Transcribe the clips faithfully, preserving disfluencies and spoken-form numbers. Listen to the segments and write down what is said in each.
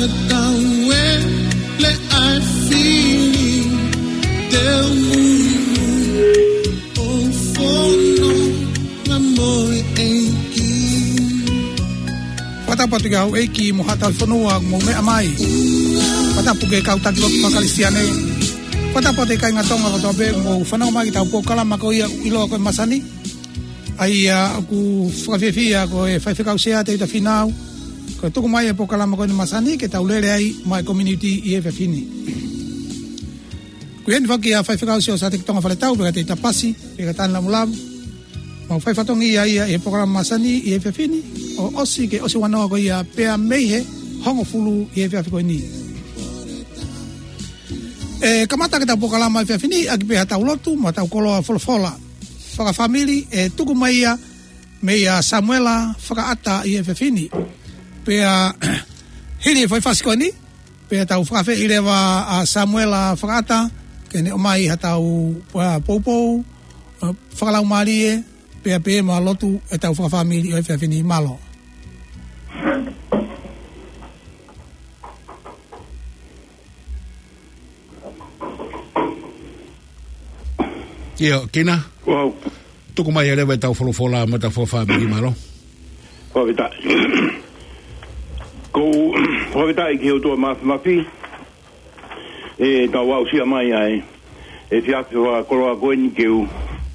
Tau e le ai fili, te u muimui, ʻo fono na mo e ʻEiki. Fakatapu atu ki he ʻEiki mo haʻa tauhi fonua mo meʻa mai. Fakatapu ki he kau taki lotu fakakalisitiane. Fakatapu atu ki he kāinga Tonga kotoa pē mo fanongo mai ki heʻetau polokalama ko ia ʻoku ʻiloa ko e Masani. ʻA ia ʻoku fakafiefia ko e faifekau Sea Teuta Fīnau, ko e tuku mai e polokalama ko eni Masani ke tau lele ai maʻa e community ʻi he efiafi ni. Ko eni foki ʻa e faifekau Siosaia Tonga Faletau, pea ka Teuta Pasi, pea ka Tani Lamulavu. Mau fai fatongia ia ʻi he polokalama Masani ʻi he efiafi ni, ʻo ʻosi ke ʻosi ua noa ko ia pea mei he hongofulu ʻi he efiafi ko eni. ʻE kamata ʻetau polokalama efiafi ni, ʻaki pē haʻatau lotu, mo ʻetau koloa folofola fakafāmili, ʻe tuku mai ia meia Samuela Fakaʻata ʻi he efiafi ni. Pea hili e foʻi fasi ko eni, pea tau fakaafeʻi leva ʻa Samuela Fakaʻata, ke ne ʻomai haʻatau, ʻa, poupou, ʻa, fakalaumālie, pea pehē mo e lotu ʻetau fakafāmili ʻo e efiafi ni. Mālō. ʻIo, Kina. Wow. Tuku mai leva ʻetau folofola mo ʻetau fakafāmili, mālō. Fakafetaʻi. Ko e fakafetaʻi ki he ʻOtua Mafimafi, ʻetau aʻusia mai ʻa e efiafi fakakoloa ko eni ke u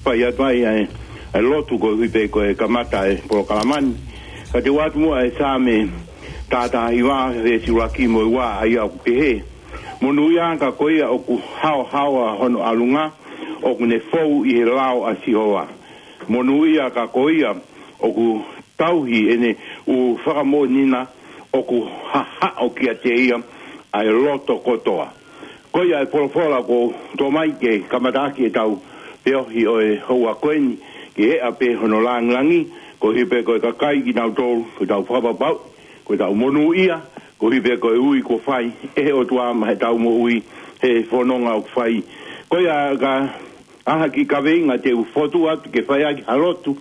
fai atu ai ʻa e, ʻa e lotu koeʻuhi pē ko e kamata e polokalama ni. Ka te u ʻoatu muʻa e Saame taha taha hiva, veesi ʻuluaki mo e ua, ʻa ia ʻoku pehē: Monūʻia ka ko ia ʻoku haohaoa hono ʻalunga, ʻoku ne fou ʻi he lao ʻa Sihova. Monūʻia ka ko ia ʻoku tauhi ʻene ʻū fakamoʻoni na, ʻoku hahaʻo kiate ia ʻa e loto kotoa. Ko ia e folofola kuo tō mai ke kamataʻaki ʻetau feohi ʻo e houa ko eni, ke eʻa pē hono lāngilangi, koeʻuhi pē ko e kakai kinautolu, ko ʻetau fakapapau, ko ʻetau monūʻia, koeʻuhi pē ko e ui kuo fai ʻe he ʻOtua maʻa ʻetau moʻui, he fononga ʻoku fai. Ko ia ka ʻi ai ha kiʻi kaveinga te u fokotuʻu atu ke fai ʻaki ha lotu,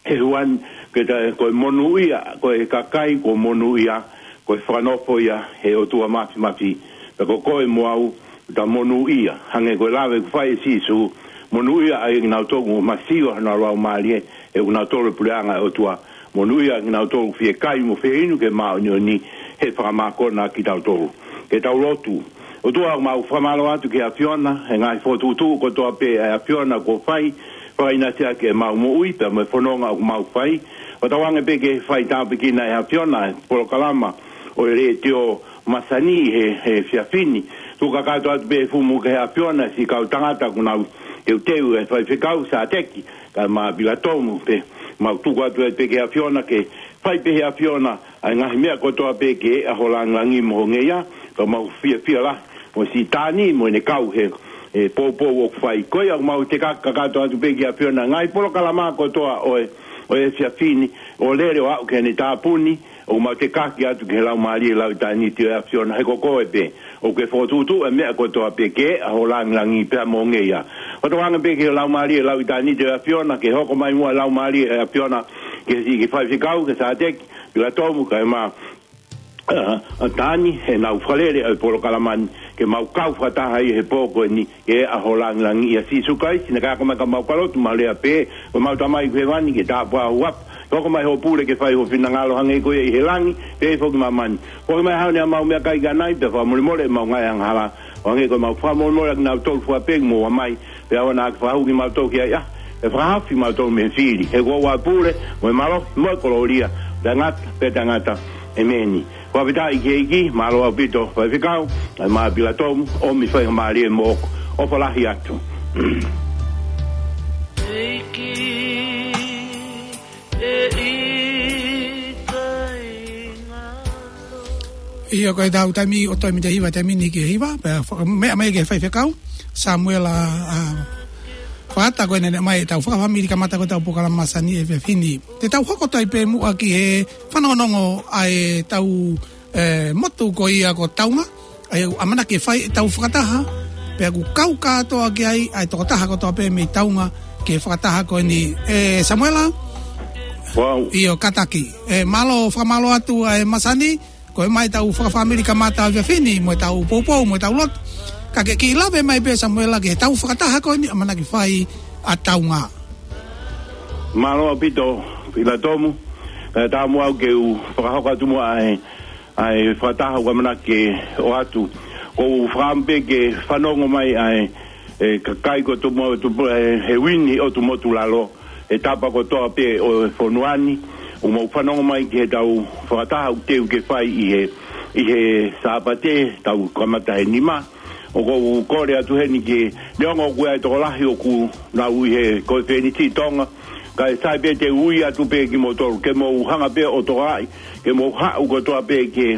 he ʻuhinga ke ta, ko e monūʻia, ko e kakai kuo monūʻia, ko e fakanofo ia ʻe he ʻOtua Mafimafi. Pea ko koe mo au, ta monūʻia, hangē ko e lave kuo fai ʻe Sīsū, monūʻia ʻa kinautolu ʻoku masiva honau laumālie, he ʻoku nau tō he puleʻanga ʻo e ʻOtua. Monūʻia ʻa kinautolu ʻoku fiekaia mo fieinua ki he māʻoniʻoni, he fakamākona kitautolu. Ke tau lotu. ʻOtua, mau fakamālō atu ki he ʻAfiona, he ngaahi fokotuʻutuʻu kotoa pē ʻa e ʻAfiona kuo fai, fakaʻinasi ʻaki ʻemau moʻui, pea mo e fononga ʻoku mau fai. Fakatauange pē ke fai tāpuekina ʻe he ʻAfiona e polokalama ʻo e letiō Masani he, he efiafi ni. Tuku kakato atu pē fumu ki he ʻAfiona siʻi kau tangata kuo nau teuteu, ʻa e faifekau Sāteki, kae ʻumaʻā Pilatomu pē. Mau tuku atu pē ki he ʻAfiona ke fai pē ʻe he ʻAfiona ʻa e ngaahi meʻa kotoa pē ke eʻa ho lāngilangi mo ho ngeia, ka mau fiefia lahi mo siʻi Tani mo ʻene kau he, he poupou ʻoku fai. Ko ia mau tekaki kakato atu pē ki he ʻAfiona ngaahi polokalama kotoa ʻo e, ʻo e efiafi ni, ʻo lele ʻo aʻu ki heʻene tāpuni, ʻoku mau tekaki atu ki he Laumālie Lauʻitāniti ʻo e ʻAfiona, he ko koe pē ʻoku ke fokotuʻutuʻu e meʻa kotoa pē ke eʻa ho lāngilangi pea mo ho ngeia. Fakatauange pē ki he Laumālie Lauʻitāniti ʻo e ʻAfiona, ke hoko mai muʻa e Laumālie ʻo e ʻAfiona, ki he siʻi kiʻi faifekau, ki he Sāteki, Pilatomu, kae ʻumaʻā, ʻa, ʻa Tani, heʻenau fakalele ʻa e polokalama ni, ke mau kau fakataha ai he pō ko eni, ke eʻa ho lāngilangi. ʻIa Sīsū Kalaisi, naʻa ke ako mai ka mau ka lotu, mau lea pē, ko homau Tamai ʻoku ʻi hēvani, ke tāpuhā ho huafa, ke hoko mai hoʻo pule, ke fai ho finangalo hangē ko ia ʻi he langi, pehē foki ʻi māmani. Foaki mai haʻane ʻa mau meʻakai ki ʻanai, pea fakamolemole ʻemau ngaahi angahala, ʻo hangē ko ʻemau fakamolemole ʻa kinautolu fua pē ʻoku mou ʻomai, pea ʻoua naʻa ke fakahū kimautolu ki he ʻahiʻahi, pea fakahaofi kimautolu mei he fili. He ko hoʻo pule, mo e mālohi, mo e kolōlia, taʻengata pea taʻengata. ʻEmeni. Fakafetaʻi ki he ʻEiki, mālō ʻaupito faifekau, kae ʻumaʻā Pilatomu, ʻomi faingamālie moʻoku, ʻofa lahi atu. ʻEiki, ʻe ʻikai ngalo. ʻIo, ko ʻetau taimi ʻo toe mita hiva, taimi ni ki he hiva, pea fa-, meʻa mai ki he faifekau Samuela, ʻa, Fakaʻata, ko ʻene ʻomai ʻetau fakafāmili kamata ko ʻetau polokalama Masani he efiafi ni. Te tau hoko atu ai pē muʻa ki he fanongonongo ʻa ʻetau, ē, motu ko ia ko Taunga, ʻa ia ʻoku ʻamanaki ke fai ʻetau fakataha, pea ʻoku kau kātoa ki ai ʻa e tokotaha kotoa pē mei Taunga ki he fakataha ko eni. Ē, Samuela? Wow. ʻIo, kātaki. Ē, mālō, fakamālō atu ʻa e Masani, Ko e mai tau fakafāmili kamata ʻaho ni mo e tau poupou mo e tau lotu. Ka ke kiʻi lave mai pē Samuela ke tau fakataha ko eni ʻamanaki fai ʻa Taunga. Mālō ʻaupito, Pilatomu. Ka tau mo au ke u fakahoko atu mo ʻa e, ʻa e fakataha ʻoku ʻamanaki ke ʻoatu. Ko u fakaʻamu pē ke fanongo mai ʻa e, e kakai ko Tumo, Tumo, e, he uini ʻo Tumotu Lalo. He tapa kotoa pē ʻo e fonua ni, ʻoku mau fanongo mai ki he tau fakataha ʻoku teu ke fai ʻi he, ʻi he Sāpate, tau kamata he nima. ʻOku ou kole atu heni ke, neongo ʻoku ʻi ai e tokolahi ʻoku nau ʻi he ko e fēniti Tonga, kae sai pē te u ui atu pē kimoutolu, ke mou hanga pē ʻo tokaʻi, ke mou haʻu kotoa pē ke,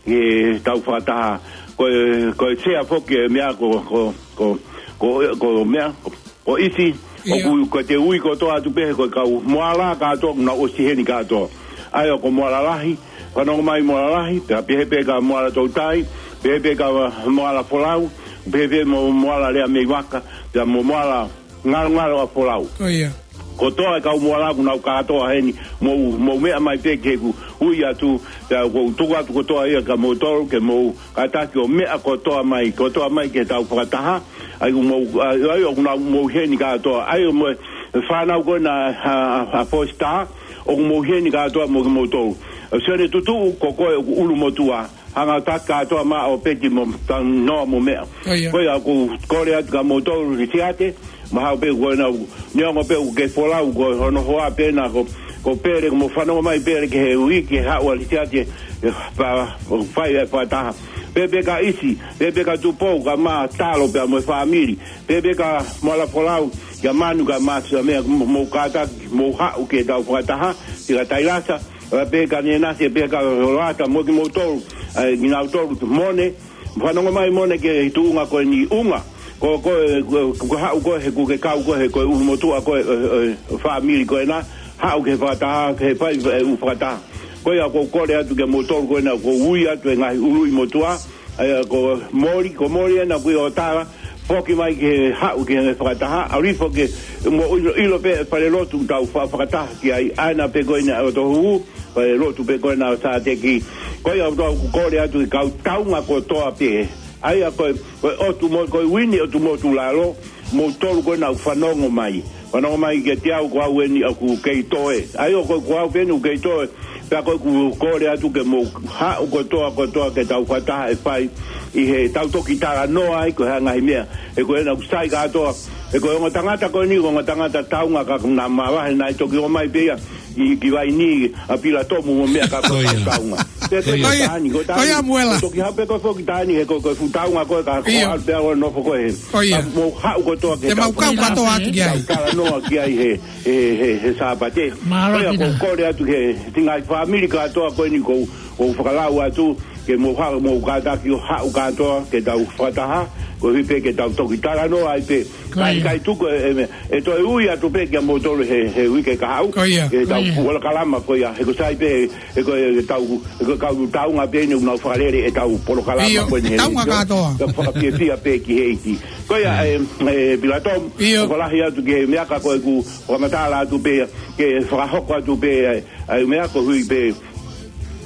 ke tau fakataha. Ko e, ko e sea foki e meʻa ko, ko, ko, ko, ko meʻa, ko, ko ʻIsi, ʻIo. ʻOku, ko te ui kotoa atu pē he ko e kau Moala kātoa, ʻoku nau ʻosi heni kātoa. ʻA ia ko Moala Lahi, fanongo mai Moala Lahi, pea pehē pē ka Moala Toutai, pehē pē ka Moala Folau, pehē pē mo Moala Lea Mei Vaka, pea mo Moala Ngalongalo ʻa Folau. Ko ia. Kotoa e kau Moala ʻoku nau kātoa heni, mou, mou meʻa mai pē ke u ui atu, pea ʻoku ou tuku atu kotoa ia kia moutolu, ke mou kātaki ʻo meʻa kotoa mai, kotoa mai ke tau fakataha, ʻa ia ʻoku mou, ʻa ia ʻoku nau mou heni kātoa, ʻa ia mo e fānau ko ena ʻa, ʻa, ʻa Fosi Taha, ʻoku mou heni kātoa mo kimoutolu. ʻA Sione Tutuʻu, ko koe ʻoku ʻulumotuʻa, hanga ʻo taki kātoa maʻa ʻo peti mo tau noa mo meʻa. Ko ia. Ko ia ʻoku ou kole atu kia moutolu Lisiate, mahalo pē ko ena, neongo pē ʻoku ke folau ko hono hoa pē na ko, ko Pele, ko mo fanongo mai Pele ki he uike haʻu ʻa Lisiate, e, pa, fai e fakataha. Pehē pē ka ʻIsi, pehē pē ka Tupou, ka Mātalo pea mo e fāmili, pehē pē ka Moala Folau, kia Manu ka Māsi, ʻa meʻa mo, mou kātaki, mou haʻu ke tau fakataha, ki ka Tailasa, ʻa pē ka Nenasi, pē ka Loata, mo kimoutolu, ʻa, kinautolu, Mone, fanongo mai Mone ki he tuʻunga ko eni ʻUnga. Ko, ko, ko, ko haʻu ko he, ko ke kau ko he, ko e ʻulumotuʻa ko e, e, e, fāmili ko ena, haʻu ke fakataha, ke fai, e, ʻū fakataha. Ko ia ʻoku ou kole atu kia moutolu ko ena, ʻoku ou ui atu e ngaahi ʻuluʻi motuʻa, ʻa ia ko Moli, ko Moli ena ʻoku ʻi ʻOtala, foki mai ke haʻu ke fakataha, ʻalu hifo ke mo ʻilo, ʻilo pē fale lotu tau fa-, fakataha ki ai, ʻa ena pē ko ena ʻo Tohu, fale lotu pē ko ena ʻo Sāteki. Ko ia ʻoku ou kole atu ki he kau Taunga kotoa pē, ʻa ia ko e, ko e ʻotu mo, ko e uini ʻo Tumotu Lalo, moutolu ko ena ʻoku fanongo mai. Fanongo mai kiate au ko au eni ʻoku kei toe. ʻA ia ko, ko au pē eni ʻoku kei toe. Pea ko ʻeku kole atu ke mou haʻu kotoa, kotoa ke tau fakataha e fai ʻi he tau toki talanoa ai ko e hā e ngaahi meʻa. He ko ena ʻoku sai kātoa. He ko e ongo tangata ko eni, ongo tangata Taunga ka na mavahe naʻe toki ō mai pē ia ʻi, ki Vaini, ʻa Pilatomu mo meʻa ka ko Ko ia. Taunga. Pea ko Ko ia. Taʻani, ko Ko ia, Taʻani. Muela. Toki hape ko foki Taʻani, he ko, ko e fuʻu Taunga ko e ka ko ʻIo. ʻAlu pē ʻo nofo ko e. Ko ia. Ka mou haʻu kotoa ke Te mau tau kau kātoa atu ki ai. Tau talanoa ki ai he, he, he, he Sāpate. Mālō Ko ia, Pita. ʻOku ou kole atu ki he, ki he ngaahi fāmili kātoa ko eni ʻoku ou, ʻoku ou fakalau atu, ke mou ha-, mou kātaki ʻo haʻu kātoa, ke tau fakataha, koeʻuhi pē ke tau toki talanoa ai pē. Ko ia. Kae, kae tuku e, e, e toe ui atu pē kia moutolu he, he uike ka haʻu. Ko ia. Ke tau Ko ia. polokalama ko ia, he ko sai pē, he ko e tau, he ko e kau Taunga pē eni ʻoku nau fakalele e tau polokalama ʻIo, ko eni he Taunga leitio. Kātoa. Ka fakafiefia pē ki he ʻEiki. Ko ia, Mm. e, e, Pilatomu, ʻIo. ʻoku lahi atu ki he meʻa ka ko ʻeku fakamatala atu pē, ke fakahoko atu pē, e, ʻa e meʻa koeʻuhi pē,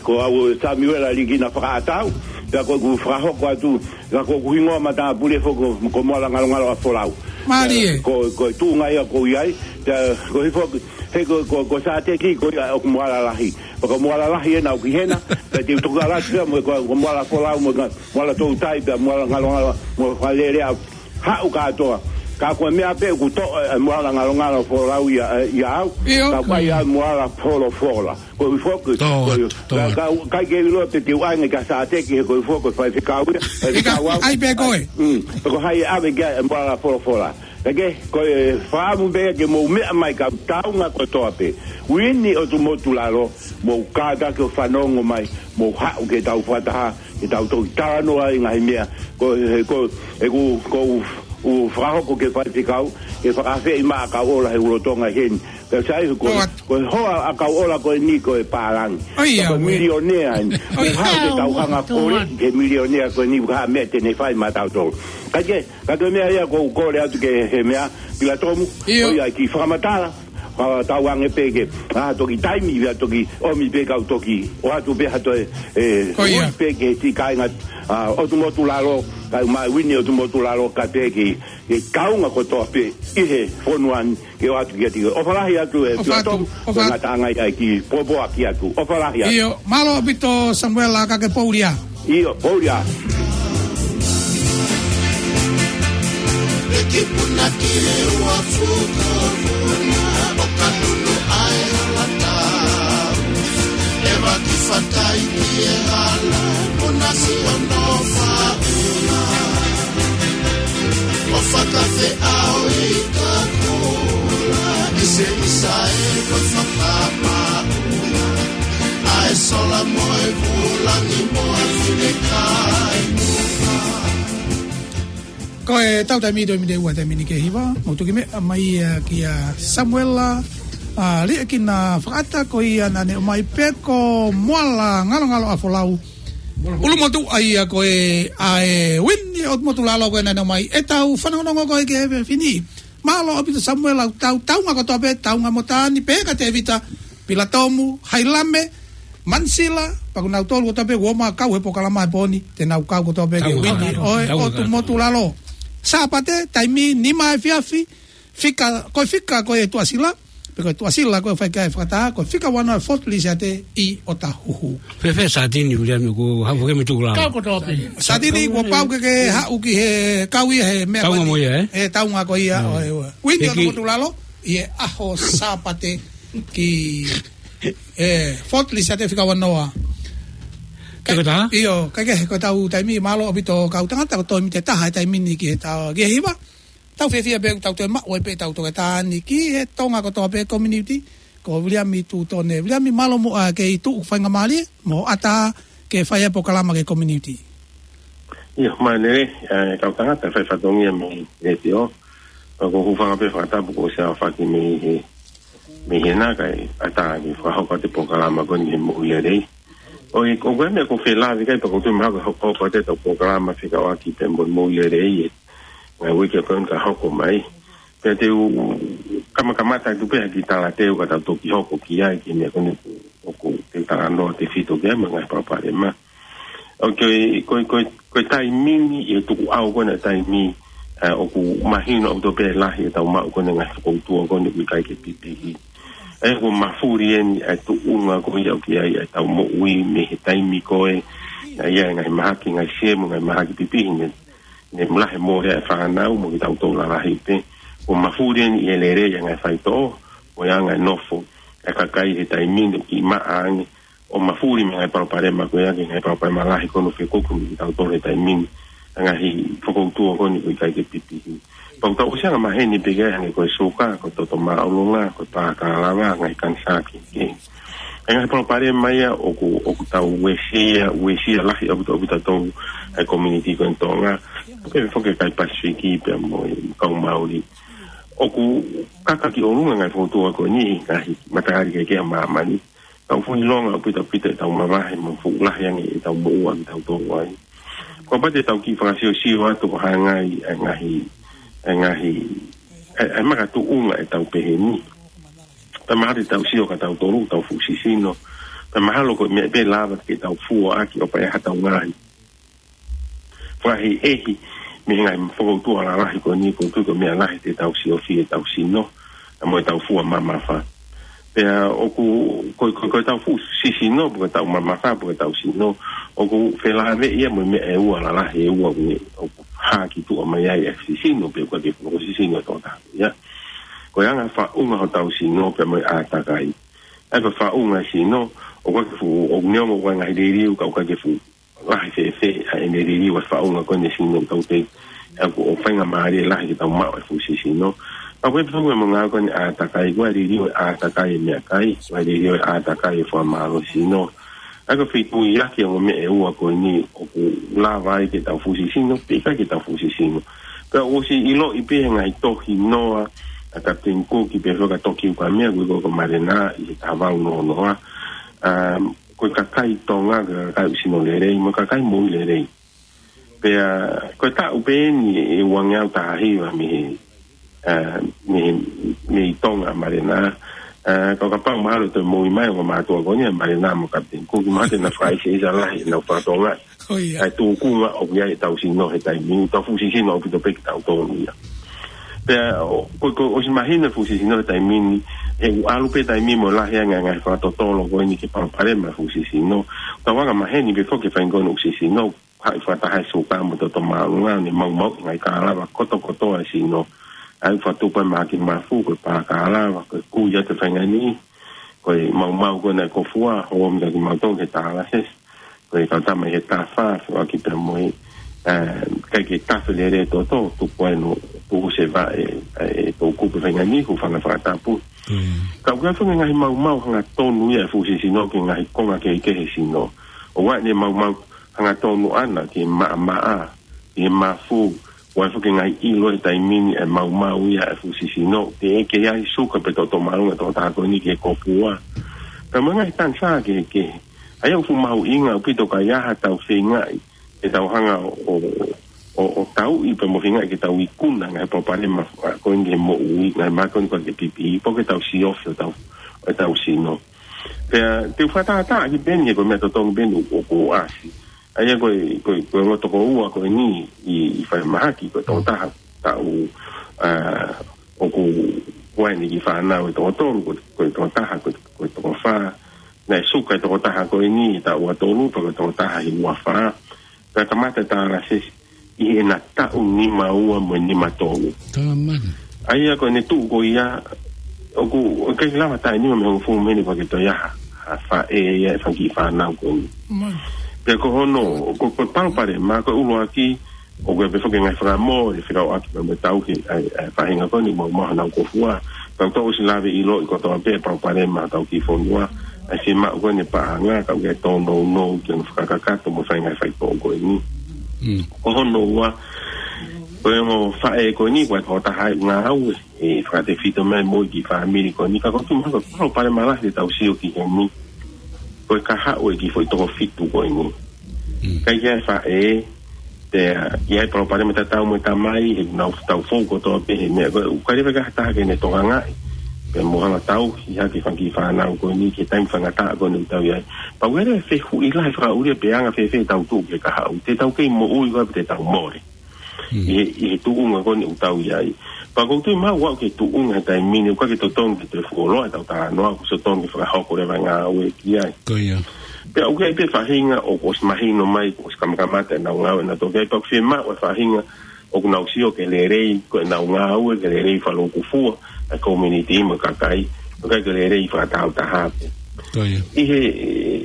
ko au Samiuela Likina Fakaʻatau, pea ko ʻeku fakahoko atu, ka ko ʻeku hingoa matāpule foki ko, ko Moala Ngalongalo ʻa Folau. Mālie. Pea ko, ko e tuʻunga ia ʻoku ou ʻi ai, pea koeʻuhi foki, he ko, ko, ko Sāteki, ko ia ʻoku Moala Lahi. Pea ko Moala Lahi ena ʻoku ʻi hena, pea te u toki ʻalu atu pea mo ko, ko Moala Folau, mo ka, Moala Toutai, pea Moala Ngalongalo, mo Fakalelea, haʻu kātoa. Ka ko e meʻa pē ʻoku toʻo e Moala Ngalongalo Folau ia, e, ia au. ʻIo. Ka ko ia Moala Folofola. Koeʻuhi foki, Tō ko, atu, tō ka, atu. ka, ka ke ʻilo pē te u ʻai ange kia Sāteki he koeʻuhi foki ko e faifekau ia, faifekau au. ʻAi pē koe. Mm, ko hai ʻave ki ai e Moala Folofola. Ka ke, ko e fakaʻamu pē ke mou meʻa mai kau Taunga kotoa pē. Uini ʻo Tumotu Lalo, mou kātaki ʻo fanongo mai, mou haʻu ke tau fakataha, ke tau toki talanoa e ngaahi meʻa. Ko, he, ko, ʻeku, ʻoku ou fakahoko ki he faifekau, ke fakaafeʻi maʻa kau ola he ʻulutonga heni. Pea sai ko, Tō atu. ko e hoa ʻa kau ola ko eni ko e pālangi. ʻOi, Ka ko e ʻauē. milionea eni. ʻOi. Ko e hā ke tau hanga Tō ʻo atu. ke milionea ko eni, ko e hā e meʻa te ne fai maʻatautolu. Ka ke, ka ko e meʻa ia ʻoku ou kole atu ki he meʻa, Pilatomu, ʻIo. ʻo ia ki he fakamatala, Ka tau ange pē ke, ʻa, toki taimi ia toki ʻomi pē kau toki ʻoatu pē ha toe, e, Ko ia. ui pē ke ti kāinga, ʻa, ʻOtu Motu Lalo, kae ʻumaʻā Uini ʻOtu Motu Lalo ka te ki, ke kaunga kotoa pē ʻi he fonua ni ke ʻoatu kiate koe. ʻOfa lahi atu e ʻOfa atu, Tuʻatomu, ʻofa atu. Ngataʻanga ia ki popoaki atu. ʻOfa lahi atu. ʻIo, mālō ʻaupito Samuela ka ke poulia. ʻIo, poulia. Ekipuna ki he ua fuko puna, ʻo ka nunu ai hala tau. E vaki fatai ki he hala, puna si ono fauna. ʻO fakafeʻao i ka kola, ʻi se isa e ko fakamauna. ʻA e sola mo e vula ni mo e finekai. Ko e tau taimi, taimi te ua taimi ni ke hiva, mo tuki meʻa mai ia kia Samuela, ʻa, Liʻekina Fakaʻata ko ia naʻa ne ʻomai pē ko Moala Ngalongalo ʻa Folau. ʻUlumotuʻa ia ko e ʻa e Uini ʻOtu Motu Lalo ko e naʻa ne ʻomai e tau fanongonongo ko e ke he fini. Mālō ʻaupito Samuela, tau, taunga kotoa pē, taunga mo Tani, pē ka Tevita, Pilatomu, Hailame, Mansila, pea ko nautolu kotoa pē, ʻoku ō mai ʻo kau he polokalama he pō ni, te nau kau kotoa pē ke Taunga, Uini, taunga, ʻo e taunga, ʻOtu taunga. Motu Lalo. Sāpate, taimi nima efiafi, fika, ko e fika, ko e Tuʻasila, pe ko e Tuʻasila, ko e fai ki ai e fakataha, ko e fika ua noa Fort Lisiate ʻi ʻOtahuhu. Fēfē Satini, Viliami, ko hau ke me tuku lava. Kau kotoa pē. Satini, kuo pau ke ke haʻu ki he kau ia he meʻa Taunga ko eni. mo ia, ē? E, taunga ko ia, Mm. ʻo e, ʻo e. Uini Hiki. ʻOtu Motu Lalo, ʻi he ʻaho Sāpate ki, e, Fort Lisiate fika ua noa. Ke ko taha? ʻIo, ka ke ko e tau taimi, mālō ʻaupito kau tangata, ko e taimi te taha e taimi ni ki he tau, ki he hiva. Tau fiefia pē, tau toe maʻu ai pē, tau toe tāni ki he Tonga kotoa pē community, ko Viliami Tutone. Viliami, mālō muʻa ke tuʻu faingamālie mo ʻatā ke fai e polokalama ki he community. ʻIo, mālō, e, kau tangata, fai fatongia mei he letiō. Ka ko e hūfanga pē fakatapu kuo ʻosi ʻaofaki mei he, mei he nā kae ʻatā ke fakahoko atu e polokalama ko eni he moʻui lelei. ʻOi, ko e meʻa ko e felāveʻi kai pea ko e toe mahalo ke hoko, hoko atu e tau polokalama fekauʻaki pea mo e moʻui lelei e ngaahi uike ko eni ka hoko mai. Pea te u kamakamata atu pē ha kiʻi talateu ka tau toki hoko ki ai ki he meʻa ko eni ʻoku te talanoa tefito ki ai mo e ngaahi palopalema. ʻOku, ko e, ko e, ko e taimi ni ʻi he tukuʻau ko ena taimi, ʻa, ʻoku mahino ʻaupito pē lahi e tau maʻu ko ena ngaahi fokoutua ko eni ʻoku ʻikai ke pipihi. ʻE, kuo mafuli eni e tuʻunga ko ia ʻoku ʻi ai e tau moʻui mei he taimi ko ē, naʻe ʻi ai e ngaahi mahaki, ngaahi siemu, ngaahi mahaki pipihi ne, ne lahi mole e fānau mo kitautolu lalahi pē. Kuo mafuli eni e lelei e ngaahi faitoʻo, mo e anga e nofo e kakai he taimi ni ʻoku kiʻi maʻa ange, ʻo mafuli mei he ngaahi palopalema ko ia ki he ngaahi palopalema lahi ko eni ʻoku fekuki mo kitautolu he taimi ni, e ngaahi fokoutua ko eni ʻoku ʻikai ke pipihi. Pea ʻoku tau ʻosi angamaheni pē ki ai hangē ko e suka, ko e toto māʻolunga, ko e pā kalava, ngaahi kanisā kehekehe. E ngaahi palopalema ia ʻoku, ʻoku tau uesia, uesia lahi ʻaupito, ʻaupito ʻa e community ko eni Tonga, pea foki e kakai Pasifiki pea mo e kau Mauli. ʻOku kaka ki ʻolunga e ngaahi fokoutua ko eni he ngaahi matahari kehekehe ʻa māmani. Tau fuʻu ʻilonga ʻaupito, ʻaupito e tau mavahe mo fuʻu lahi ange e tau moʻua kitautolu ai. Kapau te tau kiʻi fakasiosio atu ko e hā e ngaahi, e ngaahi, e ngaahi, e, e makatuʻunga e tau pehē ni. Pea mahalo te tau sio kia tautolu, tau fuʻu sisino. Pea mahalo ko e meʻa pē lava ke tau fua ʻaki ʻo pehē ha tau ngaahi fakaʻehiʻehi mei he ngaahi fokoutua lalahi ko eni, ko e tuʻu ko e meʻa lahi te tau siofia e tau sino, mo e tau fua mamafa. Pea ʻoku, ko, ko, ko e tau fuʻu sisino, pe ko e tau mamafa, pe ko e tau sino, ʻoku felāveʻi ia mo e meʻa ʻe ua lalahi ʻe ua ʻoku, ʻoku hā ki tuʻa mai ai e sisino, pe ko e ke fuʻu sisino tō taha ia. Ko e anga faʻunga hotau sino, pea mo e ʻātakai. ʻA ia ko e faʻunga e sino, ʻoku ʻikai ke fuʻu, ʻoku neongo ʻoku ʻi ai e ngaahi liliu, ka ʻoku ʻikai ke fuʻu lahi fēfē ʻa ʻene liliu e faʻunga ko eni e sino ʻoku tau tei, ʻa ia ko e faingamālie lahi ke tau maʻu e fuʻu sisino. Pea ko e pehē mo e ngaahi ko eni ʻātakai, ko e liliu e ʻātakai e meʻakai, ko e liliu e ʻātakai e fakamālohisino. ʻA ia ko e feituʻu ia ki he ongo meʻa ʻe ua ko eni ʻoku lava ai ke tau fuʻu sisino, pe ʻikai ke tau fuʻu sisino. Pea ʻoku ʻosi ʻiloʻi pē he ngaahi tohi noa ʻa Captain Cook pea foki ʻa Tokiu Kamea, ko e ko ko Marena ʻi he taha valu noa noa. Um, ko e kakai Tonga, ko e kakai ʻoku sino lelei, mo e kakai moʻui lelei. Pea, ko e taʻu pē eni ʻe uangeau taha hiva mei he, ʻa, mei, mei Tonga ʻa Malena. ʻA, ka kapau mahalo ʻe toe moʻui mai ʻa e ongo mātuʻa ko eni ʻa Malena mo Kapiteni Kuki, mahalo te na fakaʻiseʻisa lahi ʻenau fatongia. ʻO ia. ʻA e tūkunga ʻoku ʻi ai ʻetau sino he taimi ni, tau fuʻu sisino ʻaupito pē kitautolu ia. Pea, ʻo, ko, ko, ʻosi mahino e fuʻu sisino he taimi ni, he ʻoku ʻalu pē taimi mo lahi ange ngaahi fakatotolo ko eni ki he palopalema e fuʻu sisino. Tau angamaheni pē foki e faʻahinga ko eni ʻoku sisino, haʻi fakataha e suka mo e toto māʻolunga, ne maumau ngaahi kalava kotokotoa e sino. ʻA ia ʻoku fakatupu ai mahaki mafu, ko e pā kalava, ko e kui atu e faʻahinga ni, ko e maumau ko ena e kofua, ʻo mita ki mautolu ke tālase. Ko e kau tama ʻi he tafa, fua ki pea mo e, ʻa, ʻikai ke tafe lelei e toto, tupu ai ʻo tuʻusi e vaʻe, ʻa e toʻukupu e faʻahinga ni, hūfanga he fakatapu. Mm. Ka ʻoku ʻi ai foki e ngaahi maumau hangatonu ia e fuʻu sisino ki he ngaahi konga kehekehe e sino. ʻOku ʻi ai e maumau hangatonu ʻana ki he maʻamaʻa, ki he mafu, ʻoku ʻi ai foki e ngaahi ʻilo he taimi ni e maumau ia e fuʻu sisino, teʻeki ai suka pe toto māʻolunga e tokotaha ko eni ki he kofua. Ka mo e ngaahi taimi kehekehe. ʻA ia ʻoku fuʻu mahuʻinga ʻaupito ka ʻi ai haʻatau feingaʻi, ke tau hanga ʻo, ʻo, ʻo, ʻo tauʻi pea mo feingaʻi ke tau ikuna e ngaahi palopalema ko eni ki he moʻui, ngaahi mahaki ko eni ko e pipi, pe ko ʻetau siofi ʻo tau, ʻetau sino. Pea, te u fakatātā ki Peni, ko e meʻa totongi Peni ʻoku, ʻoku ʻasi. ʻA ia ko e, ko e, ko e ongo tokoua ko eni ʻi, ʻi fai mahaki, ko e tokotaha taʻu, ʻa, ʻoku, ko eni ki he fānau ʻe toko tolu, ko, ko e tokotaha, ko, ko e toko fā. Naʻe suka e tokotaha ko eni ʻi he taʻu ua tolu, pea ko e tokotaha ʻi he ua fā. Pea kamata e tālasi ʻi heʻena taʻu nima ua mo e nima tolu. Tamani. ʻA ia ko ʻene tuʻu ko ia, ʻoku, ʻoku ʻikai lava taʻu nima mei he hongofulu mei heni pea ke toe ʻi ai ha, ha faʻē ia ʻi he fanga kiʻi fānau ko eni. Mani. Pea ko hono, ko, ko e palopalema, ko e ʻuluaki, ʻoku ʻi ai pē foki e ngaahi fakamole, fekauʻaki pea mo e tauhi ʻa e, ʻa e faʻahinga ko eni, mo, mo honau kofua. Tau tau ʻosi lave ʻiloʻi kotoa pē e palopalema ʻa hotau kiʻi fonua, ʻa e fiemaʻu ko eni e paʻanga, ka ʻoku ʻi ai e tōnounou ki hono fakakakato mo e fai e ngaahi faitoʻo ko eni. Mm. Ko hono ua, ko e ongo faʻē ko eni, ko e tokotaha ʻoku ngāue, ʻe fakatefito mai mo e kiʻi fāmili ko eni, ka ʻoku ou tui mahalo ko e palopalema lahi te tau sio ki heni, ko e kahaʻu e kiʻi foʻi toko fitu ko eni. Mm. ʻIkai ke ʻi ai e faʻē, pea ʻi ai e palopalema tatau mo e tamai, he nau tau fou kotoa pē he meʻa ko ē, ʻoku ʻikai leva ke ʻi ai ha taha ke ne tokangaʻi. Pea mo hanga ʻo tauhi hake e fanga kiʻi fānau ko eni ki he taimi faingataʻa ko eni ʻoku tau ʻi ai. Pea ʻoku ʻi ai e fehuʻi lahi fakaʻulia pe anga fēfē ʻetau tuʻu ki he kahaʻu. Te tau kei moʻui koā pe te tau mole. Mm. ʻI he, ʻi he tuʻunga ko eni ʻoku tau ʻi ai. Pea ʻoku ou tui mahalo ʻoku aʻu ki he tuʻunga he taimi ni, ʻoku ʻikai ke totonu ke toe fuoloa ʻetau talanoa, ʻoku totonu ke fakahoko leva e ngāue ki ai. Ko ia. Pea ʻoku ʻi ai pē faʻahinga ʻoku ʻosi mahino mai, ʻoku ʻosi kamakamata ʻenau ngāue ʻenau toki ai, pea ʻoku fiemaʻu e faʻahinga ʻoku nau sio ki he lelei ko ʻenau ngāue, ki he lelei fakaloukufua ʻa e community mo e kakai, ʻoku ʻikai ke lelei fakatāutaha pē. Ko ia. ʻI he,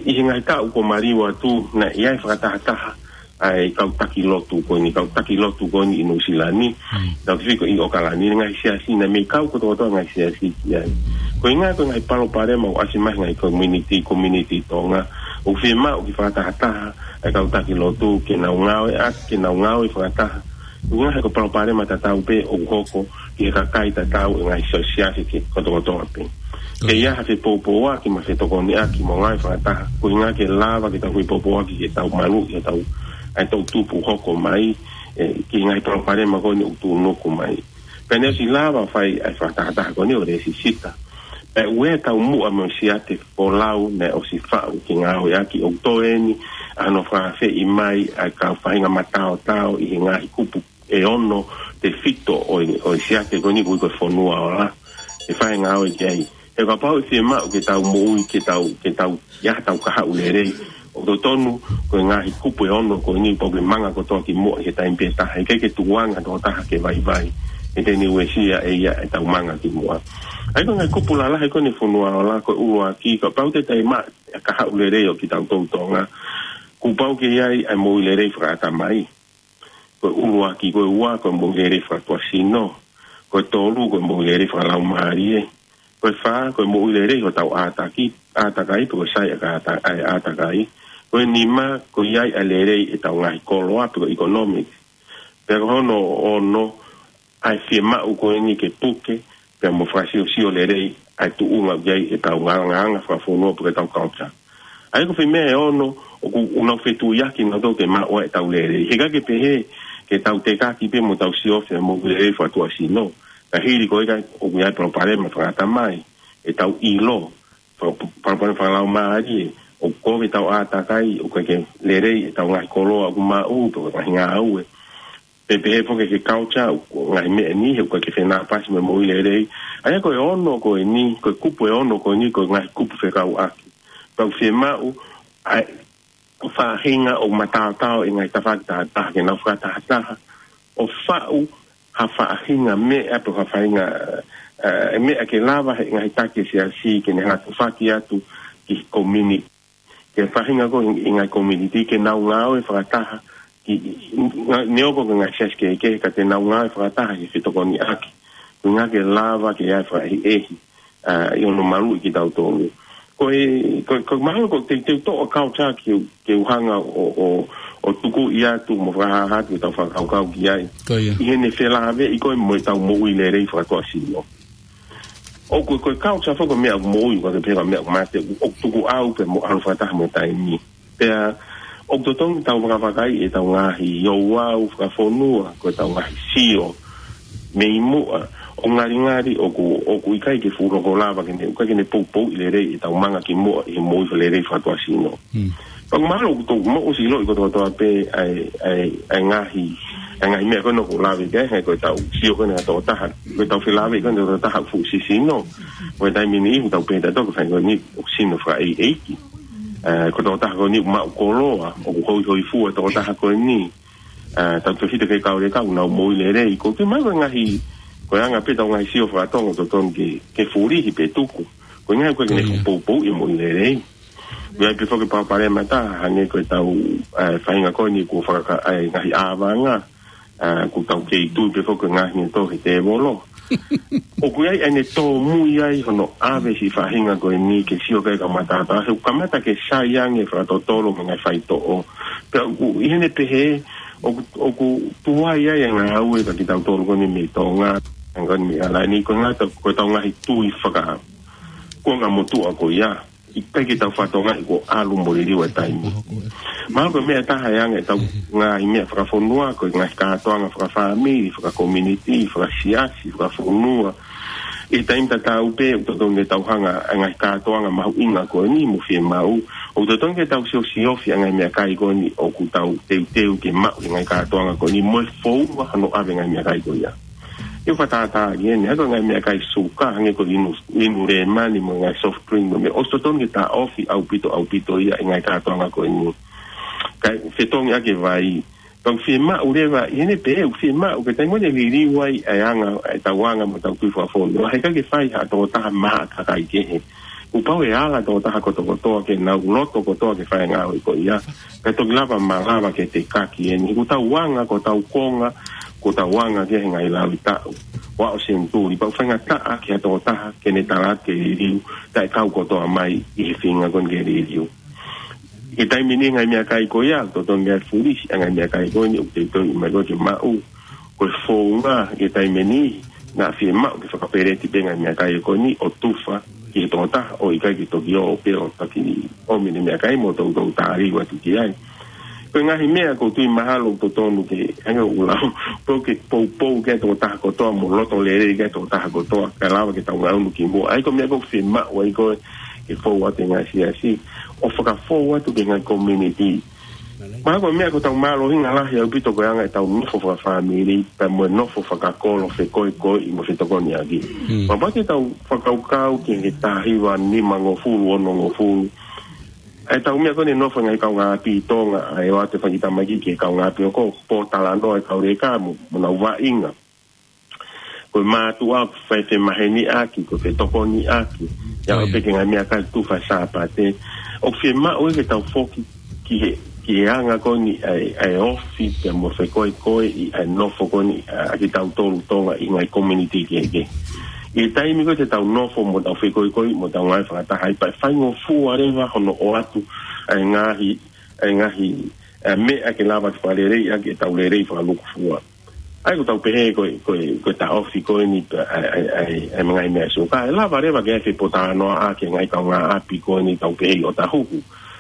ʻi he ngaahi taʻu kuo maliu atu, naʻe ʻi ai e fakatahataha ʻa e kau taki lotu ko eni, kau taki lotu ko eni ʻi Nuʻusila ni, Mm. tau ki fiko ʻi ʻAokalani, ngaahi siasi, naʻe mei kau kotokotoa ngaahi siasi ki ai. Ko e ʻuhinga ko e ngaahi palopalema ʻoku ʻasi mai he ngaahi community, community Tonga, ʻoku fiemaʻu ke fakatahataha e kau taki lotu ke nau ngāueʻaki, ke nau ngāue fakataha. Ko e ʻuhinga he ko e palopalema tatau pē ʻoku hoko ki he kakai tatau ʻi he ngaahi siasi kotokotoa pē. Ko ia. Ke ʻi ai ha fepoupouaki mo e fetokoniʻaki mo e ngāue fakataha. Ko e ʻuhinga ke lava ke tau fepoupouaki ke tau maluʻi ʻetau, ʻa e toʻutupu hoko mai, ʻe, ki he ngaahi palopalema ko eni ʻoku tuʻunuku mai. Pea naʻe ʻosi lava fai ʻa e fakatahataha ko eni ʻo e lēsisita. Pea ʻoku ʻi ai e taumuʻa mo e siate folau naʻe ʻosi faʻu ke ngāueʻaki, ʻoku toe eni ʻa hono fakaafeʻi mai ʻa e kau faʻahinga mataotao ʻi he ngaahi kupu ʻe ono tefito ʻo e, ʻo e siate ko eni ʻoku ui ko e Fonua Ola. ʻE fai e ngāue ki ai. He kapau ʻe fiemaʻu ke tau moʻui, ke tau, ke tau ʻi ai haʻatau kahaʻu lelei, ʻoku totonu ko e ngaahi kupu ʻe ono ko eni pau ke manga kotoa ki muʻa he taimi pē taha. He ʻikai ke tukuange ha tokotaha ke vaivai. He te ne uesia ʻe ia ʻetau manga ki muʻa. ʻA ia ko e ngaahi kupu lalahi ko eni Fonua Ola, ko e ʻuluaki, kapau te tau maʻu e kahaʻu lelei ʻo kitautolu Tonga, kuo pau ke ʻi ai ʻa e moʻui lelei fakaʻatamai. Ko e ʻuluaki. Ko e ua, ko e moʻui lelei fakatuʻasino. Ko e tolu, ko e moʻui lelei fakalaumālie. Ko e fā, ko e moʻui lelei hotau ʻātaki, ʻātakai, pe ko e sai ʻa e ʻāta-, ʻa e ʻātakai. Ko e nima, ko e ʻi ai ʻa e lelei ʻetau ngaahi koloa, pe ko e economics. Pea ko hono ono, ʻa e fiemaʻu ko eni ke puke, pea mo fakasiosio lelei ʻa e tuʻunga ʻoku ʻi ai ʻetau ngaahi anga fakafonua pe ko ʻetau culture. ʻA ia ko e foʻi meʻa ʻe ono, ʻoku, ʻoku nau fetuiaki nautolu ke maʻu ʻetau lelei. He ʻikai ke pehē ke tau tekaki pē mo tau siofi e moʻui lelei fakatuʻasino. Ka hili ko ia ʻoku ʻi ai e palopalema fakaʻatamai, ʻetau ʻilo, pa-, pa-, palopalema fakalaumālie, ʻoku kovi ʻetau ʻātakai, ʻoku ʻikai ke lelei ʻetau ngaahi koloa ʻoku maʻu, pe ko e ngaahi ngāue. Pe pehē foki ki he culture, ʻoku ngaahi meʻa ni, he ʻoku ʻikai ke fenāpasi mo e moʻui lelei. ʻA ia ko e ono ko eni, ko e kupu ʻe ono ko eni, ko e ngaahi kupu fekauʻaki. Pea ʻoku fiemaʻu, ʻa e faʻahinga ʻoku mataotao ʻi he ngaahi tafaʻaki tahataha ke nau fakatahataha ʻo faʻu ha faʻahinga meʻa pe ha faʻahinga, ē, meʻa ke lava he ngaahi taki ʻo e siasi ke ne hanga ʻo tufaki atu ki he community. Ke faʻahinga ko ē ʻi he ngaahi community ke nau ngāue fakataha ki, nga-, neongo ko e ngaahi siasi kehekehe ka te nau ngāue fakataha he fetokoniʻaki. Ko e ʻuhinga ke lava ke ʻi ai e fakaʻehiʻehi, ā, ʻi hono maluʻi kitautolu. Ko e, ko, ko e mahalo ko e teuteu toʻo culture ke, ke u hanga ʻo, ʻo, ʻo tukuʻi atu mo fakahāhā atu ʻetau fakakaukau ki ai. Ko ia. ʻI heʻene felāveʻi ko ē mo ʻetau moʻui lelei fakatuʻasino. ʻOku, ko e culture foki ko e meʻa ʻoku moʻui, ʻoku ʻikai ke pehē ko e meʻa ʻoku mate, ʻoku tukuʻau pē mo ʻalu fakataha mo e taimi. Pea, ʻoku totonu ke tau vakavakaiʻi ʻetau ngaahi ouau fakafonua, ko ʻetau ngaahi sio mei muʻa, ʻo ngalingali ʻoku, ʻoku ʻikai ke fuʻu loko lava ke ne, ʻikai ke ne poupouʻi lelei ʻetau manga ki muʻa ʻi he moʻui fakalelei fakatuʻasino. Hmm. Pea mahalo ʻoku tau moʻusi ʻiloʻi kotokotoa pē ʻa e, ʻa e, ʻa e ngaahi, ʻa e ngaahi meʻa ko ena ʻoku lave ki ai, he ko ʻetau sio ko ena ʻa e tokotaha, ko ʻetau felāveʻi ko ena ʻa e tokotaha fuʻu sisino. Ko e taimi ni ʻoku tau pehē ʻe tautolu ko e faʻahinga ko eni ʻoku sino fakaʻeiʻeiki. Ē, ko e tokotaha ko eni ʻoku maʻu koloa, ʻoku hoihoifua e tokotaha ko eni. Ē, tautefito ki he kau leka ʻoku nau moʻui lelei. Ko e tui mai ko e ngaahi, ko e anga pē ʻetau ngaahi sio faka-Tonga ʻoku totonu ke, ke fulihi pe tuku. Ko e ngaahi ʻoku ʻikai ke ne Ko ia. fuʻu poupouʻi e moʻui lelei. ʻOku ʻi ai pē foki e palopalema ʻe taha, hangē ko ʻetau, ē, faʻahinga ko eni kuo fakaka-, ē, ngaahi ʻāvanga, ē, ʻoku tau kei tui pē foki ko e ngaahi meʻa ʻoku tō he tēvolo. ʻOku ʻi ai ʻene tōmui ai hono ʻave siʻi faʻahinga ko eni ke sio ki ai e kau mataotao, he ʻoku kamata ke sai ange fakatotolo mo e ngaahi faitoʻo. Pea ʻoku ʻi heʻene pehē, ʻoku, ʻoku tuai ai e ngāue kia kitautolu ko eni mei Tonga, ʻa eni ko eni mei ʻAokalani, ko e ngata, ko ʻetau ngaahi tui faka-, kuonga motuʻa ko ia. ʻIkai ke tau fakatokangaʻi kuo ʻalu mo liliu e taimi. Mahalo ko e meʻa ʻe taha ʻe anga ʻetau ngaahi meʻa fakafonua, ko e ngaahi kātoanga fakafāmili, fakakominiti, fakasiasi, fakafonua. ʻI he taimi tatau pē, ʻoku totonu ke tau hanga ʻa e ngaahi kātoanga mahuʻinga ko eni mo fiemaʻu. ʻOku totonu ke tau siosiofi ʻa e ngaahi meʻakai ko eni ʻoku tau teuteu ke maʻu ʻe he ngaahi kātoanga ko eni mo e founga hono ʻave e ngaahi meʻakai ko ia. ʻIo fakatātā ki heni, hangē ko e ngaahi meʻakai suka, hangē ko e inu, inu lēmani mo e ngaahi soft drink mo e meʻa, ʻoku totonu ke taʻofi ʻaupito, ʻaupito ia ʻe he ngaahi kātoanga ko eni. Kae fetongi ʻaki e vai. Pea ʻoku fiemaʻu leva, ʻi heʻene pehē ʻoku fiemaʻu, ko e taimi ʻoku ne liliu ai ʻa e anga, ʻa ʻetau anga mo ʻetau tui fakafonua, he ʻikai ke fai ha tokotaha maʻa kakai kehe. Kuo pau ʻe ala e tokotaha kotokotoa ke nau loto kotoa ke fai e ngāue ko ia. Kae toki lava malava ke tekaki eni. He ko ʻetau anga, ko ʻetau konga, ko ʻetau anga ki he ngaahi laui taʻu ʻo e senituli. Pea ʻoku faingataʻa ki ha tokotaha ke ne tala atu ke liliu, taʻe kau kotoa mai ʻi he feinga ko eni ke liliu. ʻI he taimi ni e ngaahi meʻakai ko ia, totonu ke fulisi ʻa e ngaahi meʻakai ko eni ʻoku teuteu mai ko ē ke maʻu. Ko e founga ʻi he taimi ni, naʻa fiemaʻu ke fakapeleti pē e ngaahi meʻakai ko eni ʻo tufa ki he tokotaha ʻo ʻikai ke toki ō pē ʻo taki ʻomi e meʻakai mo toutou tali atu ki ai. Ko e ngaahi meʻa ʻoku ou tui mahalo ʻoku totonu ke, hangē ko ʻeku lau, pau ke poupou ki ai e tokotaha kotoa mo loto lelei ki ai e tokotaha kotoa, kae lava ke tau ngaʻunu ki muʻa. ʻA ia ko e meʻa ʻoku fiemaʻu ai ko ē ke fou atu e ngaahi siasi, ʻo fakafou atu ki he ngaahi community. Mahalo ko e meʻa ʻoku tau mālohinga lahi ʻaupito ko e anga ʻetau nofo fakafāmili, pea mo e nofo fakakolo fekoekoeʻi mo fetokoniʻaki. Hmm. Kapau te tau fakakaukau ki he taha hiva nimangofulu onongofulu. ʻA ʻetau meʻa ko eni e nofo e ngaahi kaungāʻapi ʻi Tonga, ʻa e ʻoatu e fanga kiʻi tamaiki ki he kaungāʻapi ʻoku pōtalanoa e kau leka mo, mo nau vaʻinga. Ko e mātuʻa ʻoku fai femaheniʻaki, ko e fetokoniʻaki. ʻIo, ʻio. Pea ko e ngaahi meʻakai ʻoku tufa he Sāpate. ʻOku fiemaʻu ke tau foki ki he, ki he anga ko eni ʻa e, ʻa e ofi pea mo e fekoekoeʻi ʻa e nofo ko eni ʻa, ʻa kitautolu Tonga ʻi he ngaahi community kehekehe. ʻI he taimi ko ē te tau nofo mo tau fekoekoeʻi mo tau ngāue fakataha ai, pea ʻe faingofua leva hono ʻoatu ʻa e ngaahi, ʻa e ngaahi, ʻa e meʻa ke lava ke fakaleleiʻaki ʻetau lelei fakalūkufua. ʻA ia ʻoku tau pehē ko e, ko e, ko e taʻofi ko eni ʻa e, ʻa e, ʻa e, ʻa e ngaahi meʻa suka. ʻE lava leva ke ʻai e fepōtalanoaʻaki e ngaahi kaungāʻapi ko eni tau pehē ʻi ʻOtahuhu.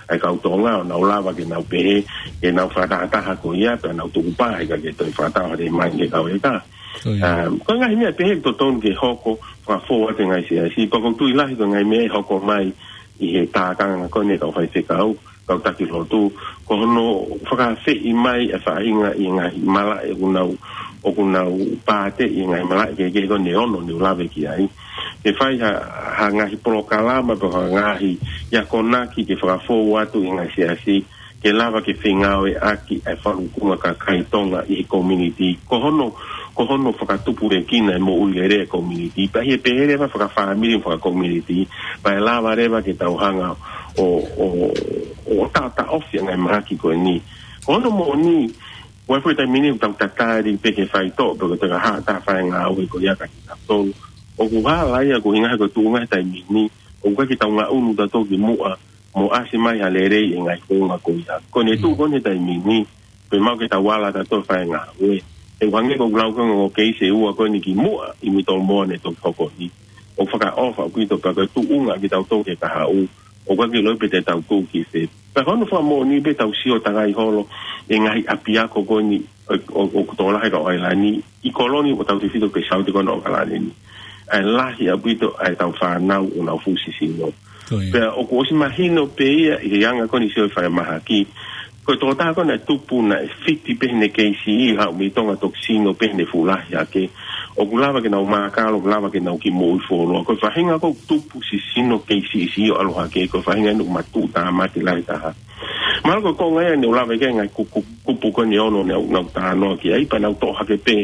ʻa e kau Tonga, ʻo nau lava ke nau pehē, ke nau fakatahataha ko ia, pea nau tukupā, ʻikai ke toe fakatau ha tēmani ke kau ʻe ka. Ko ia. Um, ko e ngaahi meʻa pehē totonu ke hoko, fakafou atu e ngaahi siasi, pea ʻoku ou tui lahi ko e ngaahi meʻa ʻe hoko mai ʻi he tākanga ko eni ʻa e kau faifekau, kau taki lotu, ko hono fakaafeʻi mai e faʻahinga ʻi he ngaahi malaʻe ʻoku nau, ʻoku nau pātē ʻi he ngaahi malaʻe kehekehe ko eni ʻe ono ne u lave ki ai. Ke fai ha, ha ngaahi polokalama pe ha ngaahi akonaki ke fakafou atu ʻi he ngaahi siasi, ke lava ke fengāueʻaki e faʻunga kakai Tonga ʻi he community. Ko hono, ko hono fakatupulekina e moʻui lelei e community. Pea ʻi he pehē leva fakafāmili mo fakacommunity, pea ʻe lava leva ke tau hanga ʻo, ʻo, ʻo taʻotaʻofi ʻa e ngaahi mahaki ko eni. Ko hono moʻoni, ʻoku ʻi ai e foʻi taimi ni ʻoku tau tatali pē ki he faitoʻo, pe ko e teka ha ta fai ngāue ko ia ka ki ta tolu. ʻOku hala ia ko e ʻuhinga he ko e tuʻunga he taimi ni, ʻoku ʻikai ke tau ngaʻunu tautolu ki muʻa, mo ʻasi mai ha lelei ʻi he ngaahi founga ko ia. Ko ʻene tuʻu ko eni he taimi ni, pea maʻu ke tau ala tautolu fai ngāue. ʻE hangē ko ʻeku lau ko ē ʻo e keisi ʻe ua ko eni ki muʻa ʻi Mitolomō ne toki hoko ni. ʻOku fakaʻofa ʻaupito pea ko e tuʻunga kitautolu ki he kahaʻu. ʻOku ʻikai ke ʻilo pe te tau tuʻu ki fē. Pea ko hono fakamoʻoni pē tau sio takai holo ʻi he ngaahi ʻapiako ko eni ʻo, ʻo, ʻoku tokolahi e kau ʻAilani, ʻi Koloni mo tautefito ki he Saute ko ena ʻo ʻAokalani ni. ʻA e lahi ʻaupito ʻa e tau fānau ʻoku nau fuʻu sisino. Ko ia. Pea ʻoku ʻosi mahino pē ia ʻi he anga ko eni sio e falemahaki. Ko e tokotaha ko ena ʻe tupu naʻe fiti pē heʻene keisi ʻi haʻu mei Tonga toki sino pē heʻene fuʻu lahi hake. ʻOku lava ke nau mākalo, ʻoku lava ke nau kiʻi moʻui fuoloa. Ko e faʻahinga ko ē ʻoku tupu sisino keisi ʻi siʻi ʻo ʻalu hake, ko e faʻahinga eni ʻoku matuʻutāmaki lahi taha. Mahalo ko e konga ia ne u lave ki ai e ngaahi ku-, ku-, kupu ko eni ʻe ono ne u, ne u talanoa ki ai pea ne u toʻo hake pē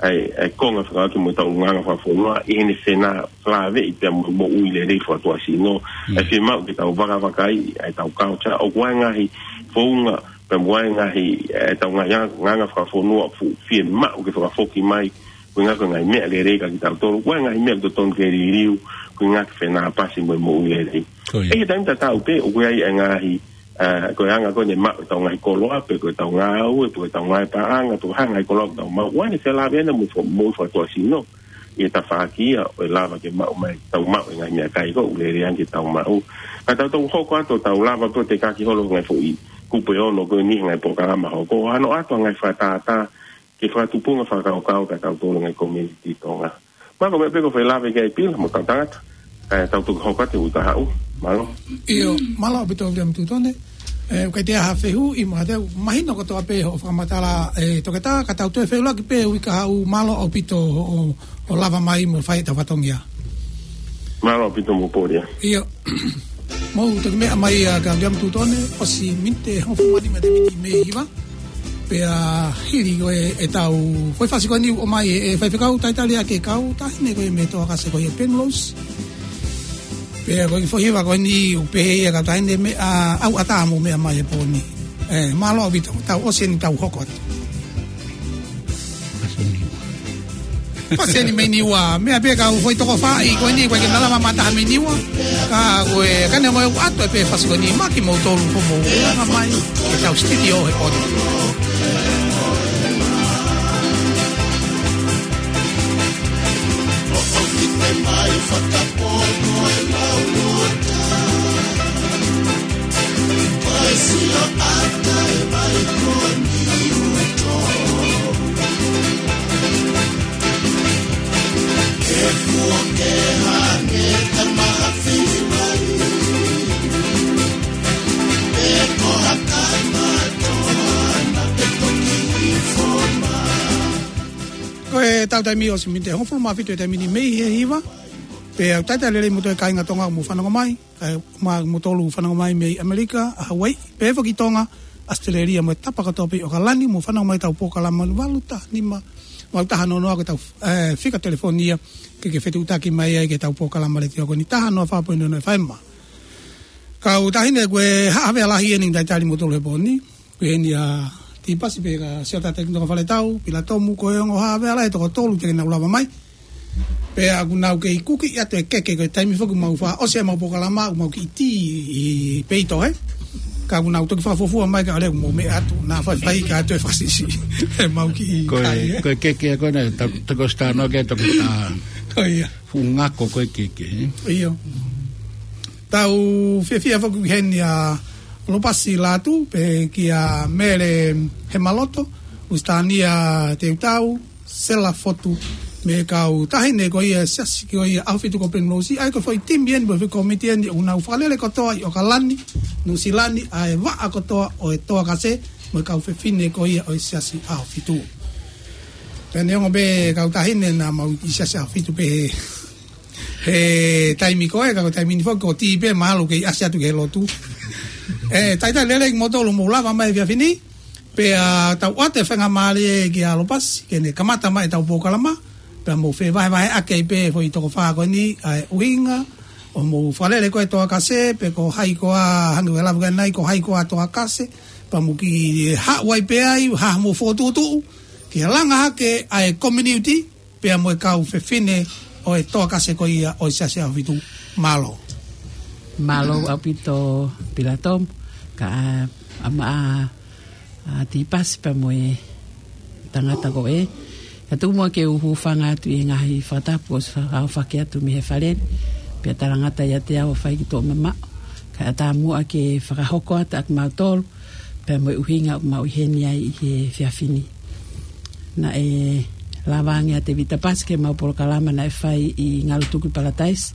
ʻa e, ʻa e konga fekauʻaki mo e tau ʻulungaanga fakafonua ʻi heʻene fenālaveʻi pea mo e moʻui lelei fakatuʻasino. Mm. ʻE fiemaʻu ke tau vakavakai ʻa e tau culture, ʻoku ʻi ai e ngaahi founga pea mo e ngaahi, ʻe, tau ngaahi anga, anga fakafonua ʻoku fiemaʻu ke fakafoki mai, ko e ʻuhinga ko e ngaahi meʻa lelei kia kitautolu, ko e ngaahi meʻa totonu ke liliu, ko e ʻuhinga ke fenāpasi mo e moʻui lelei. Ko ia. ʻI he taimi tatau pē, ʻoku ʻi ai e ngaahi, ʻa, ko e anga ko eni ʻe maʻu ʻe he tau ngaahi koloa, pe ko e tau ngāue, pe ko e tau ngaahi paʻanga, pe ko e hā e ngaahi koloa ʻoku tau maʻu, ʻoku ʻi ai ʻene fenālaveʻi mo e fo-, moʻui fakatuʻasino, ʻi he tafaʻaki ia ʻo e lava ke maʻu mai, tau maʻu e ngaahi meʻakai ko ē ʻoku lelei ange ke tau maʻu. Ka tau toki hoko atu ʻo tau lava pē ʻo tekaki holo e ngaahi foʻi kupu ʻe ono ko eni he ngaahi polokalama hoko, ʻo hano ʻoatu ha ngaahi fakatātā ki he fakatupunga fakakaukau kia tautolu e ngaahi community Tonga. Mahalo ko e meʻa pē ko e fai lave ki ai Pila mo e kau tangata, kae tau toki hoko atu he uike kahaʻu. Mālō. ʻIo, mālō ʻaupito Viliami Tutone. ʻE, ʻoku ʻikai toe ʻi ai ha fehuʻi, mahalo te u mahino kotoa pē hoʻo fakamatala, ʻe, toketā, ka tau toe feʻiloaki pē he uike kahaʻu. Mālō ʻaupito hoʻo, hoʻo lava mai mo fai ʻeta fatongia. Mālō ʻaupito Mopolia. ʻIo. Mou toki meʻa mai ā kia Viliami Tutone, ʻosi miniti hongofulu mā nima ʻete miniti mei he hiva. Pea hili ko ē ʻetau foʻi fasi ko eni ʻoku ʻomai ʻe, ʻe faifekau talitali ʻa e kau taʻahine ko ē mei Toakase ko ia Penrose. Pea ko e foʻi hiva ko eni ʻoku pehē ia kau taʻahine meʻa ʻauʻatā mo meʻa mai he pō ni. ʻE, mālō ʻaupito, tau ʻosi eni tau hoko atu. Fasi eni mei Niua, meʻa pē kau foʻi toko fā ʻi ko eni, ko e ke nalama mataha mei Niua. Ka ko e, ka ne mo e atu ē pē fasi ko eni, maki mo tolu ko mo, anga mai, ke tau studio he pō ni. Ko e tau taimi ʻosi miniti hongofulu mā fitu ʻete miniti mei he hiva. Pea ʻoku talitali lelei mo e kāinga Tonga mo fanongo mai. Kae ʻumaʻā mo tolu fanongo mai mei ʻAmelika, ʻa Hawaiʻi, pea foki Tonga, ʻAositelēlia mo e tapa kotoa pē ʻi ʻAokalani, mo fanongo mai ʻetau polokalama valu taha nima, valu taha noa noa ko ʻetau, ʻe, fika telefoni ia, ke ke fetuʻutaki mai ai ki heʻetau polokalama letiō ko eni taha noa fā poini noa noa F M. Kau taʻahine ko e Haʻavea Lahi eni talitali mo tolu he pō ni, ko eni ʻa Tipasi pea ka Siota Tekinitoka Faletau, Pila Tomu, ko e ongo Haʻavea Lahi ʻe toko tolu te ke nau lava mai. Pea ʻoku nau kei kuki atu e keke ko e taimi foki mau fakaʻosi ʻemau polokalama, ʻoku mau kiʻi tī ʻi peito, ē? Ka ʻoku nau toki fakafuofua mai ka ʻoku mou meʻa atu, naʻa faifai ka ʻoatu e fakasiʻisiʻi. ʻE mau kiʻi ko e, kai, ē? Ko e keke ko ena, ta-, ta ko e sitano ke toki ta. Ko ia. Fuʻu ngako ko e keke, ē? ʻIo. Tau fiefia foki heni ʻa Lopasi Lātū, pehē kia Mele Hemaloto, Lusitania Teutau, Sela Fotu, mo e kau taʻahine ko ia siasi ko ia ʻAhofitu ko Penrose, ʻa ia ko e foʻi timi eni, mo e foʻi kōmiti eni, ʻoku nau fakalele kotoa ʻi ʻOkalani, Nuʻusila ni, ʻa e vaʻa kotoa ʻo e Toa Kase, mo e kau fefine ko ia ʻo e Siasi ʻAhofitu. Pea neongo pē kau taʻahine naʻa mau ʻi Siasi ʻAhofitu pē he, he taimi ko ē, ka ko e taimi ni foki ko e tī pē, mahalo kei ʻasi atu ki he lotu. ʻE, talitali lelei kimoutolu hoʻomou lava mai he efiafi ni, pea tau ʻoatu e faingamālie kia Lopasi, ke ne kamata mai ʻetau polokalama, pea mou fevahevaheʻaki ai pē foʻi toko fā ko eni, ʻa e ʻuhinga ʻo hoʻomou fakalele ko ē Toa Kase, pe ko hai koā, hangē ko e lave ko ē ʻanenai, ko hai koā Toa Kase, pea mou kiʻi haʻu ai pē ai, ha hoʻomou fokotuʻutuʻu, ke langa hake ʻa e community, pea mo e kau fefine ʻo e Toa Kase ko ia ʻo e Siasi ʻAhofitu. Mālō. Mālō ʻaupito Pilatomu, kae ʻumaʻā ʻa Tipasi pea mo e tangata ko ē. Kae tuku muʻa ke u hūfanga atu ʻi he ngaahi fakatapu kuo ʻosi fakaʻofoʻofa atu mei he fale ni, pea talangata ʻiate au ʻo fai ki tuʻa mamaʻo. Kae ʻatā muʻa ke fakahoko atu ʻa kimautolu, pea mo e ʻuhinga ʻoku mau ʻi heni ai ʻi he efiafi ni. Naʻe lava ange ʻa Tēvita Pasi ki heʻemau polokalama naʻe fai ʻi Ngalutuku Palataisi.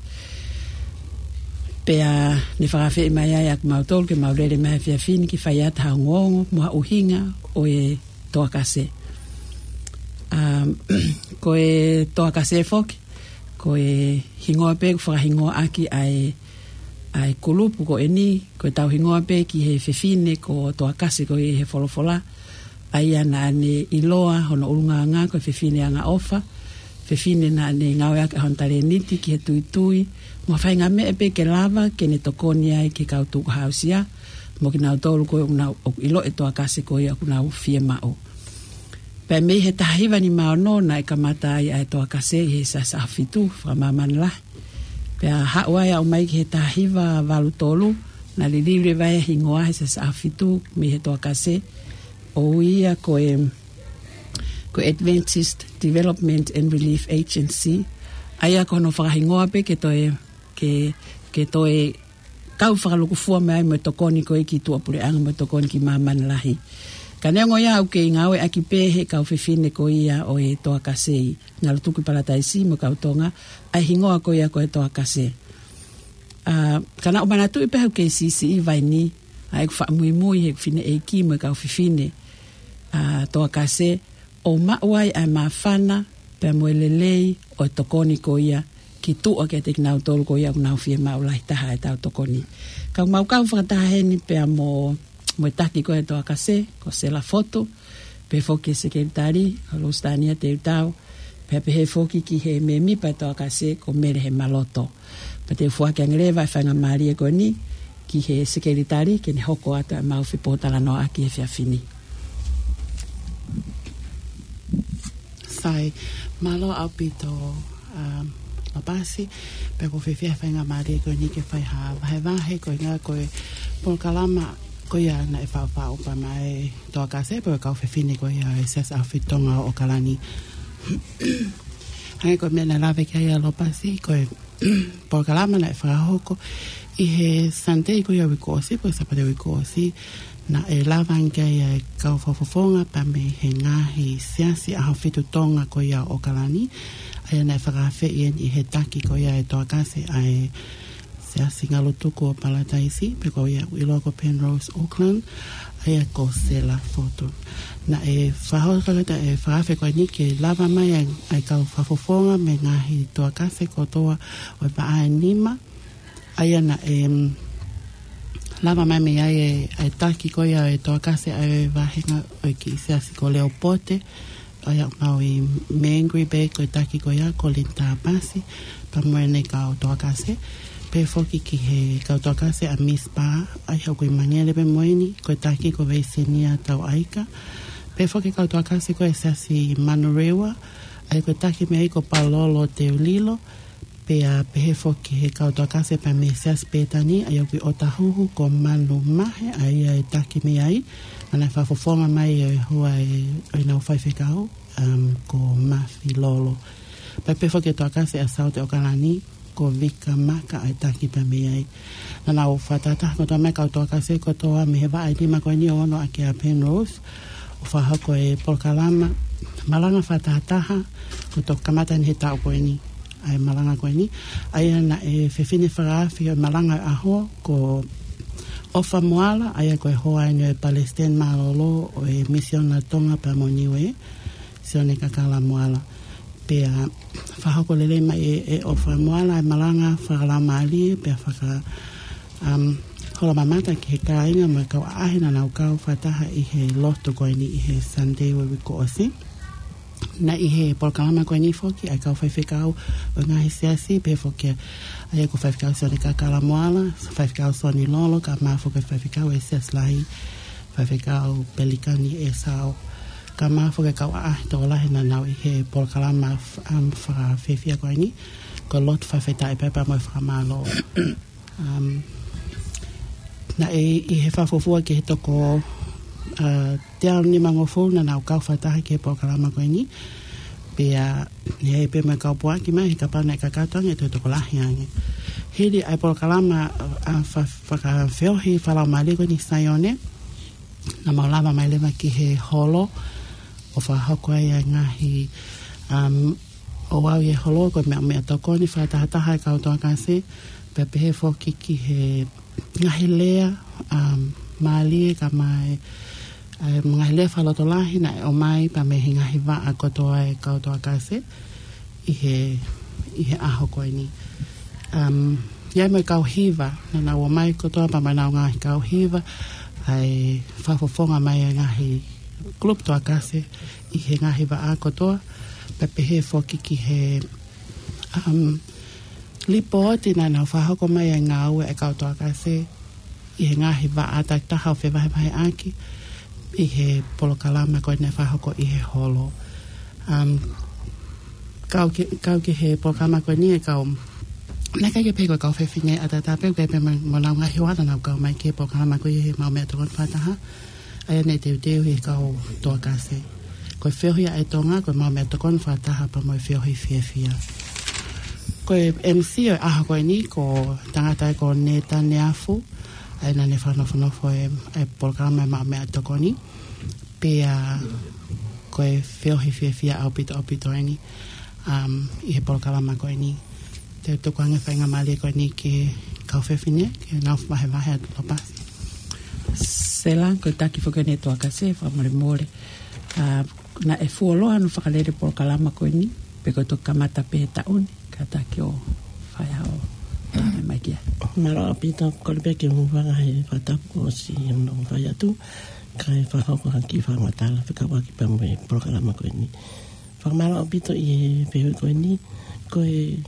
Pea ne fakaafeʻi mai ai ʻa kimautolu ke mau lele mai he efiafi ni ke fai atu ha ongoongo mo ha ʻuhinga ʻo e Toa Kase. Um, ko e Toa Kase foki, ko e hingoa pē ʻoku fakahingoa ʻaki ʻa e, ʻa e kulupu ko eni, ko ʻetau hingoa pē ki he fefine ko Toa Kase ko ē he folofola, ʻa ia naʻa ne ʻiloa hono ʻulungaanga ko e fefine angaʻofa, fefine naʻa ne ngāueʻaki hono talēniti ki he tuitui, mo e faʻahinga meʻa pē ke lava ke ne tokoni ai ki he kau tukuhāusia, mo kinautolu ko ē ʻoku nau, ʻoku ʻilo e Toa Kase ko ia ʻoku nau fiemaʻu. Pea mei he taha hiva nima ono naʻe kamata ai ʻa e Toa Kase ʻi he Siasi ʻAhofitu fakamāmani lahi. Pea haʻu ai ʻo aʻu mai ki he taha hiva valu tolu, naʻe liliu leva e hingoa he Siasi ʻAhofitu mei he Toa Kase, ʻo ui ia ko e, ko e Adventist Development and Relief Agency, ʻa ia ko hono fakahingoa pē ke toe, ke, ke toe kau fakalūkufua mai ai mo e tokoni ko ē ki tuʻapuleʻanga mo e tokoni ki māmani lahi. Ka neongo ia ʻoku kei ngāueʻaki pē he kau fefine ko ia ʻo e Toa Kase ʻi Ngalutuku Palataisi mo e kau Tonga, ʻa e hingoa ko ia ko e Toa Kase. ʻA, ka naʻa ku manatuʻi pē ʻoku kei siʻisiʻi vaini, ʻa ʻeku faʻa muimui he fineʻeiki mo e kau fefine, ʻa, Toa Kase, ʻo maʻu ai ʻa e māfana, pea mo e lelei ʻo e tokoni ko ia ki tuʻa kiate kinautolu ko ia ʻoku nau fiemaʻu lahi taha ʻetau tokoni. Ka ʻoku mau kau fakataha heni pea mo, mo e taki ko ē Toa Kase, ko Sela Fotu, pehē foki ki he sekelitali, ko Lusitania Teutau, pea pehē foki ki he mēmipa Toa Kase, ko Mele Hemaloto. Pea te u foaki ange leva e faingamālie ko eni ki he sekelitali ke ne hoko atu ʻemau fepōtalanoaʻaki he efiafi ni. Sai, mālō ʻaupito, um, Lopasi, pea ʻoku ou fiefia he faingamālie ko eni ke fai ha vahevahe, ko e ʻuhinga ko e polokalama ko ia naʻe faʻufaʻu pea mei he Toa Kase, pea mo e kau fefine ko ia ʻo e Siasi ʻAhofitu Tonga ʻo ʻOkalani. Hangē ko e meʻa naʻe lave ki ai ʻa Lopasi, ko e polokalama naʻe fakahoko ʻi he Sunday ko ia uike kuo ʻosi, pe ko e Sāpate uike kuo ʻosi, naʻe lava ange ai ʻa e kau fakafofonga pea mei he ngaahi Siasi ʻAhofitu Tonga ko ia ʻo ʻOkalani, ʻa ia naʻe fakaafeʻi eni ʻi he taki ko ia e Toa Kase ʻa e Siasi Ngalutuku ʻo Palataisi, pe ko ia ʻoku ʻiloa ko Penrose Auckland, ʻa ia ko Sela Fotu. Naʻe fakahoko atu e fakaafe ko eni ke lava mai ʻa e, ʻa e kau fakafofonga mei he ngaahi Toa Kase kotoa ʻo e vaʻa ʻe nima. ʻA ia naʻe, mm, lava mai mei ai e, ʻa e taki ko ia e Toa Kase ʻa e vāhenga ʻo e kiʻi siasi ko Leopote, ʻa ia ʻoku mau ʻi Mangere Bay, ko e taki ko ia ko Linda Pasi, pea mo ʻene kau Toa Kase. Pehē foki ki he kau Toa Kase ʻa Miss Bar, ʻa ia ʻoku ʻi Mangere pē mo eni, ko e taki ko Veisenia Tauʻaika. Pehē foki kau Toa Kase ko e Siasi Manurewa, ʻa ia ko e taki mei ai ko Palolo Teulilo. Pea pehē foki he kau Toa Kase pea mei he Siasi Pētani, ʻa ia ʻoku ʻi ʻŌtāhuhu ko Manu Mahe, ʻa ia e taki mei ai, naʻa ne fakafofonga mai e hua e, ʻo ʻenau faifekau, um, ko Mafi Lolo. Pea pehē foki he Toa Kase ʻa Saute ʻOkalani, ko Vika Maka ʻa e taki pē mei ai. Naʻa nau fakatahataha kotoa mai e kau toa kase kotoa mei he vaʻa ʻe nima ko eni ʻo ono ʻaki ʻa Penrose, ʻo fakahoko e polokalama malanga fakatahataha kuo toki kamata ʻi he taʻu ko eni. ʻA e malanga ko eni, ʻa ia naʻe fefine fakaafe ʻo e malanga ʻo e ʻaho ko ʻOfa Moala, ʻa ia ko e hoa eni ʻo e Palesiteni Mālōlō ʻo e Misiona Tonga pea mo Niue, Sione Kakala Moala. Pea fakahoko lelei mai ʻe, ʻe ʻOfa Moala e malanga fakalaumālie, pea faka, um, hola mamata ki he kāinga mo e kau ʻaʻahi naʻa nau kau fakataha ʻi he lotu ko eni ʻi he Sunday ʻo e uike kuo ʻosi. Naʻe ʻi he polokalama ko eni foki ʻa e kau faifekau ʻo e ngaahi siasi, pehē foki ʻa ia ko Faifekau Sione Kakala Moala, Faifekau Soni Lolo, kae ʻumaʻā foki Faifekau ʻa e Siasi Lahi, Faifekau Pelikani ʻEsau, kae ʻumaʻā foki e kau ʻaʻahi tokolahi naʻa nau ʻi he polokalama f-, um, fakafiefia ko eni, ko e lotu fakafetaʻi pea pea mo e fakamālō. Um, naʻe ʻi he fakafuofua ki he toko, uh, teau nimangofulu naʻa nau kau fakataha ki he polokalama ko eni. Pea, ʻi he pē mo e kau puaki mai, he kapau naʻe kakato ange, ʻe toe tokolahi ange. Hili ʻa e polokalama, uh, fa-, fakafeohi fakalaumālie ko eni Sione, naʻa mau lava mai leva ki he holo, ʻo fakahoko ai ʻa e ngaahi, um, ʻo aʻu ʻi he holo ko e meʻa, meʻatokoni fakatahataha e kau toa kase, pea pehē foki ki he ngaahi lea, um, mālie kae ʻumaʻā e, um, ngaahi lea fakalotolahi naʻe ʻomai pea mei he ngaahi vaʻa kotoa e kau toa kase ʻi he, ʻi he ʻaho ko eni. Um, ʻi ai mo e kau hiva, naʻa nau ō mai kotoa pea mo ʻenau ngaahi kau hiva, ʻa e fakafofonga mai e ngaahi kulupu toa kase ʻi he ngaahi vaʻa kotoa, pea pehē foki ki he, um, lipooti naʻa nau fakahoko mai e ngāue e kau toa kase ʻi he ngaahi vaʻa takitaha ʻo fevahevaheʻaki ʻi he polokalama ko eni naʻe fakahoko ʻi he holo. Um, kau ki, kau ki he polokalama ko eni e kau, naʻe ʻikai ke pehē ko e kau fefine ʻataʻatā pē, ʻikai pē mo, mo ʻenau ngaahi hoa naʻa nau kau mai ki he polokalama ko eni he Maʻu Meʻatokoni Fakataha, ʻa ia naʻe teuteu ʻe he kau toa kase. Ko e feohi ʻa e Tonga, ko e Maʻu Meʻatokoni Fakataha pea mo e feohi fiefia. Ko e M C ʻo e ʻaho ko eni, ko e tangata ko Neta Neafu, ʻa ia naʻa ne fakanofonofo e, e polokalama e Maʻu Meʻatokoni. Pea ko e feohi fiefia ʻaupito, ʻaupito eni, um, ʻi he polokalama ko eni. Te u tuku ange e faingamālie ko eni ki he kau fefine, ke nau vahevahe atu Lopasi. Sela, ko e taki foki eni e toa kase, fakamolemole. A, naʻe fuoloa hono fakalele polokalama ko eni, pe ko e toki kamata pē he taʻu ni, kātaki ʻo fai haʻo lave mai ki ai. Mālō ʻaupito, kole pē ke u hūfanga he fakatapu kuo ʻosi hono fai atu, kae fakahoko ha kiʻi fakamatala fekauʻaki pea mo e polokalama ko eni. Fakamālō ʻaupito ʻi he fehuʻi ko eni, ko e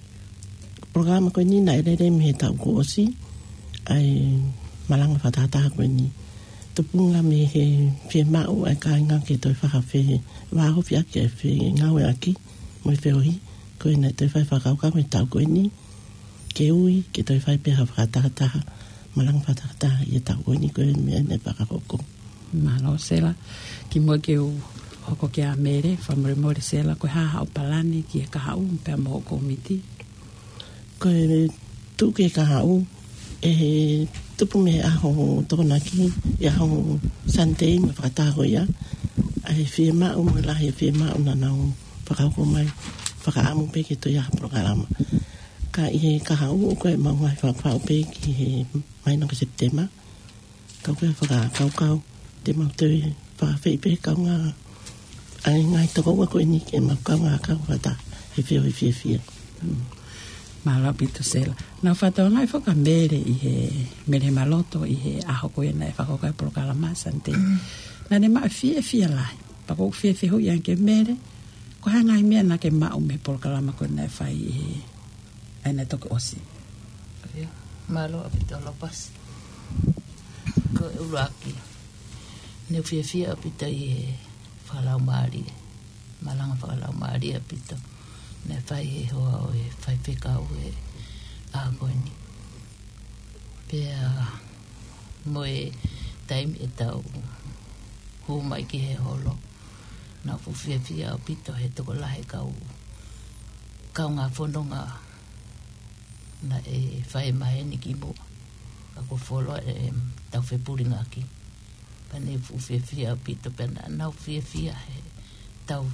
polokalama ko eni naʻe lele mei he taʻu kuo ʻosi, ʻa e malanga fakatahataha ko eni. Tupunga mei he fiemaʻu ʻa e kāinga ke toe fakafeʻao, vāofi ʻaki e fengāueʻaki mo e feohi, ko ia naʻe toe fai fakakaukau he taʻu ko eni, ke ui, ke toe fai pē ha fakatahataha, malanga fakatahataha ʻi he taʻu ko eni ko e meʻa naʻe fakahoko. Mālō Sela, kimuʻa ke u hoko kia Mele, fakamolemole Sela, ko e hā haʻo palani ki he kahaʻu pea mo hoʻo kōmiti? Ko e tuʻu ki he kahaʻu, ʻe tupu mei he ʻaho Tokonaki, ʻi he ʻaho Sunday mo e fakataha ko ia, ʻa e fiemaʻu mo e lahi e fiemaʻu naʻa nau fakahoko mai, fakaʻamu pē ke toe ʻi ai ha polokalama. Ka ʻi he kahaʻu ko e mau ngaahi fakafaʻu pē ki he māhina ko Sepitema. Kau ke fakakaukau, te mau toe fakaafeʻi pē kaungā, ʻa e ngaahi tokoua ko eni ke mau kaungā kau fakataha he feohi fiefia. Mm. Mālō ʻaupito Sela. Naʻa ku fakatokangaʻi foki ʻa Mele ʻi he, Mele Maloto ʻi he ʻaho ko ia naʻe fakahoko ai e polokalama Sunday. Mm. Naʻa ne maʻu e fiefia lahi. Pea ʻoku ou fie fehuʻi ange kia Mele, ko e hā e ngaahi meʻa naʻa ke maʻu mei he polokalama ko ia naʻe fai ʻi he, ʻa ia naʻe toki ʻosi? ʻIo, mālō ʻaupito Lopasi. Ko e ʻuluaki, naʻe fiefia ʻaupito ʻi he fakalaumālie, malanga fakalaumālie ʻaupito naʻe fai ʻe he hoa ʻo e faifekau he ʻaho ko eni. Pea mo e taimi ʻetau hū mai ki he holo, naʻa ku fuʻu fiefia ʻaupito he tokolahi e kau, kaungā fononga naʻe fai maheni ki muʻa. Ka ko Foloa ʻe tau fepulingaki. Pea ne fuʻu fiefia ʻaupito pea naʻa nau fiefia he tau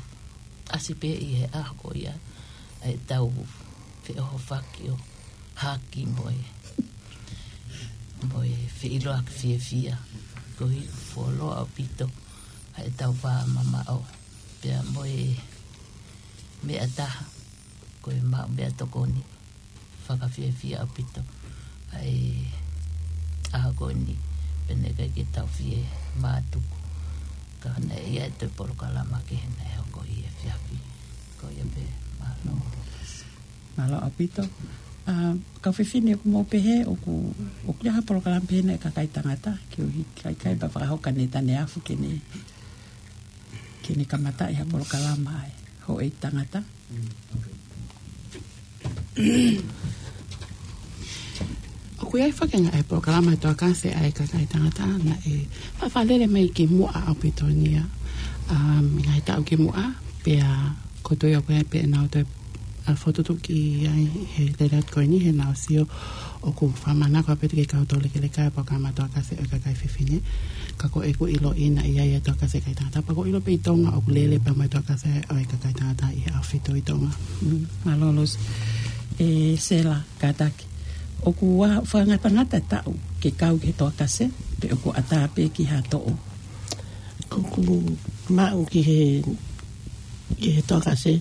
ʻasi pē ʻi he ʻaho ko ia ʻa e tau feʻohofaki ʻo haki mo e, mo e feʻiloaki fiefia. Koeʻuhi ko Foloa ʻaupito ʻa e tau vā mamaʻo. Pea mo e meʻa taha, ko e maʻu meʻatokoni. Fakafiefia ʻaupito ʻa e ʻaho ko eni, pea naʻe ʻikai ke tau fie mātuku. Ka naʻe ʻi ai e toe polokalama kehe naʻe hoko ʻi he efiafi. Ko ia pē, mālō. Mālō ʻaupito. ʻA, kau fefine, ʻoku mou pehē ʻoku, ʻoku ʻi ai ha polokalama pehē naʻe kakai tangata, koeʻuhi kae ʻikai pē fakahoko ʻa Neta Neafu ke ne, ke ne kamataʻi ha polokalama ʻa e houʻeiki tangata. ʻOku ʻi ai foki e ngaahi polokalama ʻa e Toa Kase ʻa e kakai tangata naʻe faʻa fakalele mai ki muʻa ʻaupito ni ia. Um, ngaahi taʻu ki muʻa, pea ko e toe ʻoku ʻi ai pē ʻenau toe, ʻa, fokotuʻutuʻu ki ai he lele atu ko eni, he naʻa ku sio ʻoku fakamanako ʻaupito ke kau tōlekeleka e polokalama Toa Kase ʻo e kakai fefine. Ka ko ʻeku ʻiloʻi naʻe ʻi ai e Toa Kase kakai tangata, pea ʻoku ou ʻilo pē ʻi Tonga ʻoku lele pē mo e Toa Kase ʻo e kakai tangata ʻi he ʻaho fitu ʻi Tonga. Mm, mālō Losi. ʻE Sela, kātaki. ʻOku ʻa, fakangatangata e taʻu ke kau ki he Toa Kase, pe ʻoku ʻatā pē ki ha toʻo? ʻOku maʻu ki he, ki he Toa Kase,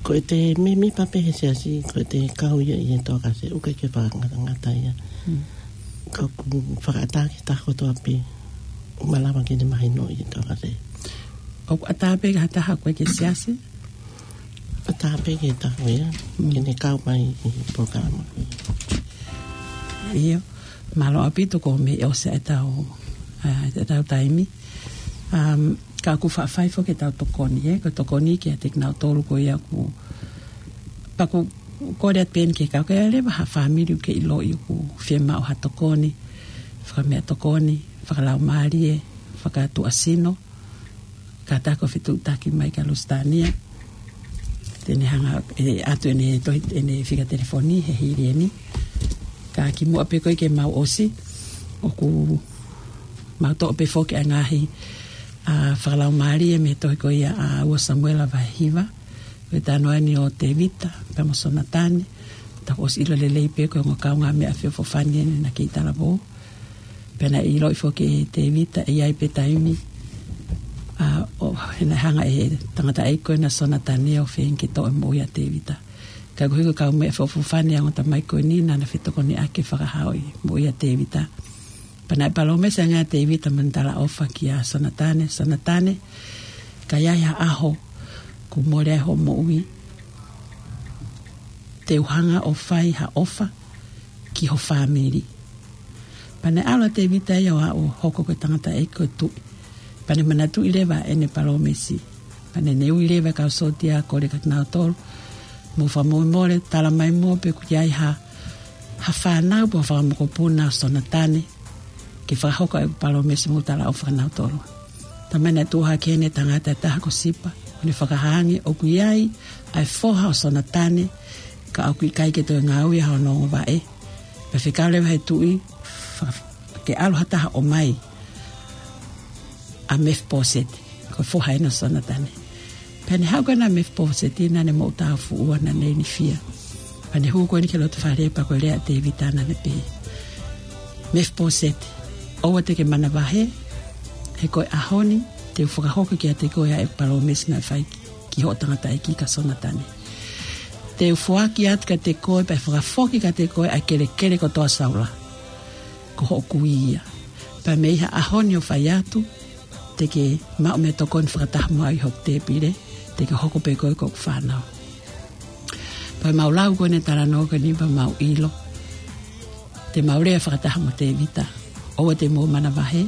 ko ʻete mēmipa pē he siasi, ko ʻete kau ia ʻi he Toa Kase, ʻoku ʻikai ke fakangatangata ia. Hmm. Ka ʻoku fakaʻatā ki he taha kotoa pē ʻoku malava ke ne mahinoʻi e Toa Kase. ʻOku ʻatā pē ki ha taha ʻoku ʻikai ke siasi? ʻAtā pē ki he taha ia, hmm, ke ne kau mai ʻi he polokalama. ʻIo, mālō ʻaupito, kuo mei ʻosi e tau, ʻa, e tau taimi. Um, ka ʻoku faʻa fai foki e tau tokoni, ē, ko e tokoni kiate kinautolu ko ia ʻoku, pea ʻoku kole atu pē eni ke kau, ka ʻi ai leva ha fāmili ʻoku ke ʻiloʻi ʻoku fiemaʻu ha tokoni, fakameʻatokoni, fakalaumālie, fakatuʻasino, kātaki ʻo fetuʻutaki mai kia Lusitania. Te ne hanga ʻe ʻatu ʻene tohi, ʻene fika telefoni he hili eni. Ka kimuʻa pē ko ē ke mau ʻosi, ʻoku mau toʻo pē foki ʻa e ngaahi, ʻa, fakalaumālie mei he tohi ko ia ʻa ua Samuela vahe hiva. Ko e talanoa eni ʻo Tēvita pea mo Sonatane. Tau ʻosi ʻilo lelei pē ko e ongo kaungāmeʻa feʻofoʻofani eni naʻa ke ʻi talavou. Pea naʻe ʻiloʻi foki ʻe Tēvita ʻe ʻi ai pē taimi, ʻa, ʻo, he naʻe hanga ʻe he tangataʻeiki ko ena ʻo Sonatane ʻo feinga ke toʻo e moʻui ʻa Tēvita. Ka koeʻuhi ko e kaumeʻa feʻofoʻofani ʻa e ongo tamaiki ko eni, naʻá na fetokoniʻaki ke fakahaaʻi e moʻui ʻa Tēvita. Pea naʻe palōmesi ange ʻa Tēvita mo ʻene talaʻofa kia Sonatane, Sonatane, ka ʻi ai ha ʻaho kuo mole ai hoʻo moʻui, te u hanga ʻo fai ha ʻofa ki ho fāmili. Pea naʻe ʻalu ʻa Tēvita ia ʻo aʻu ʻo hoko ko e tangataʻeiki ko e tuʻi. Pea ne manatuʻi leva ʻene palōmesi. Pea ne, ne ui leva e kau sōtia ʻo kole kia kinautolu: Mou fakamolemole, tala mai muʻa pe ʻoku ʻi ai ha, ha fānau pe ha fanga mokopuna ʻo Sonatane, ke fakahoko ʻeku palōmesi mo talaʻofa kia nautolu. Talamai naʻe tuʻu hake heni e tangata ʻe taha ko Sipa, ʻo ne fakahā ange ʻoku ʻi ai ʻa e foha ʻo Sonatane, ka ʻoku ʻikai ke toe ngāue ha ongo vaʻe. Pea fekau leva ʻe he tuʻi, fa-, ke ʻalu ha taha ʻo ʻomai ʻa Mefiposeti, ko e foha eni ʻo Sonatane. Pea ne haʻu ko ena ʻa Mefiposeti, naʻá ne moʻutāʻufuʻua, naʻá ne ilifia. Pea ne hū ko eni ki he loto fale, pea ko e lea ʻa Tēvita naʻá ne pehē: Mefiposeti, ʻoua te ke manavahē, he ko e ʻaho ni te u fakahoko kiate koe ʻa e palōmesi naʻe fai ki, ki hoʻo tangataʻeiki ko Sonatane. Te u foaki atu kiate koe, pea fakafoki kiate koe ʻa e kelekele kotoa ʻo Saula, ko hoʻo kui ia. Pea mei he ʻaho ni ʻo fai atu, te ke maʻu meʻatokoni fakataha mo au ʻi hoku tēpile, te ke hoko pē koe ko hoku fānau. Pea mau lau ko eni e talanoa ko eni pea mau ʻilo, te mau lea fakataha mo Tēvita: ʻOua te mou manavahē,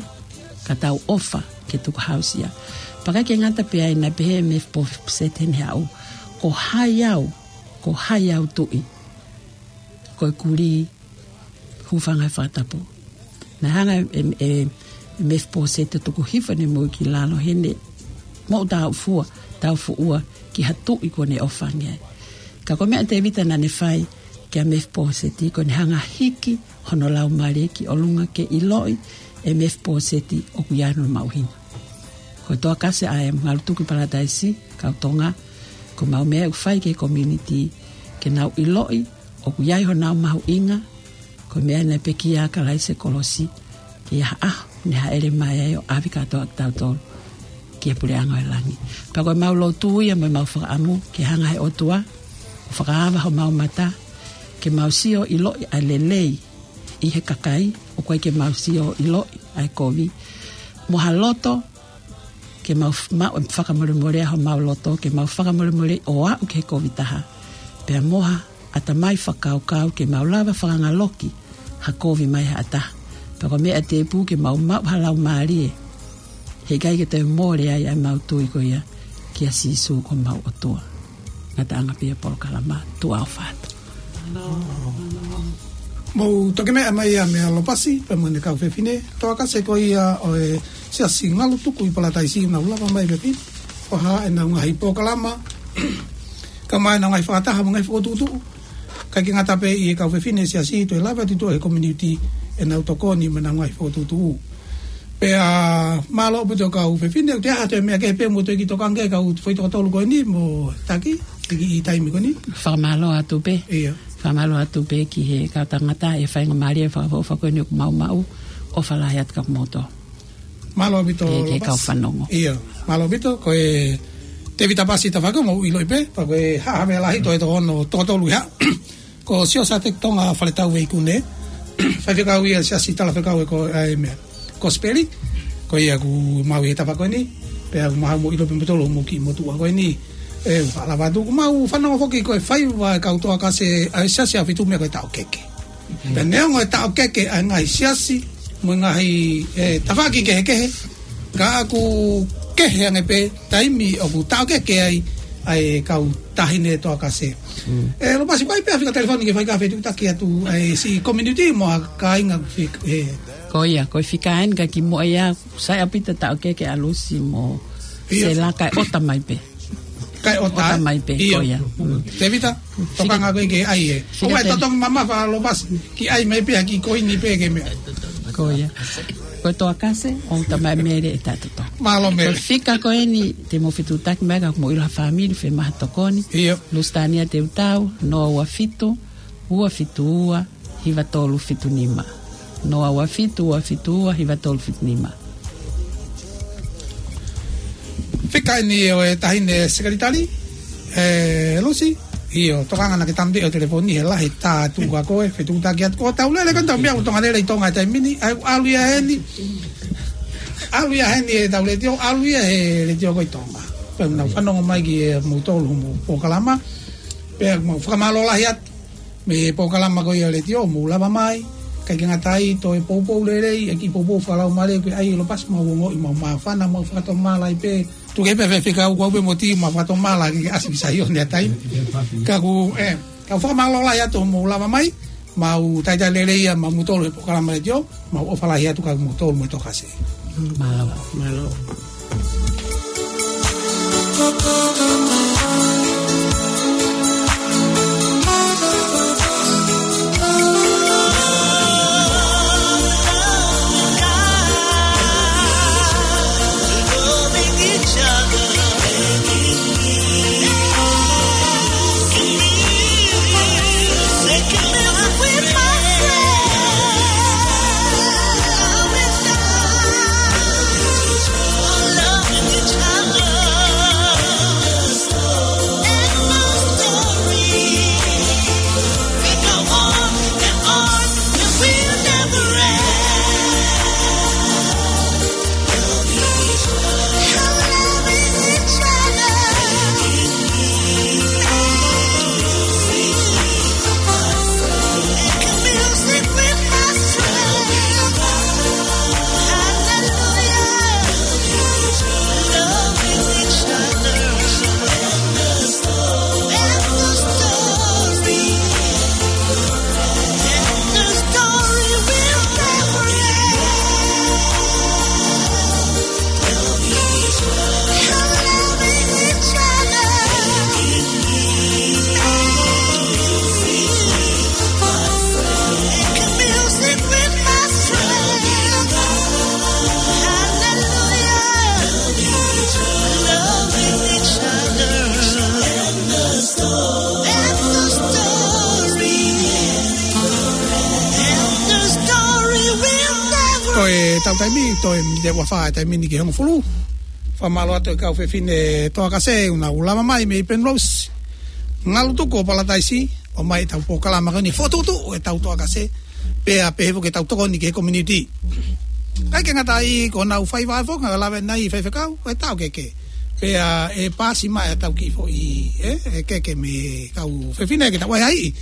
ka tau ʻofa ke tukuhāusia. Pea ʻikai ke ngata pē ai, naʻe pehē ʻe Mefiposeti heʻene haʻu: Ko hai au, ko hai au, tuʻi? Ko e kulī hūfanga he fakatapu. Naʻe hanga ʻe, ʻe, ʻe Mefiposeti ʻo tuku hifo ʻene moʻui ki lalo heʻene moʻutāʻufuʻua, tāʻufuʻua ki ha tuʻi kuó ne ʻofa ange ai. Ka ko e meʻa ʻa Tēvita naʻá ne fai, kia Mefiposeti, ko ʻene hanga hiki hono laumālie ki ʻolunga ke ʻiloʻi ʻe Mefiposeti ʻoku ʻi ai hono mahuʻinga. Ko e Toa Kase ʻa e Ngalutuku ʻi Palataisi, kau Tonga, ko ʻemau meʻa ʻoku fai ki he community, ke nau ʻiloʻi ʻoku ʻi ai honau mahuʻinga, ko e meʻa naʻe pekia ʻa Kalaisi he kolosi, ke ʻi ai ha ʻaho ne hāʻele mai ai ʻo ʻave kātoa kitautolu ki he puleʻanga ʻo e langi. Pea ko ʻemau lotu ia mo ʻemau fakaʻamu ke hanga he ʻOtua ʻo fakaava homau mata, ke mau sio ʻiloʻi ʻa e lelei ʻi he kakai, ʻoku ʻikai ke mau sio ʻiloʻi ʻa e kovi. Mo ha loto ke mau f-, maʻu e fakamolemole ʻa homau loto, ke mau fakamolemole ʻo aʻu ki he kovi taha. Pea mo ha ʻatamai fakakaukau ke mau lava fakangaloki ha kovi mai ha taha. Pea ko e meʻa tēpū ke mau maʻu ha laumālie, he ʻikai ke toe mole ai ʻa ʻemau tui ko ia kia Sīsū ko homau ʻOtua. Ngataʻanga pē ia polokalama, tuʻa ʻofa atu. Mou toki meʻa mai ia meia Lopasi, pea mo ʻene kau fefine, Toa Kase ko ia ʻo e Siasi Ngalutuku ʻi Palataisi, nau lava mai pē pea hā ʻenau ngaahi polokalama, kae ʻumaʻā ʻenau ngaahi fakataha mo e ngaahi fokotuʻutuʻu. ʻIkai ke ngata pē ʻi he kau fefine Siasi, toe lava atu ʻi he community ʻenau tokoni mo ʻenau ngaahi fokotuʻutuʻu. Pea mālō ʻaupito kau fefine, ʻoku ʻi ai ha toe meʻa kehe pē mou toe kiʻi tokanga ki ai kau foʻi toko tolu ko eni mo taki, ʻi he taimi ko eni. Fakamālō atu pē. ʻIo. Fakamālō atu pē ki he kau tangata ʻi he faingamālie fakaʻofoʻofa ko eni ʻoku mau maʻu, ʻofa lahi atu kia kimoutolu. Mālō ʻaupito, ki he, ki he Lopasi. Kau fanongo. ʻIo, mālō ʻaupito, ko e Tēvita Pasi Tafako, mou ʻiloʻi pē, pea ko e haʻa meʻa lahi toe toko ono, toko tolu ia. Ko Siosiate Tonga Faletau Veikune, faifekau ia Siasi Talafekau ʻa e ko-, ʻa e meʻa, Kosipeli, ko ia ʻoku maʻu ʻi he tafaʻaki ko eni, pea ʻoku mau ʻilo pē motolo mo ki motuʻa ko eni, ʻe fakalava atu ʻoku mau fanongo foki ko e faiva ʻa e kau Toa Kase ʻa e Siasi ʻa Fitu Mea ko e taʻokeke. Pea neongo e taʻokeke ʻa e ngaahi siasi, mo e ngaahi, ʻe, tafaʻaki kehekehe, ka ʻoku kehe ange pē taimi ʻoku taʻokeke ai ʻa e kau taʻahine Toa Kase. Mm. ʻE, Lopasi, ʻoku ʻi ai pē ha fika telefoni ke fai ha fetuʻutaki atu ʻa e siʻi community mo ha kāinga fik-, ʻe. Ko ia, ko e fika eni ka kimuʻa ia, sai ʻaupito taʻokeke ʻa Lusi mo Ia. Sela kae ʻota mai pē. Kae ʻota. ʻOta mai pē, ʻIo. Ko ia. Mm. Tēvita, Fika-, tokanga koe ke ʻai ē. Fika ʻOku ʻai te- totongi mamafa Lopasi, kiʻi ʻai mai pē ha kiʻi koini pē ke meʻa. Ko ia. Ko e Toa Kase, ʻo Tamai Mele ʻe taʻetotongi. Mālō Mele. Ko e fika ko eni, te mou fetuʻutaki mai ka mou ʻilo ha fāmili, fiemaʻu ha tokoni. ʻIo. Lusitania Teutau, noa ua fitu, ua fitu ua, hiva tolu fitu nima. Noa ua fitu, ua fitu ua, hiva tolu fitu nima. Fika eni ʻo e taʻahine sekelitali, ʻe Lusi, ʻio, tokanga naʻa ke tamati ʻo telefoni he lahi tā tuʻu ka ko e fetuʻutaki atu ko e tau lele ko e tau meʻa ʻoku Tonga lele ʻi Tonga he taimi ni, ʻai ʻalu ia heni, ʻalu ia heni ʻetau letiō, ʻalu ia he letiō ko ē ʻi Tonga. Pea nau fanongo mai ki he mou tolu mo polokalama, pea mau fakamālō lahi atu. Mei he polokalama ko ia ʻa e letiō, mou lava mai, ʻikai ke ngata ai, toe poupou lelei, ʻa e kiʻi poupou fakalaumālie, ko e ʻai Lopasi mau ongoʻi, mau māfana, mau fakatomala ai pē, tuku pē fefekau ko au pē mo e timi mau fakatomala, ke ʻasi ki Saione ʻa e taimi. Ka ʻoku, ʻe, ka fakamālō lahi atu mou lava mai, mau talitali lelei ia, mau mou tolu he polokalama letiō, mau ʻofa lahi atu kia mou tolu mo e Toa Kase. Mālō. Mālō. Taimi, toe miniti ʻe ua fā e taimi ni ki he hongofulu. Fakamālō atu e kau fefine Toa Kase, ʻoku nau lava mai mei Penrose. Ngalu tuku ʻo Palataisi, ʻomai ʻetau polokalama ko eni fokotuʻutuʻu ʻetau Toa Kase. Pea pehē foki ʻetau tokoni ki he community. ʻIkai ke ngata ai, ko ʻenau faiva foki, ngata lave nai faifekau, ko e tau keke. Pea ʻe paasi mai ʻetau kiʻi foʻi, ē, ʻe keke mei he kau fefine ke tau ʻai ai.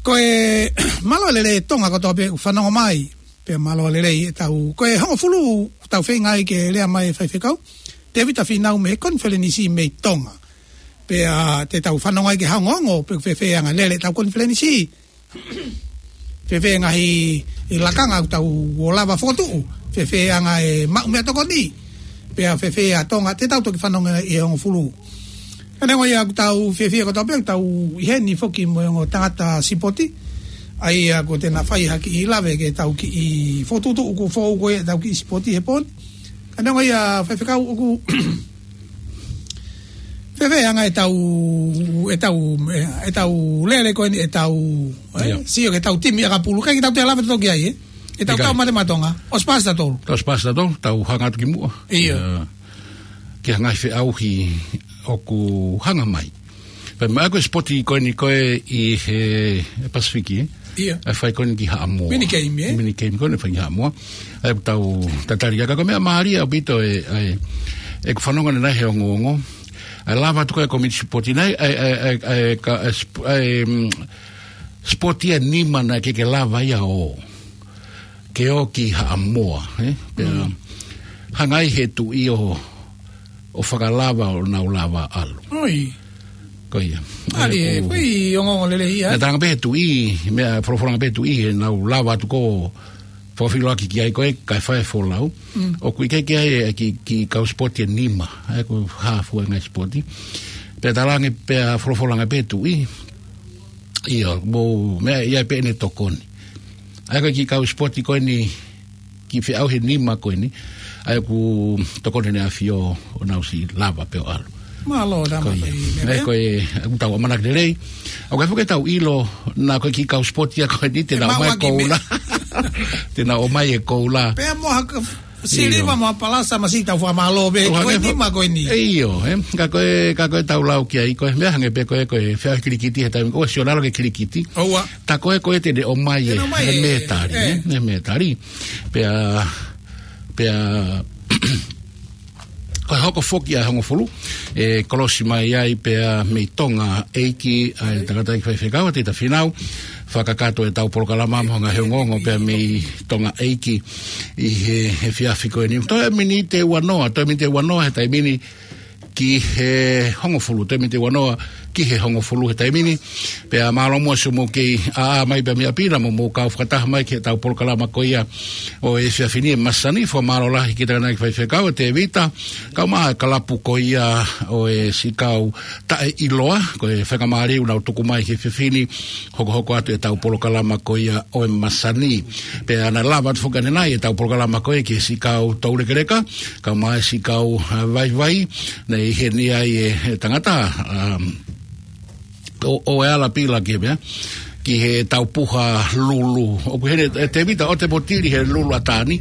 Ko e mālō e lelei Tonga kotoa pē ʻoku fanongo mai. Pea mālō e lelei ʻetau, ko e hongofulu ʻoku tau feinga ai ke lea mai e faifekau Tēvita Fīnau mei he konifelenisi mei Tonga. Pea te tau fanongo ai ki he ongoongo, pe fēfē ʻa e anga e lele ʻetau konifelenisi. Fēfē ngaahi lakanga ʻoku tau ō lava fokotuʻu. Fēfē ʻa e anga e maʻu meʻatokoni. Pea fēfē ʻa Tonga, te tau toki fanongo ʻi he hongofulu. Ka neongo ia ʻoku tau fiefia kotoa pē, ʻoku tau ʻi heni foki mo e ongo tangata sipoti. ʻA ia ko ʻena fai ha kiʻi lave ke tau kiʻi fokotuʻutuʻu ʻoku fou ko ē ʻetau kiʻi sipoti he pō ni. Ka neongo ia faifekau ʻoku fēfē ʻa e anga ʻetau, ʻetau, ʻetau lele ko eni ʻetau, ē? Ia. Sio ki heʻetau timi ʻakapulu, ʻikai ke tau toe lave toki ai, ē? ʻEtau ʻIkai. Kau mate maʻa Tonga, ʻosi paasi tautolu. ʻOsi paasi tautolu, tau hanga atu ki muʻa. Ia. Ia. Ki he ngaahi feʻauhi ʻoku hanga mai. Pea mo e ko e sipoti ko eni ko ē ʻi he Pasifiki, ē? Ia. ʻA e fai ko eni ki Haʻamoa. Mini game, ē? Mini game ko eni fai ki Haʻamoa. ʻA ia ʻoku tau tatali ka ko e meʻa mālie ʻaupito ē, ʻa e, ʻeku fanongo ʻanenai he ongoongo. ʻA e lava atu ko ē e komiti sipoti nai, ʻa e, ʻa e, ʻa e, ʻa e, ka, ʻa e, sp-, ʻa e, mm, sipoti ʻa e nima naʻe ʻikai ke lava ia ʻo ke ō ki Haʻamoa, ē? Pea Mm. hanga ai he tuʻi ʻo, ʻo fakalava ʻo nau lava ʻalu. ʻOi. Ko ia. Mālie, ʻOku ko e ongoongo lelei ia. Naʻe talanga pē he tuʻi, meʻa folofola ange pē he tuʻi, he nau lava atu ko fakafeʻiloaki ki ai ko ē, kae fai e folau. Mm. ʻOku ʻikai ke ʻi ai e kiʻi, kiʻi kau sipoti ʻe nima, ʻa ia ko e hā fua e ngaahi sipoti. Pea talanga pē, folofola ange pē he tuʻi. Ia, mou, meʻa ia pē ʻene tokoni. ʻA ia ko e kiʻi kau sipoti ko eni, kiʻi feʻauhi ʻe nima ko eni. ʻA ia ʻoku tokoni ʻEne ʻAfio ʻo nau siʻi lava pē ʻo ʻalu. Mālō, Ko ia. Tama, ʻa ia ko ē, ʻoku tau ʻamanaki lelei. ʻOku ʻikai foki ke tau ʻilo, naʻa ko e kiʻi kau sipoti ia ko eni, te Te nau ʻomai e maʻuaki me- koula. Te nau ʻomai e koula. Pea mo ha ka- Siliva Io. mo ha palasa masiʻi tau fakamālō pē, Tau ko e hangē fo- nima ko eni. ʻE io, ē. Ka ko e, ka ko e tau lau ki ai, ko e meʻa hangē pē ko e, ko e feʻauhi kilikiti he taimi, ʻoua, sio lalo ki he kilikiti. ʻOua. Tā ko ē, ko e te ne ʻomai Te ne ʻomai e, e mētali, e. ē, e mētali. Pea, pea, ko e hoko foki ʻa e hongofulu, ʻe kolosi mai ai pea mei Tonga ʻEiki, ʻa e tangataʻeiki faifekau, Tēvita Fīnau, fakakakato ʻetau polokalama mo e ngaahi ongoongo pea mei Tonga ʻEiki ʻi he, he efiafi ko eni. Toe miniti ʻe uanoa, toe miniti ʻe uanoa he taimi ni ki he hongofulu, toe miniti ʻe uanoa ki he hongofulu he taimi ni. Pea mālō muʻa siʻomou kei ʻā mai pea mei ʻapi na mo mou kau fakataha mai ki heʻetau polokalama ko ia ʻo e efiafi ni ʻe masani, fakamālō lahi ki he tangataʻeiki faifekau, Tēvita, kae ʻumaʻā e kalapu ko ia ʻo e siʻi kau taʻeʻiloa, ko e faingamālie ʻoku nau tuku mai ki he efiafi ni, hokohoko atu ʻetau polokalama ko ia ʻo e masani. Pea naʻe lava atu foki ʻanenai ʻetau polokalama ko ia ki he siʻi kau toulekeleka, kae ʻumaʻā e siʻi kau, ā, vaivai, naʻe ʻi heni ai e, e tangata, um, ʻo, ʻo e ala pila ki he meʻa, ki heʻetau puha lulu. ʻOku ʻi heni, ē, Tēvita, ʻoua te mou tili he lulu ʻa Tani.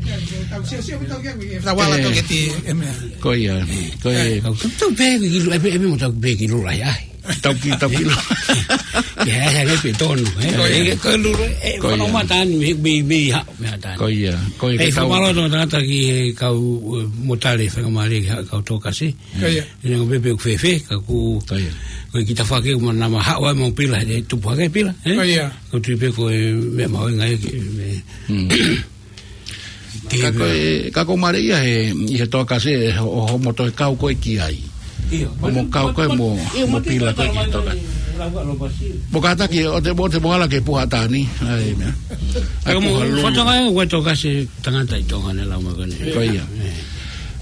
Tau sio, sio, tau kia kui, tau ala Ē. tau keti, e meʻa. Ko ia, ko Ē, ia. tau, tau, tau pē ki lulu, ʻe pē, ʻe pē mo tau pē ki lulu ai, ai. Tau ki, tau ki lulu. Ia, ʻe, ʻe, ʻe pē tonu, ē. Ko ia. Ē, ko lulu, ē, Ko ia. whakamatani, mei, mei, mei, ha, mei ha tani. Ko ia, ko ia, Ē, ke tau fakamālō atu tangata ki he kau, ē, motale, fakamālō ki he kau Toa Kase. Ko ia. ʻI he ngaahi pehē ʻoku fēfē, ka ʻoku, Ko ia. ko e kiʻi tafaʻaki ʻoku mana ma haʻu ai mo pila, he tupu hake pila, ē? Ko ia. Ko e tui pē ko e meʻa mahuʻinga ia ke, me- Mm. Ke Ka ko e, ka ko e mālie ia he, ʻi he Toa Kase, ʻo, ʻo, mo toe kau ko ē ki ai. Ia. ʻO mo kau ko ē mo, Ia, mo mo te pila ko ē ki he Toa Kase. Mo kātaki, ʻoua te, ʻoua te mou ala ki he puha ʻa Tani, ʻa e meʻa. ʻA e Ka mo, puha lulu. fatongia ʻo e Toa Kase tangata ʻi Tonga ne lau mai ko eni. Ko ia. Ē.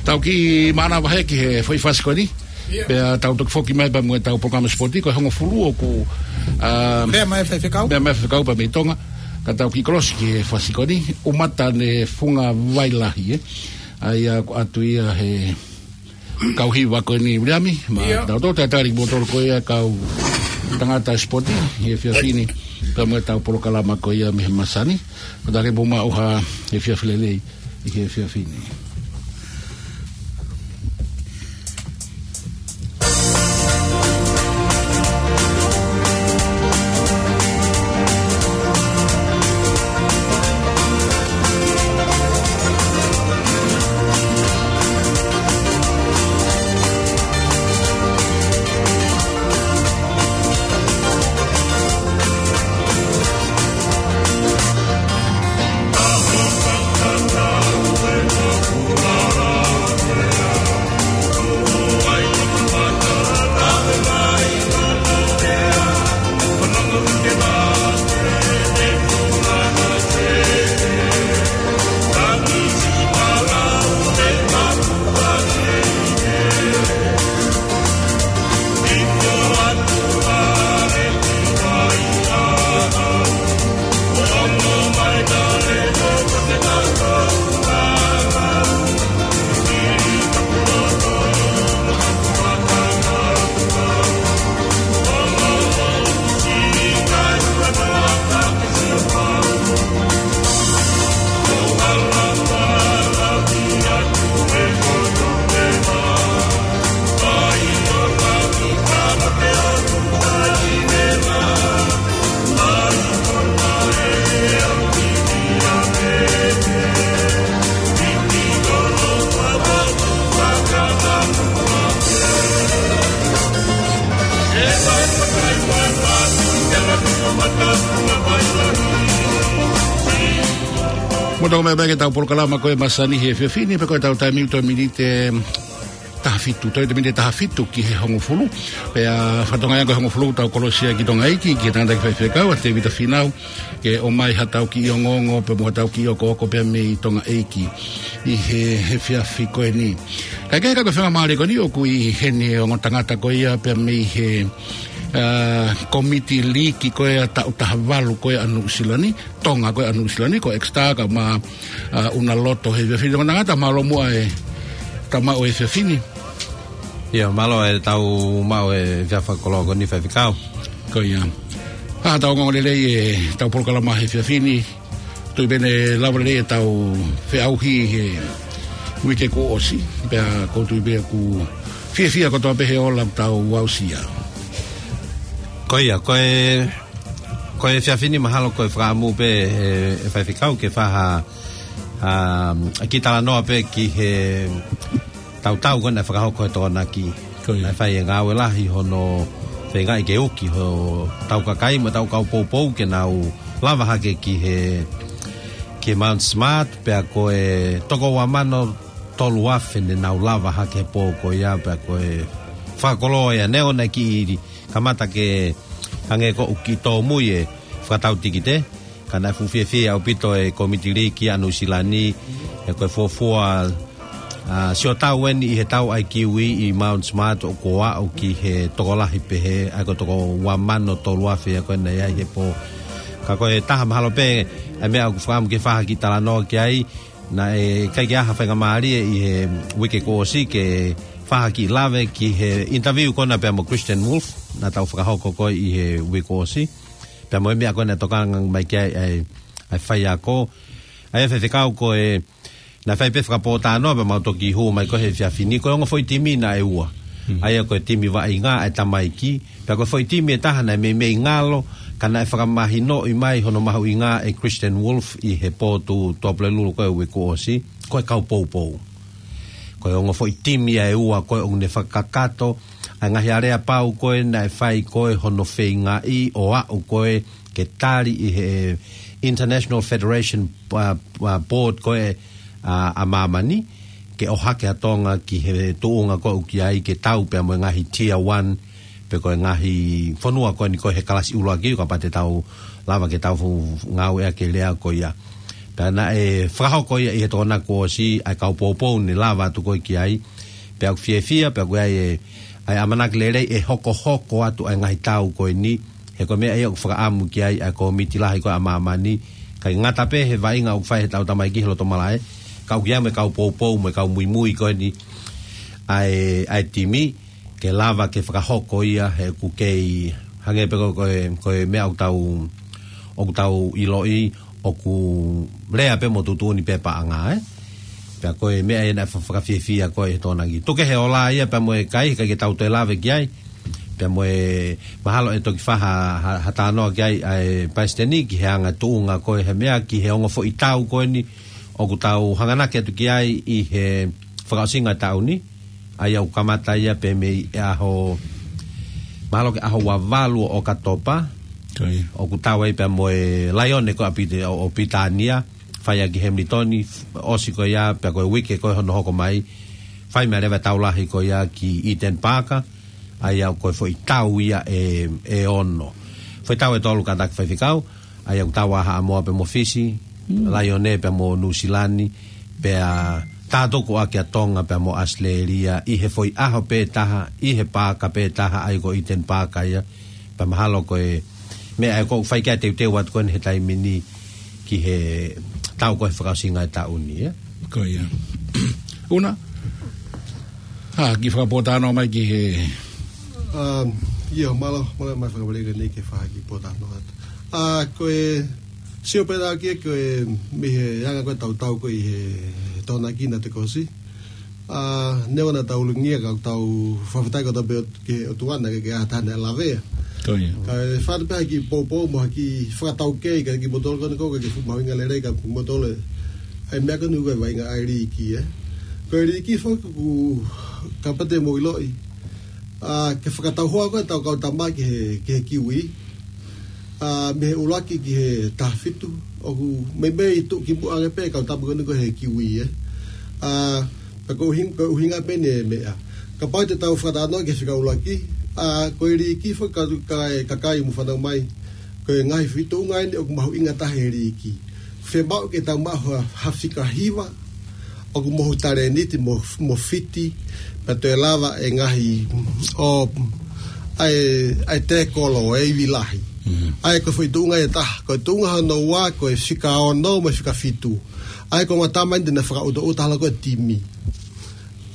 Tau kiʻi mānava hake ki he foʻi fasi ko eni. Ia. Pea tau toki foki mai pea mo ʻetau polokalama sipoti, ko e hongofulu ʻoku, ā, Meʻa mai faifekau. meʻa mai faifekau pea mei Tonga. Ka tau kiʻi kolosi ki he fasi ko eni, ʻUmata ne Funga Vai Lahi, ē. ʻA ia ʻoku ʻatu ia he kau hiva ko eni Viliami, ma Ia. tau tau tatali mo tolo ko ia kau tangata sipoti, he efiafi ni. Pea mo ʻetau polokalama ko ia mei he masani. Ko tali puma uha e fia filelei ʻi he fia fini. Mo tau mai pē ki heʻetau polokalama ko e masani he fia fini, pea ko ʻetau taimi ʻoku toe miniti taha fitu, toe miniti taha fitu ki he hongofulu. Pea fatongia ko e hongofulu tau kolosia ki Tonga ʻEiki, ki he tangata ki faifekau, ʻa Tevita Finau, ke ʻomai haʻatau kiʻi ongoongo, pea mo haʻatau kiʻi okooko pea mei Tonga ʻEiki ʻi he, he efiafi ko eni. Kae kehe ka ko e fenga mālie ko eni ʻoku ʻi heni ongo tangata ko ia pea mei he, ā, komiti liiki ko ia taʻu taha valu ko ia ʻa Nuʻusila ni, Tonga ko ia ʻa Nuʻusila ni, ko Exeter ka ma, ā, ʻUnaloto he efiafi ni. Ongo tangata, mālō muʻa e tau maʻu e efiafi ni. ʻIo, mālō e tau maʻu e efiafi fakakoloa ko eni faifekau. Ko ia. Ā, tau ongoongo lelei e tau polokalama he efiafi ni. Tui pē ne lava lelei e tau feʻauhi he uike kuo ʻosi. Pea ʻoku ou tui pē ʻoku fiefia kotoa pē he ola ʻoku tau aʻusia. Ko ia, ko e, ko e efiafi ni mahalo ko e fakaʻamu pē e, e faifekau ke fai ha, ā, kiʻi talanoa pē ki he tautau ko ē naʻe fakahoko he Tokonaki. Ko ia. Naʻe fai e ngāue lahi hono feingaʻi ke uki hotau kakai mo ʻetau kau poupou ke nau lava hake ki he, ki he Mount Smart, pea ko e toko ua mano tolu afe ne nau lava hake he pō ko ia, pea ko e fakakoloa ia neongo naʻe kiʻi kamata ke hangē ko ʻoku kiʻi tōmui e fakatau tikite. Ka naʻe fuʻu fiefia ʻaupito e komiti liiki ʻa Nuʻusila ni, he ko e fuofua, ā, sio tau eni ʻi he tau ʻa e kiwi ʻi Mount Smart ʻoku aʻu ki he tokolahi pehē, ʻa ia ko e toko ua mano tolu afe ia ko ē naʻe ʻi ai he pō. Ka ko e taha mahalo pē ʻa e meʻa ʻoku fakaʻamu ke fai ha kiʻi talanoa ki ai, naʻe ʻikai ke ʻi ai ha faingamālie ʻi he uike kuo ʻosi ke fai ha kiʻi lave ki he interview ko ena pea mo Christian Wolf, naʻa tau fakahoko ko ē ʻi he uike kuo ʻosi. Pea mo e meʻa ko ē naʻe tokanga mai ki ai ʻa e, ʻa e faiako. ʻA ia faifekau ko e, naʻe fai pē fakapōtalanoa pea mau toki hū mai ko ē he efiafi ni, ko e ongo foʻi timi naʻe ua. Hmm. ʻA ia ko e timi vaʻinga ʻa e tamaiki, pea ko e foʻi timi ʻe taha naʻe meimei ngalo, ka naʻe fakamahinoʻi mai hono mahuʻinga ʻe Christian Wolf ʻi he pō Tuʻapulelulu ko ē uike kuo ʻosi, ko e kau poupou. Ko e ongo foʻi timi ia ʻe ua ko ē ʻoku ne fakakakato ʻa e ngaahi aleapau ko ē naʻe fai ko ē hono feingaʻi ʻo aʻu ko ē ke tali ʻi he International Federation, ā, ā, Board ko ē, ā, ʻa māmani, ke ʻohake ʻa Tonga ki he tuʻunga ko ē ʻoku ʻi ai ke tau pea mo e ngaahi tier one, pe ko e ngaahi fonua ko eni ko ē he kalasi ʻuluaki, kapau te tau lava ke tau fu-, ngāueʻaki e lea ko ia. Pea naʻe fakahoko ia ʻi he Tokonaki kuo ʻosi, ʻa e kau poupou ne lava atu ko ē ki ai. Pea ʻoku fiefia, pea ʻoku ʻi ai e, ʻa e ʻamanaki lelei ʻe hokohoko atu ʻa e ngaahi tau ko eni. He ko e meʻa ia ʻoku fakaʻamu ki ai ʻa e komiti lahi ko ē ʻa māmani. ʻIkai ngata pē he vaʻinga ʻoku fai he tau tamaiki he loto malaʻe, ka ʻoku ʻi ai mo e kau poupou mo e kau muimui ko eni ʻa e, ʻa e timi, ke lava ke fakahoko ia he ʻoku kei hangē pē ko, ko e, ko e meʻa ʻoku tau ʻoku tau ʻiloʻi ʻoku lea pē mo tuʻutuʻuni pē paʻanga, ē? Pea ko e meʻa ia naʻe fa-, fakafiefia ko ē he Tokonaki. Tuku kehe ʻo lea ia pea mo e kai, ka ke tau toe lave ki ai. Pea mo e mahalo ʻe toki fai ha, ha, ha talanoa ki ai ʻa e Palesiteni ki he anga tuʻunga ko ē he meʻa ki he ongo foʻi tau ko eni ʻoku tau hanganaki atu ki ai ʻi he fakaʻosinga e taʻu ni. ʻA ia ʻoku kamata ia pē mei he ʻaho, mahalo ko e ʻaho ua valu ʻo ʻOkatopa. Ko ia. ʻOku tau ai pea mo e Laione ko ē ʻa Pita-, ʻo, ʻo Pilitānia, fai ia ki Hamilton, ʻosi ko ia, pea ko e uike ko ē hono hoko mai, fai mai leva e tau lahi ko ia ki Eden Park, ʻa ia ko e foʻi tau ia ʻe, ʻe ono. Foʻi tau ʻe tolu kātaki, Faifekau, ʻa ia ʻoku tau ʻa Haʻamoa pea mo Fisi, Laione pea mo Nuʻusila ni, pea tātoko ʻaki ʻa Tonga pea mo ʻAositelēlia, ʻi he foʻi ʻaho pē taha, ʻi he paaka pē taha, ʻa ia ko Eden Park ia, pea mahalo ko e meʻa ʻe ko fai ki ai e teuteu atu ko eni he taimi ni ki he tau ko ē he fakaʻosinga e taʻu ni, ē? Ko ia. Una, ha kiʻi fakapōtalanoa mai ki he Um, ʻio, mālō, mālō e fakamolemole ko eni ke fai ha kiʻi pōtalanoa atu. ʻA, ko e, sio pē ʻa e, ko e, mei he anga ko ē ʻetau tau ko ē ʻi he, he Tokonaki naʻe toki ʻosi. ʻA, neongo naʻa tau lungia ka tau fakafetaʻi kotoa pē ki he ʻOtua naʻe ʻikai ke ʻi ai ha taha naʻe lavea. Ko ia. Kae fai pē ha kiʻi poupou mo ha kiʻi fakataukei kiate kimoutolu ko eni ʻoku ʻikai ke fuʻu mahuʻinga lelei kiate kimoutolu ʻa e meʻa ko eni ko e vaʻinga ʻa e liiki, ē. Ko e liiki foki ʻoku, kapau te mou ʻiloʻi, ʻa, ke fakatau hoa ko ē ʻetau kau tama ki he, ki he kiwi. ʻA, mei he ʻuluaki ki he taha fitu, ʻoku meimei tuʻukimuʻa ange pē e kau tama ko eni ko ē he kiwi, ē. ʻA, ka ko e ʻuhing-, ko e ʻuhinga pē eni e meʻa. Kapau te tau fakatalanoa ki he fika ʻuluaki, ʻa, ko e liiki foki ka, ka, kakai mou fanongo mai, ko e ngaahi feituʻunga eni ʻoku mahuʻinga taha he liiki. Fiemaʻu ke tau maʻu ha, ha fika hiva, ʻoku mohu talēniti mo, mo fiti, pea toe lava e ngaahi, ʻo, ʻa e, ʻa e tēkolo, e ivi lahi. Mm. ʻA ia ko e foʻi tuʻunga ʻe taha, ko e tuʻunga hono ua, ko e fika ono mo e fika fitu. ʻA ia ko e ongo tama eni te ne fakaʻutoʻuta holo ko ē e timi.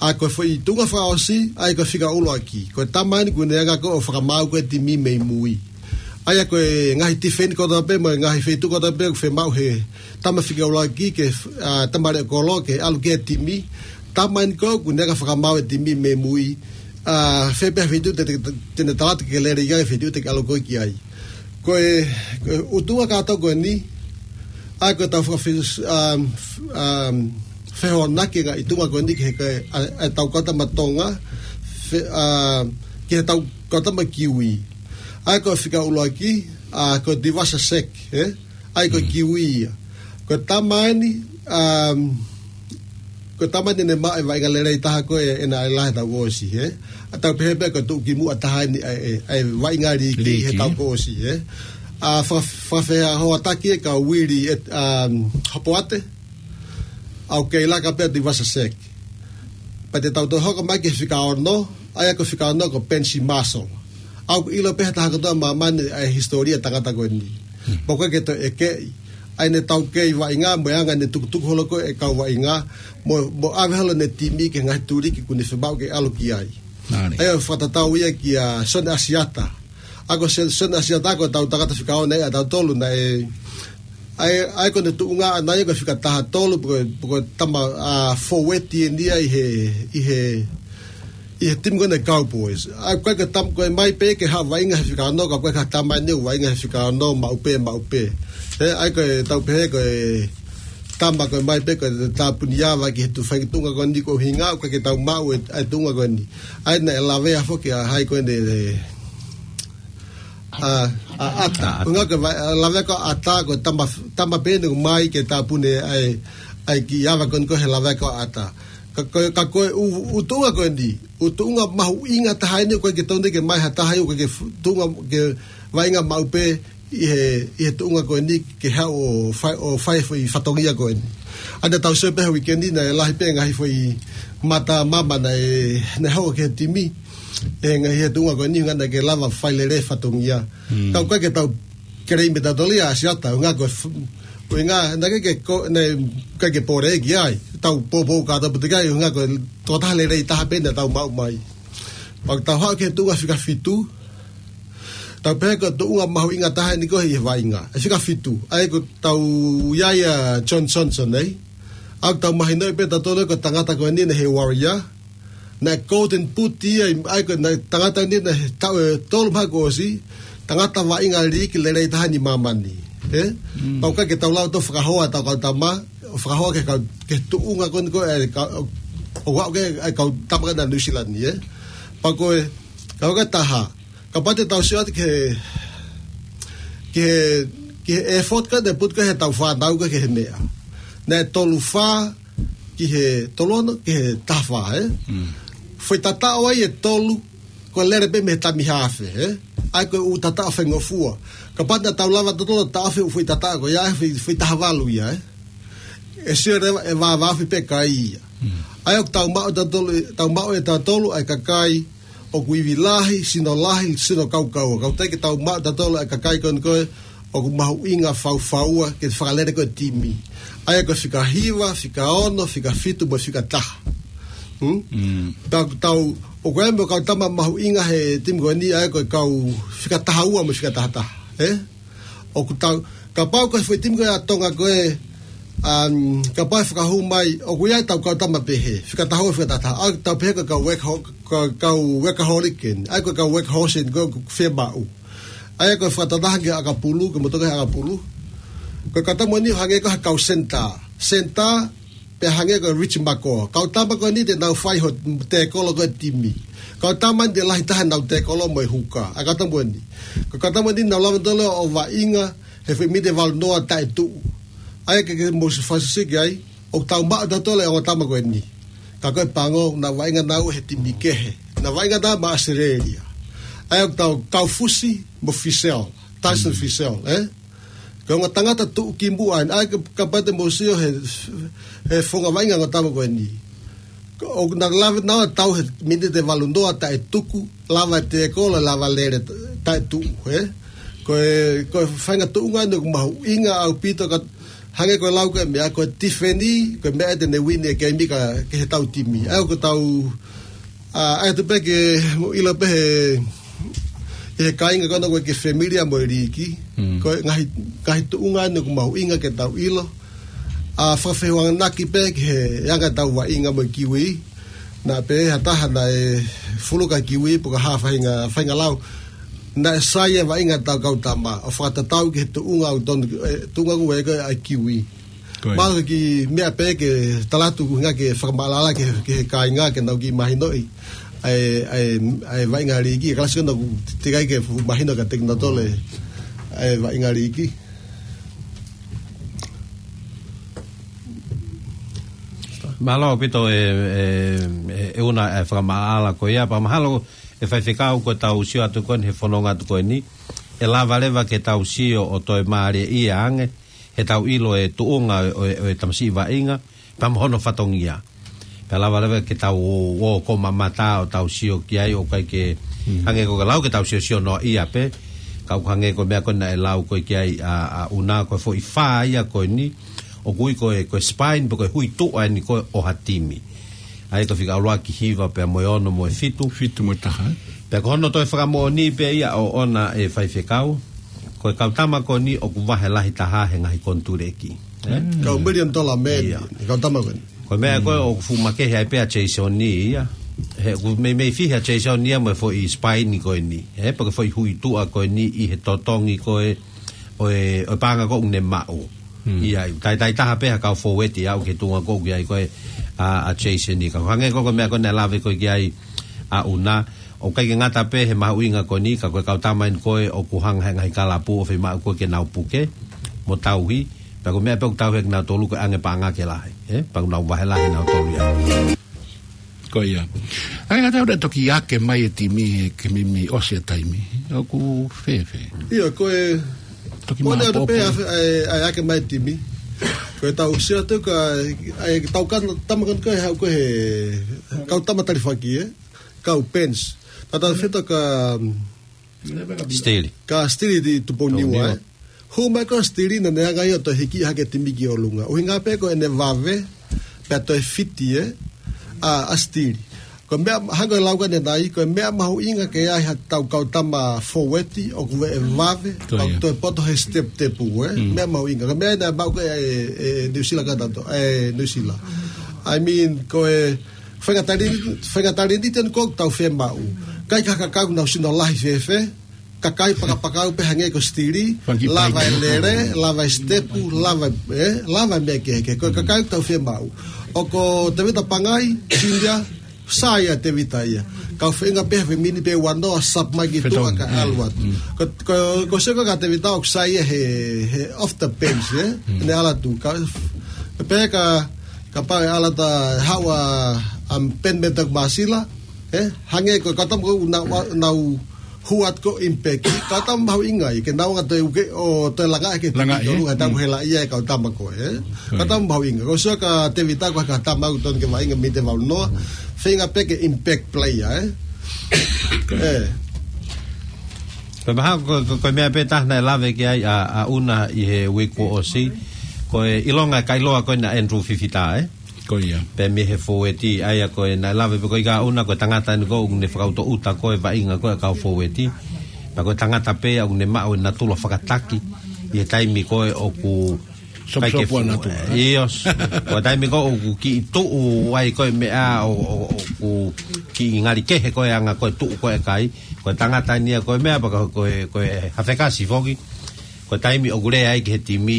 ʻA ia ko e foʻi tuʻunga fakaʻosi, ʻa ia ko e fika ʻuluaki. Ko e tama eni ʻoku ne hanga ko ē ʻo fakamaau ko ē e timi mei mui. ʻA ia ko e ngaahi tifeni kotoa pē, mo e ngaahi feituʻu kotoa pē, ʻoku fiemaʻu he tama fika ʻuluaki ke, ʻa, tama leʻo kolo ke ʻalu ki he timi. Tama eni ko ē ʻoku ne hanga ʻo fakamaau e timi mei mui. ʻA, fē pē ha feituʻu te, te, te ne tala atu ke lele ia e feituʻu te ke ʻalu ko ē ki ai. Ko e, ko e ʻutunga kātoa ko eni, ʻa ia ko ʻetau fakafe-, um, um, fehoanaki e ngaahi tuʻunga ko eni ki he, ki he, ʻa, ʻetau kau tama Tonga, fe-, um, ki heʻetau kau tama kiwi. ʻA ia ko e fika ʻuluaki, ʻa, ko e Tuivasa Sek, ē? ʻA ia ko e kiwi ia. Ko e tama eni, um, ko e tama eni naʻe maʻu e vaʻinga lelei taha ko ē ʻi he, ʻi he lahi ʻetau ʻosi, ē? ʻA ia tau pehē pē ko e tuʻukimuʻa taha eni ʻa e, ʻa e vaʻinga liiki he, liiki, tau ʻosi, ē? ʻA, fa-, fakafehoanaki ʻe kau Uili, ē, um, Hopoate, ʻa ia ʻoku kei laka pē ʻa Tuivasa Sek. Pea te tau toe hoko mai ki he fika ono, ʻa ia ko e fika ono ko Pensi Maso. ʻOku ʻilo pē ʻe he taha kotoa ʻi māmani ʻa e hisitōlia e tangata ko eni. Hmm. Pea ʻoku ʻikai ke toe ʻekeʻi ʻa ʻene taukei vaʻinga, mo e anga ʻene tukutuku holo ko ē e kau vaʻinga, mo, mo ʻave holo ʻene timi ki he ngaahi tuliki ʻoku ne fiemaʻu ke ʻalu ki ai. Nani. ʻA ia ʻoku fakatatau ia kia Sione ʻAsiata. ʻA ia ko Sio-, Sione ʻAsiata ko ʻetau tangata fika ono ia ʻa tautolu naʻe, ʻa ia, ʻa ia ko ʻene tuʻunga ʻaʻana ia ko e fika taha tolu pe ko e, pe ko e tama, ʻa, fōueti eni ia ʻi he, ʻi he, ʻi he timi ko eni Cowboys. ʻA ia ko e, ko e tam-, ko e ʻomai pē ke haʻu ʻo vaʻinga he fika ono, ka ko e, ko e tama eni ʻoku vaʻinga he fika ono, maʻu pē, maʻu pē. Ē, ʻa ia ko ʻetau pehē ko e tama ko e ʻomai pē ko e tāpuni ava ki he tuʻu fai tuʻunga ko eni ko e ʻuhinga, ʻoku ʻikai ke tau maʻu e, ʻa e tuʻunga ko eni. ʻA ia naʻe lavea foki ʻa hai ko eni, ʻa, ʻa ʻAta. ʻAta. Ko e ʻuhinga ko e va-, lavea ko ʻAta ko e tama, tama pē eni ʻoku ʻomai ke tāpuni ʻa e, ʻa e kiʻi ava ko eni ko e lavea ko ʻAta. Ka ko e, ka ko e ʻū, ʻū tuʻunga ko eni, ʻū tuʻunga mahuʻinga taha eni ʻoku ʻikai ke tonu ke ʻomai ha taha ia ʻoku ʻikai ke fu-, tuʻunga ke vaʻinga maʻu pē ʻi he, ʻi he tuʻunga ko eni ke haʻu ʻo fai, ʻo fai e foʻi fatongia ko eni. ʻA ia naʻa tau sio pē he uike ni naʻe lahi pē ngaahi foʻi mata mama naʻe, naʻe hoko ki he timi. ʻE ngaahi he tuʻunga ko eni ʻuhinga naʻe ʻikai ke lava fai lelei e fatongia. Hmm. Ka ʻoku ʻikai ke tau keleimi ʻe tautolu ia ʻa ʻAsiata, ʻuhinga ko e f-, ʻuhinga naʻe ʻikai ke ko-, naʻe ʻikai ke pole ki ai. Tau poupou kātoa pē ki ai, ʻuhinga ko e tokotaha lelei taha pē naʻa tau maʻu mai. Pea tau haʻu ki he tuʻunga fika fitu, Tau pehē ko e tuʻunga mahuʻinga taha eni ko e ʻi he vaʻinga. ʻE fika fitu. ʻA ia ko ʻetau ʻi ai ʻa John Johnson, ē? ʻOku tau mahinoʻi pē ʻe tautolu ko e tangata ko eni naʻe ʻi he Warrior. Naʻe Golden Boot ia, ʻa ia ko e tangata eni naʻe he taʻu ʻe tolu mahalo kuo ʻosi. Tangata vaʻinga liiki lelei taha ʻi māmani. Ē? Mm. Pau ʻikai ke tau lava ʻo fakahoa ʻetau kau tama, ʻo fakahoa ki he kau, ki he tuʻunga ko eni ko e, ka, ʻo, ʻo aʻu ki he, ʻa e kau tama ko ē ʻa Nuʻu Sila ni, ē? Pea ko e, ka ko e taha. Kapau te tau sio atu ki he, ki he, ki he effort ko ē naʻe put ko ē heʻetau fānau ko ē ki he meʻa. Naʻe tolu fā ki he tolu ono ki he taha fā, ē? Mm. Foʻi tataʻo ia ʻe tolu, ko e lele pē mei he tami haafe, ē? ʻA ia ko e ʻū tataʻo faingofua. Kapau naʻa tau lava tautolu ʻo taʻofi e ʻū foʻi tataʻo ko ia, ʻe foʻi, foʻi taha valu ia, ē? ʻE sio leva ʻe vāvāofi pē kai ia. Mm. ʻA ia ʻoku tau maʻu ʻe tautolu, tau maʻu ʻe tautolu ʻa e kakai ʻoku ivi lahi, sino lahi, sino kaukaua. Ka ʻoku teʻeki ke tau maʻu ʻe tautolu ʻa e kakai ko eni ko ē ʻoku mahuʻinga faufaua ke fakalele ko ē e timi. ʻA ia ko e fika hiva, fika ono, fika fitu, mo e fika taha. Hmm? Mm. Tau, tau, ʻoku ʻi ai mo e kau tama mahuʻinga he timi ko eni, ʻa ia ko e kau fika taha ua mo e fika taha taha. Ē? ʻOku tau, kapau ko e foʻi timi ko ē ʻa Tonga ko ē, um, kapau ʻe fakahū mai, ʻoku ʻi ai ʻetau kau tama pehē, fika taha ua, fika taha taha, ʻa ia ʻoku tau pehē ko e kau work ho-, ko e kau workaholic eni, ʻa ia ko e kau workhorse eni, ko e fiemaʻu. ʻA ia ko e fakatatau ki he ʻakapulu, ko e motuʻa ki he ʻakapulu. Ko e kau tama eni ʻoku hangē ko ha kau senitā. Senitā, pea hangē ko Rich Makoa. Kau tama ko eni te nau fai hono tēkolo ko ē e timi. Kau tama eni te lahi taha ʻenau tēkolo mo e huka. ʻA e kau tama eni. Ko e kau tama eni naʻa nau lava tautolu ʻo vaʻinga he foʻi miniti ʻe valu noa taʻe tuʻu. ʻA ia ke, ke mou siʻi fakasisiki ai, ʻoku tau maʻu ʻe tautolu e ongo tama ko eni. Ka ko e pango, naʻa nau vaʻinga naua he timi kehe. Naʻa nau vaʻinga naua maʻa ʻAositelēlia. ʻA ia ʻoku tau kau Fusi mo Fisel. Tyson Fisel, ē? Ko e ongo tangata tuʻukimuʻa eni, ʻa ia ka, kapau te mou sio he, he founga vaʻinga e ongo tama ko eni. Ko, ʻoku nau lava naua ʻo tau he miniti ʻe valu noa taʻe tuku, lava e tēkolo, lava e lele taʻe tuʻu, ē? Ko e, ko e faʻahinga tuʻunga eni ʻoku mahuʻinga ʻaupito ka hangē ko e lau ko ē meʻa ko e tifeni, ko e meʻa ia te ne uini e keimi ka, ki heʻetau timi. ʻA ia ʻoku tau ʻA, ʻai atu pē ke mou ʻilo pē he, he kāinga ko ena ʻoku ʻikai ke familia mo e liiki. Mm. Ko e ngaahi, ngaahi tuʻunga eni ʻoku mahuʻinga ke tau ʻilo. ʻA, fakafehoanaki pē ki he anga ʻetau vaʻinga mo e Kiwi. Naʻe pehē ʻe ha taha naʻe fuluka Kiwi pe ko ha faʻahinga, faʻahinga lau. Naʻe sai e vaʻinga ʻetau kau tama. ʻO fakatatau ki he tuʻunga ʻoku tonu, e, tuʻunga ʻoku ʻi ai ko ē ʻa e Kiwi. Ko ia. Mahalo ko e kiʻi meʻa pē ke tala atu ko e ʻuhinga ke fakamaʻalaʻala ki he, ki he kāinga ke nau kiʻi mahinoʻi ʻa e, ʻa e, ʻa e vaʻinga liiki, kalasi ko ena ʻoku teʻeki ai ke fuʻu mahino kiate kinautolu ʻa e vaʻinga liiki. Mālō ʻaupito e, e, e, ʻEuna e fakamaʻalaʻala ko ia, pea mahalo ʻe Faifekau ko ʻetau sio atu ko eni he fononga atu ko eni, ʻe lava leva ke tau sio ʻo toe mālieʻia ange, heʻetau ʻilo e tuʻunga ʻo, ʻo, ʻo e tamasiʻi vaʻinga, pea mo hono fatongia. Pea lava leva ke tau ō, ō ʻo mamata ʻo tau sio ki ai ʻo ʻikai ke, mm, hangē ko e lau ke tau siosio noaʻia pē, ka ʻoku hangē ko e meʻa ko ē naʻe lau ko ē ki ai ʻa, ʻa ʻEuna ko e foʻi fā ia ko eni, ʻoku ui ko e, ko e spine, pe ko e huituʻa eni ko ē ʻo ha timi. ʻA ia ko e fika ʻuluaki, hiva pea mo e ono mo e fitu. Fitu mo e taha. Pea ko hono toe fakamoʻoni pē ia ʻoʻona ʻe Faifekau. Ko e kau tama ko eni ʻoku vahe lahi taha he ngaahi konituleki. Ē? Mm. Kau million dollar man, ia, e kau tama ko eni. Ko e meʻa ko ē, mm, ʻoku fuʻu makehe ai pē ʻa Jason ia. He ʻoku meimei fihi ʻa Jason ia mo e foʻi spine ko eni. Ē, pe ko e foʻi huituʻa ko eni ʻi he totongi ko ē ʻo e, ʻo e paʻanga ko ē ʻoku ne maʻu. Mm. ʻI ai, taitai taha pē ha kau fōueti ʻo aʻu ki he tuʻunga ko ē ʻoku ʻi ai ko ē ʻa, ʻa Jason ia. Ka hangē ko e, ko e meʻa ko ē naʻe lave ko ē ki ai ʻa ʻEuna, ʻoku ʻikai ke ngata pē he mahuʻinga ko eni, ka ko e kau tama eni ko ē ʻoku hanga he ngaahi kalapu ʻo fiemaʻu ko ē ke nau puke mo tauhi, pea ko e meʻa pē ʻoku tauhi ʻe kinautolu ko e ʻange paʻanga ke lahi, ē? Pea ʻoku nau vahe lahi kinautolu ia. Ko ia. ʻA ia, ka tau toki ake mai e timi he, ke meimei ʻosi e taimi. ʻOku fēfē? ʻIo, ko e, toki ko e ʻalu atu pē ʻa e, ʻa e ake mai e timi. Ko ʻetau sio atu ka, ʻa e kau tama ko eni ko ē, haʻu ko ē he kau tama talifaki, ē? Kau bench. Tata feto ka, mm, Stili. Ka Stili ʻi Tupouniua, Tupouniua, ē? Hū mai ko ē ʻa Stili naʻa ne hanga ia ʻo toe hiki hake e timi ki ʻolunga. ʻUhinga pē ko ʻene vave, pea toe fiti, ē? ʻA, ʻa Stili. Ko e meʻa, hangē ko e lau ko ē naʻe ʻai, ko e meʻa mahuʻinga ke ʻi ai haʻatau kau tama fōueti ʻoku ʻi he vave, Ko ia. ʻoku toe poto he step tepu, ē? Mm. Meʻa mahuʻinga. Ko e meʻa naʻe maʻu ko ē ʻe, ʻe New Zealand ka tau to, ʻe New Zealand. I mean, ko e faʻahinga taleni, faʻahinga taleni tenu ʻoku tau fiemaʻu. ʻIkai ke kakau nau sino lahi fēfē, kakai pakapakau pē hangē ko Stili, Faki lava Pai. e lele, lava e step, lava, ē? Lava e meʻa kehekehe. Ko e kakai ʻoku tau fiemaʻu. ʻOku ko Tevita Pangai, Cynthia, Sai ʻa Tevita ia. Kau feinga pē he mini pē ua noa sap mai ki Fetau. tuʻa ka Mm. ʻalu atu. Mm. Ko, ko, ko seko ka Tevita ʻoku sai ia he, he off the bench, ē? Mm. Ne ʻalu atu. Ka, pē ka, kapau ʻe ʻalu atu ʻa Haua, um, Ben Metak Masila, ē? Hangē ko, ka tam ko na, wa, nau huat ko impact. Ka tam mahuʻinga ia, ke nau anga toe uke, ʻo toe langa ke Langa, tiki ē? tolu, ka tam Mm. hela ia e kau tama ko, ē? Ka Mm. tam mahuʻinga. Ko sio ka Tevita ko ha tama ʻoku tonu ke vaʻinga mite valu noa. Feinga pē ke impact player, ē? Ē. Pea mahalo ko, ko, ko e meʻa pē taha naʻe lave ki ai ʻa, ʻa ʻUna ʻi he uike kuo ʻosi. Ko e ʻilonga e kailoa ko ena Andrew Fifita, ē? Ko ia. Pea mei he fōueti, ʻa ia ko e naʻe lave pē ko e ʻa ʻUna ko e tangata eni ko ē ʻoku ne fakautoʻuta ko e vaʻinga ko e kau fōueti. Pea ko e tangata pē ʻoku ne maʻu e natula fakataki ʻi he taimi ko ē ʻoku Sopusopu ʻikai ke ana fu-, tu. ʻIo. Ko e taimi ko ē ʻoku kiʻi tuʻu ai ko e meʻa ʻo, ʻo, ʻoku kiʻi ngali kehe ko e anga ko e tuʻu ko e kai. Ko e tangata eni ia ko e meʻa pea ko e, ko e hafekasi foki. Ko e taimi ʻoku lea ai ki he timi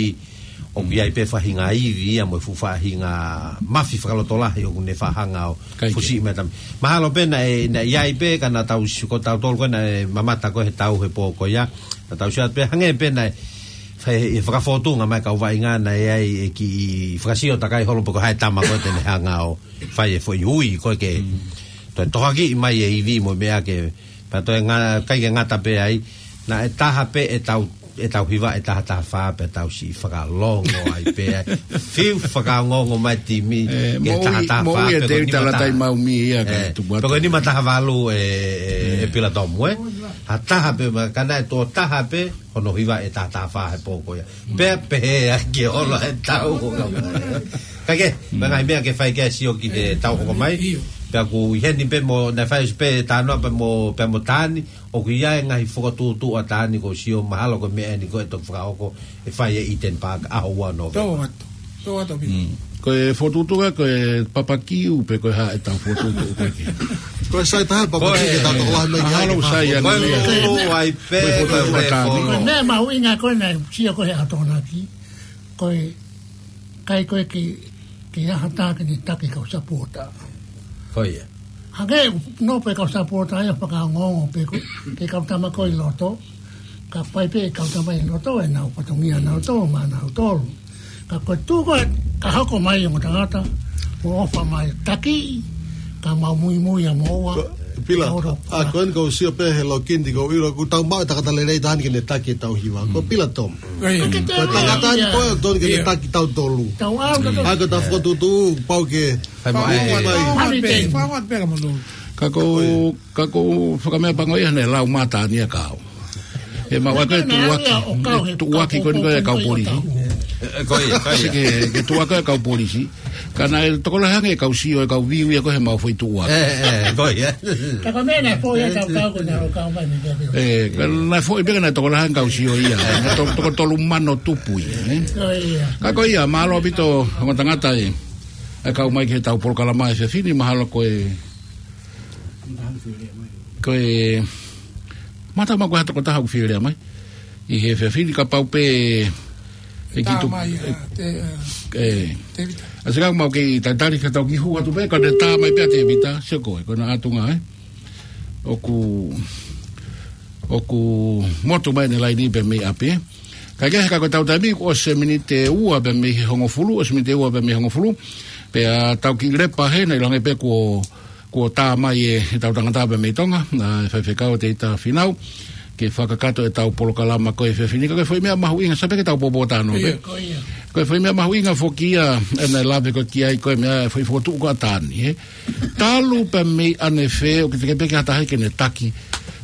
ʻoku ʻi ai pē faʻahinga ivi ia mo e fuʻu faʻahinga mafi fakalotolahi ʻoku ne faʻa hanga ʻo Kai ke. fusiʻi mai tami. Mahalo pē naʻe, naʻe ʻi ai pē ka naʻa tau sio ko tautolu ko ē naʻe mamata ko ē he tau he pō ko ia. Naʻa tau sio atu pē hangē pē naʻe fai e fakafotunga mai kau vaʻinga naʻe ʻi ai e kiʻi fakasio takai holo pē ko hai tama ko ē te ne hanga ʻo fai e foʻi ui ko ē ke Mm. toe tohoakiʻi mai e ivi mo e meʻa ke Pea toe nga-, ʻikai ke ngata pē ai, naʻe taha pē ʻetau, ʻetau hiva ʻe taha taha fā pea tau siʻi fakalongo ai pē ai. Fiu fakaongoongo mai timi, Ē, ke moʻui, taha taha fā moʻui e pē ko Tevita nima taha. Latai Maumi ia ka Ē, tupu atu. Pē ko nima taha valu ē, ē, ē, Ē. Pila Tomu, ē. Ha taha pē ma-, ka naʻe tō taha pē, hono hiva ʻe taha taha fā he pō ko ia. Pea pehē ai ke ola e tau ko ka mai. Ka ke, Mm. pea ngaahi meʻa ke fai ke sio ki he tau hoko mai. ʻIo. Pea ʻoku ʻi heni pē mo, naʻe fai pē tānoa pē mo, pē mo Tani, ʻoku ʻi ai e ngaahi fokotuʻutuʻu ʻa Tani ko sio mahalo ko e meʻa eni ko e toki fakahoko, ʻe fai ʻe Eden Park, ʻaho ua Nōvema. Tau atu, tau atu, Pita. Mm. Ko e fokotuʻutuʻu ko e papakiu pē ko e hā ʻetau fokotuʻutuʻu ko ē. Ko e sai taha papakiu Ko e ke tau tokolahi mai ki ai mahalo ke sai fā. ʻAnga Ko e ia. lulu ai pē, Ko e fokotuʻutuʻu ko e ʻa Tani. fono. Ko e meʻa mahuʻinga ko ē naʻe sio ko ē he ʻaho Tokonaki. Ko e ʻikai ko ē ke, ke ʻi ai ha taha ke ne taki kau sapota. Ko ia. Hangē ʻoku nofo e kau sapota ia fakaongoongo pē ko, ke kau tama ko ē ʻi loto. Ka fai pē kau tama ʻi loto ʻenau fatongia nautolu maʻanautolu. Ka ko e tuʻu ko ē ka hoko mai ongo tangata, mo ʻofa mai taki, ka mau muimui ʻa moua. Ko, Pila, Ka ora ʻa ko eni kau sio pē he lokini kau ʻilo, ʻoku tau maʻu e tangata lelei taha eni ke ne taki e tau hiva. Ko Mm. Pila Tomu. Ē. Ka ke Ko e tangata eni ia. ko ē ʻoku tonu ke ne Ia. taki tautolu. Tau au ka ʻA ko e tau fokotuʻutuʻu, pau ke Fai mo Fai ai. mo ai. Fai mo ai. Fai mo ai. Fai mo ai. Fai mo ai. Fai mo ai. Ka ko, Oi. ka ko fakameʻapango ia ne lau mata ni a kau. He mau ako e Ko e tuʻuaki, meʻa ia ʻo kau he tuʻuaki ko eni ko e kau pōpō polisi. ʻo kau. Ē, ko ia, ko ia. Sike, ke tuʻuaki e kau polisi. Ka naʻe tokolahi ange e kau sio e kau viu ia ko e he mau foʻi tuʻuaki. Ē, ē, ko ia. Ka ko e meʻa naʻe foʻi e kau kau ko naʻe ʻo kau mai ni kau viu. Ē, ka naʻe foʻi pē ka naʻe tokolahi ange kau sio ia. Naʻe to-, toko tolu mano tupu ia, ē. Ko ia. Ka ko ia, mālō ʻaupito, ongo tangata ē. ʻE kau mai ki he tau polokalama he efiafi ni mahalo ko e Ko e, mata ma ko e ha tokotaha ʻoku fie lea mai. ʻI he efiafi ni kapau pē, ʻe ki tu-, Tamai, ē, te, ē, ē. Tevita. ʻA sika mau kei tatali ka tau kiʻi hū atu pē, ka ne tamai pē ʻa Tevita, sio ko e, ko na atunga, ē. ʻOku, ʻoku motu mai ʻene laini pē mei ʻapi, ē. Ka ke he ka ko e tau taimi, ʻosi e miniti ʻe ua pē mei he hongofulu, ʻosi e miniti ʻe ua pē mei he hongofulu. Pea tau kiʻi lepa hena ʻi langi pē kuo kuo tā mai e, e tau tangata pē mei Tonga, ʻa e faifekau Tevita Finau, ke fakakakato e tau polokalama ko e efiafi ni, ka ko e foʻi meʻa mahuʻinga, sai pē ke tau pōpōtalanoa pē. Ia. Ko ia. Ko e foʻi meʻa mahuʻinga foki ia, ʻena lave ko ē ki ai ko e meʻa, foʻi fokotuʻu ko ē ʻa Tani, ē. Talu pē mei ʻanefē, ʻoku teʻeki pē ke ha taha ke ne taki.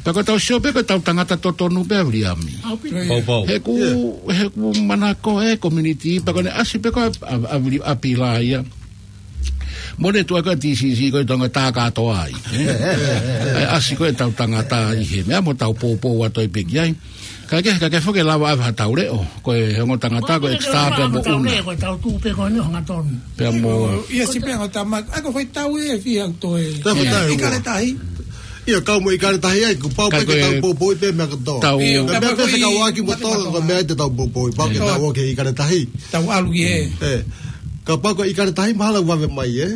Pea ko e tau sio pē ko e tau tangata totonu pē ʻa Viliami. ʻAupito. Ia. Pau, pau. He ʻoku, Ia. he ʻoku manako e community, pea ko ʻene ʻasi pē ko ē ʻa, ʻa, ʻa Vili-, ʻa Pila ia. Mo ne tuʻa ko e T C C ko e Tonga tā kātoa ai. ʻE, ʻasi ko e tau tangata ʻi he meʻa mo tau poupou atu ai pē ki ai. Ka ke, ka ke foki lava ʻave ha tau leʻo. Ko e ongo tangata ko e extra pea mo una. Ko e tau tū pē ko eni ʻo hangatonu. Pea mo. ʻIo, si pē ʻo tama, ʻa ko e foʻi tau ʻe fiha ʻo toe. Tau foʻi tau. ʻIkale tahi. ʻIo, kau mo ʻikale tahi ai, kuo pau pē ke tau poupou pē meʻa kotoa. Tau. ʻIo, meʻa pē fekauʻaki mo Tonga ko e meʻa te tau poupou, pau ke tau ō ki he ʻikale tahi. Tau ʻalu ki he. ʻE. Kapau ko e ʻikale tahi mahalo vave mai, ē?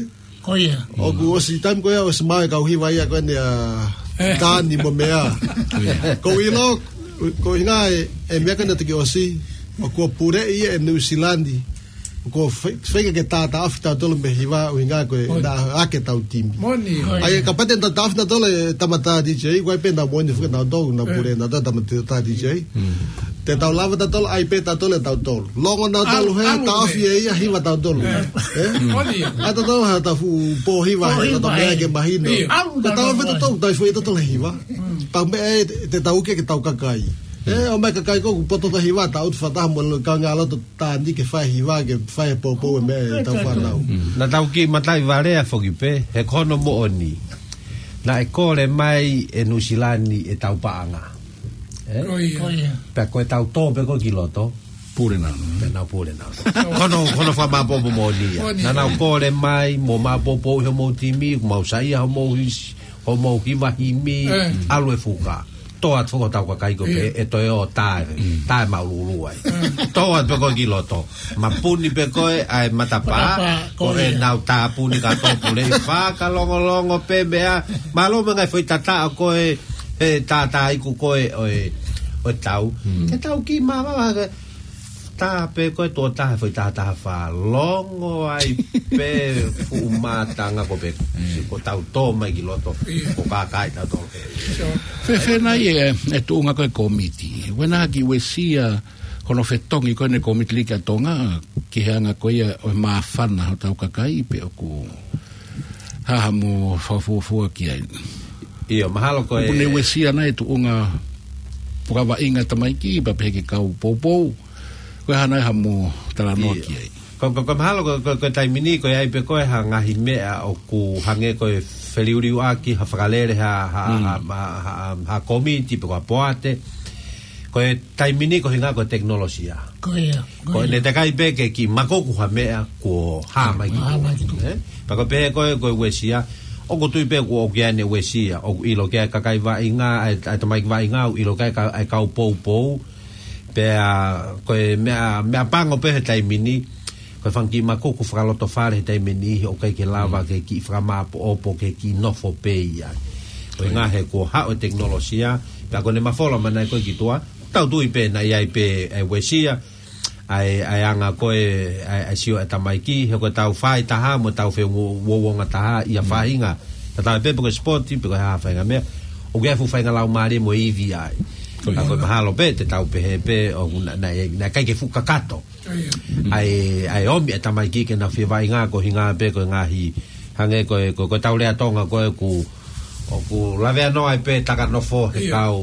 Ko ia. ʻOku ʻosi taimi ko ia, ʻosi maʻu e kau hiva ia ko eni ʻa Tani mo meʻa. Ko ia. Ko ʻilo, ko e ʻuhinga e, e meʻa ko eni ʻa e toki ʻosi, ʻoku puleʻi ia ʻe Nuʻu Sila ni. ʻOku fai-, feinga ke tātāʻofi tautolu mei he hiva ʻuhinga ko e naʻa ake tau timi. Moʻoni. ʻAi, kapau te tau tāʻofi tautolu e tama tā D J, ko e pē naʻa moʻoni fika nautolu, naʻa pule nautolu tama tā D J. Te tau lava tautolu, ʻai pē tautolu ʻe tautolu. Longo nautolu he, tāʻofi ʻe ia hiva tautolu. ʻE? ʻAi tautolu ha tafu pō hiva, he tautolu meʻa ke mahino. Ka tau fai tautolu, tau fai tautolu hiva. Tau meʻa ʻe, te tau ke, ke tau kakai. ʻE, ʻomai kakai ko ē, poto ta hiva, tau ʻutu fakataha mo e kau ngāue loto tā ni ke fai hiva, ke fai poupou e meʻa ʻe tau fānau. Naʻa tau kiʻi mataʻi valea foki pē, he ko hono moʻoni. Naʻe kole mai ʻe Nuʻu Sila ni ʻetau paʻanga. ʻE? Ko ia. Pea ko e tau tō pē ko ē ki loto. Pule nau. Pea nau pule nau. Ko hono, ko hono fakamāpopo moʻoni ia. Moʻoni. Naʻa nau kole mai, mo māpopo ʻi homou timi, mau saiʻia homou hisi, homou hiva himi, ʻalu e fuka. Tō atu foki hotau kakai ko ē pē, ʻe toe ō tae, tae maululu ai. Tō atu pē ko ē ki loto. Mapuni pē ko ē ʻa e matapā, ko ʻenau tāpuni ka tō pule ʻi fakalongolongo pē meʻa. Mālō mo e ngaahi foʻi tataʻo ko ē, he tātā iku ko ē ʻo e, ʻo e tau. Ke tau kiʻi mavava, ke tā pē ko ē tuʻo taha foʻi taha taha fā, longo ai pē fuʻu mātanga ko ē pē, ko ʻetau tō mai ki loto, ko e kakai tautolu. Fēfē nai e, e tuʻunga ko ē kōmiti. Uena ki uesia, ko hono fetongi ko eni e kōmiti liki ʻa Tonga, ki he anga ko ia ʻo e māfana hotau kakai pe ʻoku hā haʻamo fakafuofua ki ai. ʻIo, mahalo ko e. ʻOku ne uesia nai e tuʻunga fakavaʻinga tamaiki, pea pehē ki he kau poupou. Ko e hā nai haʻamo talanoa ki ai. Ko, ko, ko mahalo ko, ko, ko e taimi ni, ko e ʻai pē ko ē ha ngaahi meʻa ʻoku hangē ko e feliuliuaki, ha fakalele, ha, ha, ha, ha, ha, ha kōmiti, pe ko ha poate. Ko e taimi ni ko e ʻuhinga ko e tekinolosia. Ko ia, ko ia. Ko ʻene teʻeki ai pē ke kiʻi makoku ha meʻa kuo hā mai ki tuʻa. Hā mai ki tuʻa. ʻE? Pea ko e pehē ko ē, ko e uesia. ʻOku tui pē kuo ʻoku ʻi ai ʻene uesia. ʻOku ʻilo ki ai e kakai vaʻinga, ʻa e, ʻa e tamaiki vaʻinga, ʻoku ʻilo ki ai e ka-, ʻa e kau poupou. Pea ko e meʻa, meʻa pango pē he taimi ni. Ko e fanga kiʻi makoku fakalotofale he taimi ni, ʻoku ʻikai ke lava ke kiʻi fakamāpoʻopoʻo, ke kiʻi nofo pē ia. Ko e ʻuhinga he kuo haʻu e tekinolosia, pea ko ʻene mafola mai nai ko ē ki tuʻa, tau tui pē naʻe ʻi ai pē e uesia, ʻa e, ʻa e anga ko ē, ʻa e, ʻa e sio e tamaiki, he ko ʻetau fai taha, mo ʻetau feuo-, uouongataha, ʻi ha faʻahinga. Tatau ai pē pe ko e sipoti, pe ko e hā faʻahinga meʻa, ʻoku ʻi ai e fuʻu faʻahinga laumālie mo e ivi ai. Ko ia. Ka ko e mahalo pē, te tau pehē pē, ʻoku na, na, naʻe ʻikai ke fuʻu kakato. ʻA e, ʻa e ʻomi e tamaiki ke nau fie vaʻinga ko e ʻuhinga pē ko e ngaahi hangē ko e, ko, ko ʻetau lea Tonga ko ē ʻoku, ʻoku lavea noa ai pē taka nofo he kau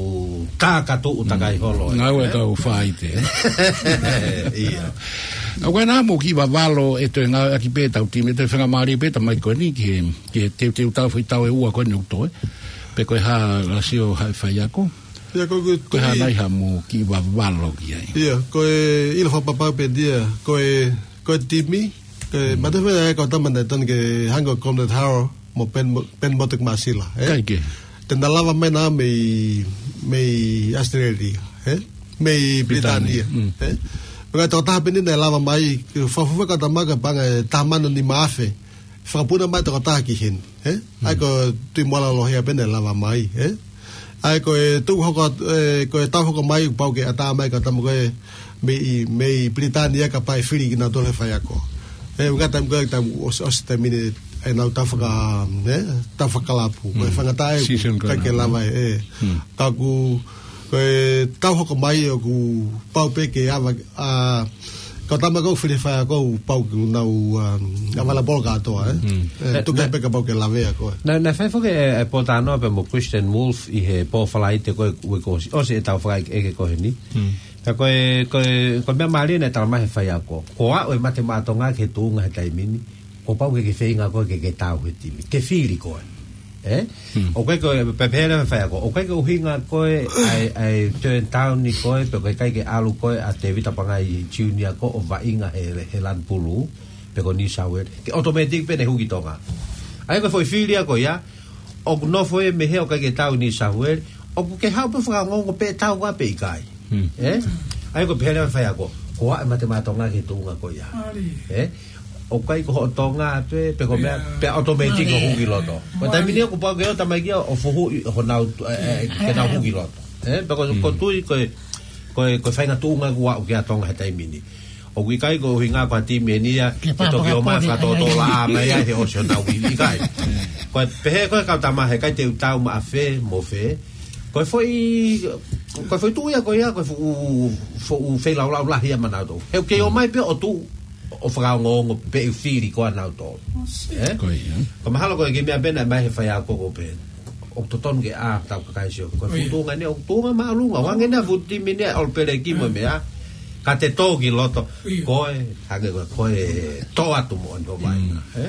tā ka tuʻu takai holo. Ngāue ʻa e kau faite. ʻIo. ʻA ko ena mo kiʻi vavalo e toe ngāueʻaki pē ʻetau timi, toe faingamālie pē tamaiki ko eni ki he, ki he teuteu tau foʻi tau ʻe ua ko eni ʻoku toe. Pe ko e hā lasio ha faiako. ʻIo, ko e, ko e hā nai haʻamo kiʻi vavalo ki ai. ʻIo, ko e ʻilo fakapapau pē ʻia, ko e, ko e timi, ko e, mate fea e kau tama naʻe tonu ke hangē ko Conrad Haro, mo Ben, Ben Motek Masila, ʻe? ʻIkai ke. Te na lava mai na mei, mei Australia, ʻe? Mei Pilitānia, ʻe? Pea ko e tokotaha pē eni naʻe lava mai, ke fafua kau tama ka paʻanga ʻe taha mano nima afe. Fakapuna mai tokotaha ki heni, ʻe? ʻA ia ko Tuʻi Moala Lohea pē naʻe lava mai, ʻe? ʻA ia ko e tau hoko, ʻe, ko e tau hoko mai, pau ke ʻatā mai kau tama ko ē mei, mei Pilitānia ka pae fili kinautolu he faiako. ʻE, ʻuhinga taimi ko ē, taimi ʻosi, ʻosi taimi ni ʻenau tau faka-, ʻe, tau fakalapu. Ko e fanga tae, ʻikai ke lava, ʻe. Ka ʻoku, ko e tau hoko mai ʻoku pau pē ke ava, ʻa, kau tama ko ē fili faiako pau ke nau, um, ʻavala polo kātoa, ʻe? ʻE, tuku pē kapau ke lavea ko ē. Naʻe, naʻe fai foki e, e Potanoa pea mo Christian Wolf ʻi he pō Falaite ko ē uike kuo ʻosi, ʻosi ʻetau fakaʻekeʻeke ko eni. Ka ko e, ko e, ko e meʻa mālie naʻe tala mai he faiako. Ko e aʻu e mate maʻa Tonga ki he tuʻunga he taimi ni. ʻo pau ke ke feinga koe ke ke tau he timi. Ke fili koe. Ē? ʻOku ʻikai ko e pehē leva e faiako. ʻOku ʻikai ko e ʻuhinga ko e ʻai, ʻai turn down ni koe, pe ʻoku ʻikai ke ʻalu koe ʻa Tevita Pangai Junior ko ē ʻo vaʻinga he, he Lani Pulū, pe ko New South Wales. Ke automatic pē ʻene hū ki Tonga. ʻA ia ko e foʻi fili ia ko ia, ʻoku nofo ia mei hē ʻoku ʻikai ke tau ʻi New South Wales, ʻoku ke haʻu pē ʻo fakaongoongo pe tau koā pe ʻikai. Ē? ʻA ia ko e pehē leva e faiako, ko e ʻai e Mate Maʻa Tonga ki he tuʻunga ko ia. Ē? ʻOku ʻikai ko hoʻo Tonga pē, pe ko e meʻa, pe automatic ʻo hū ki loto. Ko e taimi ni ʻoku pau ke ʻoua te mou ʻai ke ʻo fuhu ʻi honau, ē, ē, ke nau hū ki loto. Ē? Pe ko, ko e tui, ko e, ko e, ko e faʻahinga tuʻunga ʻoku aʻu ki ai ʻa Tonga he taimi ni. ʻOku ʻikai ko e ʻuhinga ko ha timi eni ia, ke toki ʻomai fakatōtōlaʻā mai ai he ʻosi honau ivi, ʻikai. Ko e pehē ko e kau tama he ʻikai te u tau maʻa fē mo fē. Ko e foʻi, ko e foʻi tuʻu ia ko ia, ko e fuʻu, fuʻu feilaulau lahi ia maʻanautolu. He ʻoku kei ʻomai pē ʻo tuʻu ʻo fakaongoongo pe ʻe fili koā ʻanautolu. Ē? Ko ia. Ko e mahalo ko e kiʻi meʻa pē naʻe ʻomai he faiako ko ē pē. ʻOku totonu ke ʻā hotau kakai ʻo sio. Ko e fuʻu tuʻunga ni, ʻoku tuʻunga māʻolunga. ʻOange ʻa e fuʻu timi ni ʻa All Black mo e meʻa. Ka te tō ki loto. Ko e, hangē ko e, ko e tō atu moʻoni hoʻo vaʻinga. Ē?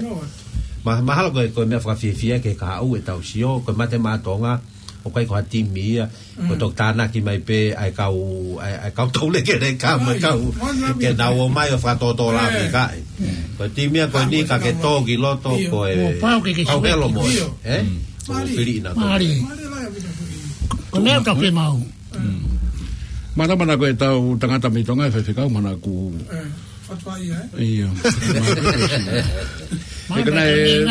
Ma-, mahalo ko e, ko e meʻa fakafiefia ke ka haʻu ʻetau sio, ko e Mate Maʻa Tonga, ʻoku ʻikai ko ha timi ia, ko e toki tānaki mai pē ʻa e kau, ʻa e, ʻa e kau taulekeleka mo e kau, ke nau ō mai ʻo fakatōtōlaʻā mai kae. Ko e timi ia ko eni ka ke tō ki loto, ko e, pau ke ke pau ke ʻilo mo e, ē? ʻO fili ʻi nautolu. Mālie. Ko e meʻa ʻoku tau fiemaʻu. Mālō, mālō ko ʻetau tangata mei Tonga, e faifekau, mālō ʻoku. Ē, fatuaʻia, ē? ʻIo. Mālō ko e,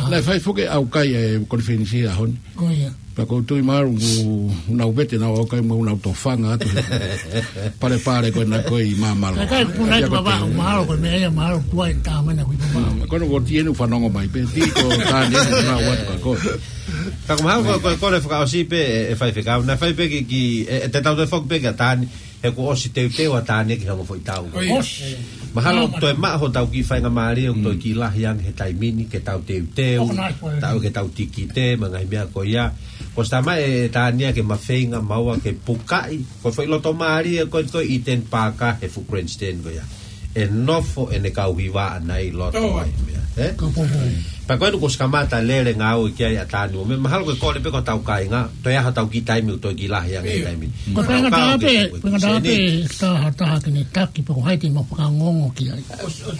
naʻe fai foki e ʻaukai e konifelenisi he ʻaho ni. Ko ia. Pea ʻoku ou tui mahalo ʻoku nau vete ʻenau ʻaukai mo ʻenau tofanga atu he palepale ko ena ko ē ʻi Māmalo. Kae kai puna i Papa, mahalo ko e meʻa ia, mahalo tuai tā mai na kui Papa. Ko ena ko Tieni ʻoku fanongo mai pē, ti ko Tani ʻoku nau atu ka ko. Ka ko mahalo ko, ko, ko e fakaʻosi pē e, e faifekau, naʻe fai pē ki, ki, e, e te tau toe foki pē kia Tani, he kuo ʻosi teuteu ʻa Tani ki he ongo foʻi tau. Mahalo ʻoku toe maʻu hotau kiʻi faingamālie, ʻoku toe kiʻi lahi ange he taimi ni, ke tau teuteu, tau ke tau tikite, mo e ngaahi meʻa ko ia. Kuo ʻosi tā mai ʻe Tani ia ke mafeinga maua ke pukaʻi, ko e foʻi loto mālie, ko e, ko e Eden Park he fuʻu grandstand ko ia. ʻE nofo ʻene kau hiva ʻana ʻi loto ai meʻa, ē? Pea ko ena kuo ʻosi kamata lele ngāue ki ai ʻa Tani mo e meʻa, mahalo ko e kole pē ko hotau kāinga, toe ʻaho hotau kiʻi taimi ʻoku toe kiʻi lahi ange he taimi. Ko e faingataʻa pē, faingataʻa pē, taha, taha ke ne taki, pe ko hai te mau fakaongoongo ki ai.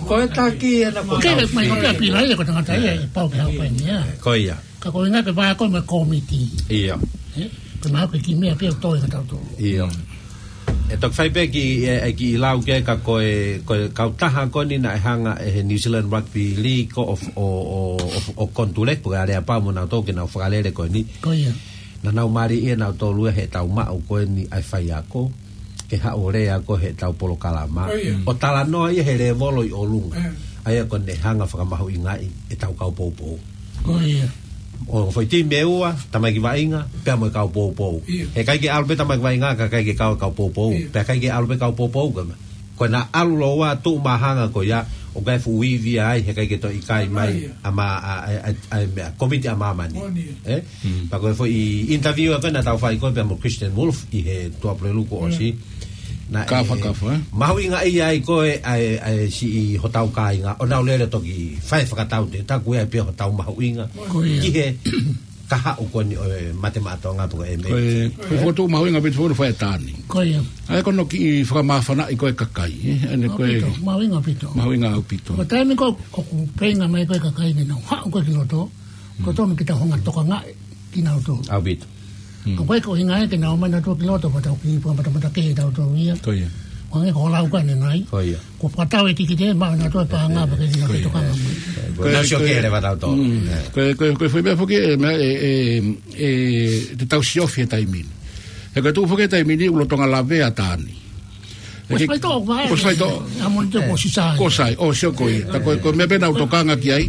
Ko e taki ʻena ko e taki. Ke le mai ko pē pila ia ko e tangata ia, ʻe pau ke haʻu pē ia. Ko ia. Ka ko e ʻuhinga ke vakai mo e kōmiti. ʻIo. Ē? Ko e mahalo ko e kiʻi meʻa pē ʻoku tō ʻi hotau tō. ʻIo. ʻE toki fai pē kiʻi, e, e kiʻi lau ke ka ko e, ko e kautaha ko eni naʻe hanga ʻe he New Zealand Rugby League ko ē ʻo, ʻo, ʻo, ʻo, ʻo Konituleki, pe ko e Aleapau mo nautolu ke nau fakalele ko eni. Ko ia. Naʻa nau mālieʻia nautolu ia heʻetau maʻu ko eni ʻa e faiako, ke haʻu ʻo lea ko ē heʻetau polokalama. Ko ia. ʻO talanoa ia he lēvolo ʻi ʻolunga. ʻA ia ko ʻene hanga ʻo fakamahuʻingaʻi ʻetau kau poupou. Ko ia. ʻO foʻi timi ʻe ua, tamaiki vaʻinga, pea mo e kau poupou. ʻIo. He ʻikai ke ʻalu pē tamaiki vaʻinga, ka ʻikai ke kau e kau poupou. ʻIo. Pea ʻikai ke ʻalu pē kau poupou, ka ma. Ko ʻena ʻalu lōua tuʻu mahanga ko ia, ʻoku ʻi ai e fuʻu ivi ai, he ʻikai ke toe ʻikai mai, ʻa ma, ʻa, ʻa, ʻa, ʻa e meʻa, kōmiti ʻa māmani. Ē? Pea ko e foʻi interview ko ē naʻa tau fai ko ē pea mo Christian Wolf ʻi he Tuʻapulelulu kuo ʻosi. Naʻe kafa, kafa, ē? Mahuʻingaʻia ai ko ē, ʻa e, ʻa e siʻi hotau kāinga, ʻo nau lele toki fai fakatau te, taku ia pē hotau mahuʻinga. Ko ia. Ki he kahaʻu ko eni ʻo e Mate Maʻa Tonga pe ko e M A. Ko e, ko e fokotuʻu mahuʻinga ʻaupito fono fai ʻe Tani. Ko ia. ʻA ia ko hono kiʻi fakamāfanaʻi ko e kakai, ē? ʻA eni ko e ʻaupito, mahuʻinga ʻaupito. Mahuʻinga ʻaupito. Ko e taimi ko ē ʻoku feinga mai ko ē kakai ke nau haʻu ko ē ki loto, ko tonu ke tau hanga ʻo tokangaʻi kinautolu. ʻAupito. ʻOku ʻikai ko e ʻuhinga ia ke nau ō mai nautolu ki loto, pea tau kiʻi fakamatamatakē ʻe tautolu ia. Ko ia. Ko e ʻuhinga ko e lau ko eni nai. Ko ia. Ko e fakatau e tikite, maʻu nautolu e paʻanga, pea ke nau tokanga mai. Ko e nau sio ko e kele ʻa tautolu. Ko e, ko e, ko e foʻi meʻa foki, e, meʻa, e, e, e, te tau siofi he taimi ni. He ko e tuʻu foki he taimi ni, ʻoku lolotonga lavea ʻa Tani. Ko e faitoʻo, ko e faitoʻo. ʻA moʻoni te ko sisai. Ko sai, ʻo sio ko ia. Tā ko e, ko e meʻa pē naʻa ku tokanga ki ai.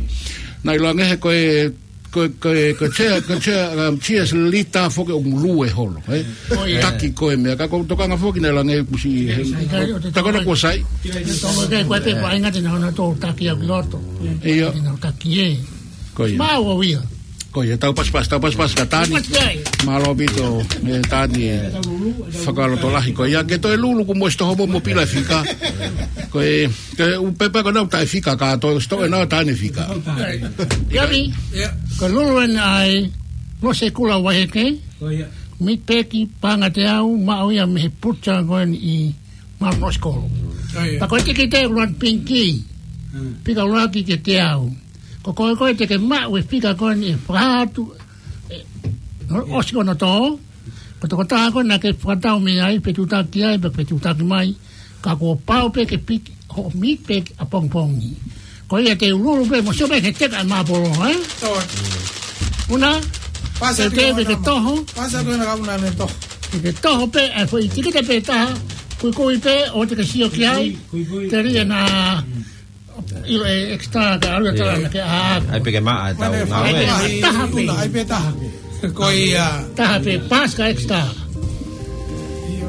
Naʻe ʻiloange he ko e, ko e, ko e, ko e chair, ko e chair, um, chairs lita foki ʻoku lue holo, ē? Ko ia. Taki ko e meʻa, ka ʻoku ou tokanga foki naʻe ʻiloange kuo ʻosi, ē, tā ko ena kuo sai. Tō ke ko e pē paʻanga te nau hanga ʻo taki au ki loto. ʻIo. Te nau taki ē. Ko ia. Mau au ia. Ko ia, tau pasipasi, tau pasipasi kia Tani. Pasipasi ai. Mālō ʻaupito, ē, Tani, ē, fakalotolahi ko ia. Ke toe lulu kuo mou ʻosi toho mo pila fika. Ko e, ke u pepa ko ena ʻoku taʻe fika ka toe ʻosi toho ʻena ʻo Tani fika. Ia mi. Ko e lulu ena ʻa e Losekula Vaiheke. Ko ia. Meat Pack paʻanga teau, maʻu ia mei he pucha ko eni ʻi Mount Ross Court. Ko ia. Pea ko e tikite ʻuluaki pinki. Hmm. Fika ʻuluaki ke teau. Ko koe ko ē te ke maʻu e fika ko eni ʻe fakahā atu, ē, ʻosi ko ena ʻo toho. Ko e tokotaha ko ē naʻa ke fakatau mei ai, fetuʻutaki ai, pe fetuʻutaki mai. Ka kuo pau pē ke piki hoʻo Meat Pack ʻapongipongi. Ko ia te u lulu pē, mo sio pē ke teka e māpolo, ē? Toe. Una, pasa te u ke ke toho. Pasa ko ena ka una ne toho. Ke ke toho pē, ʻa e foʻi tikite pē ʻe taha, kuikui pē, ʻoua te ke sio ki ai, kui, kui, kui. Te ri ena, ʻilo e extra ka ʻalu ʻe taha naʻa ke ʻā. ʻAi pē ke maʻa e tau ngāue. ʻAi pē taha pē. Ko ia. Taha pē, pasi ka extra.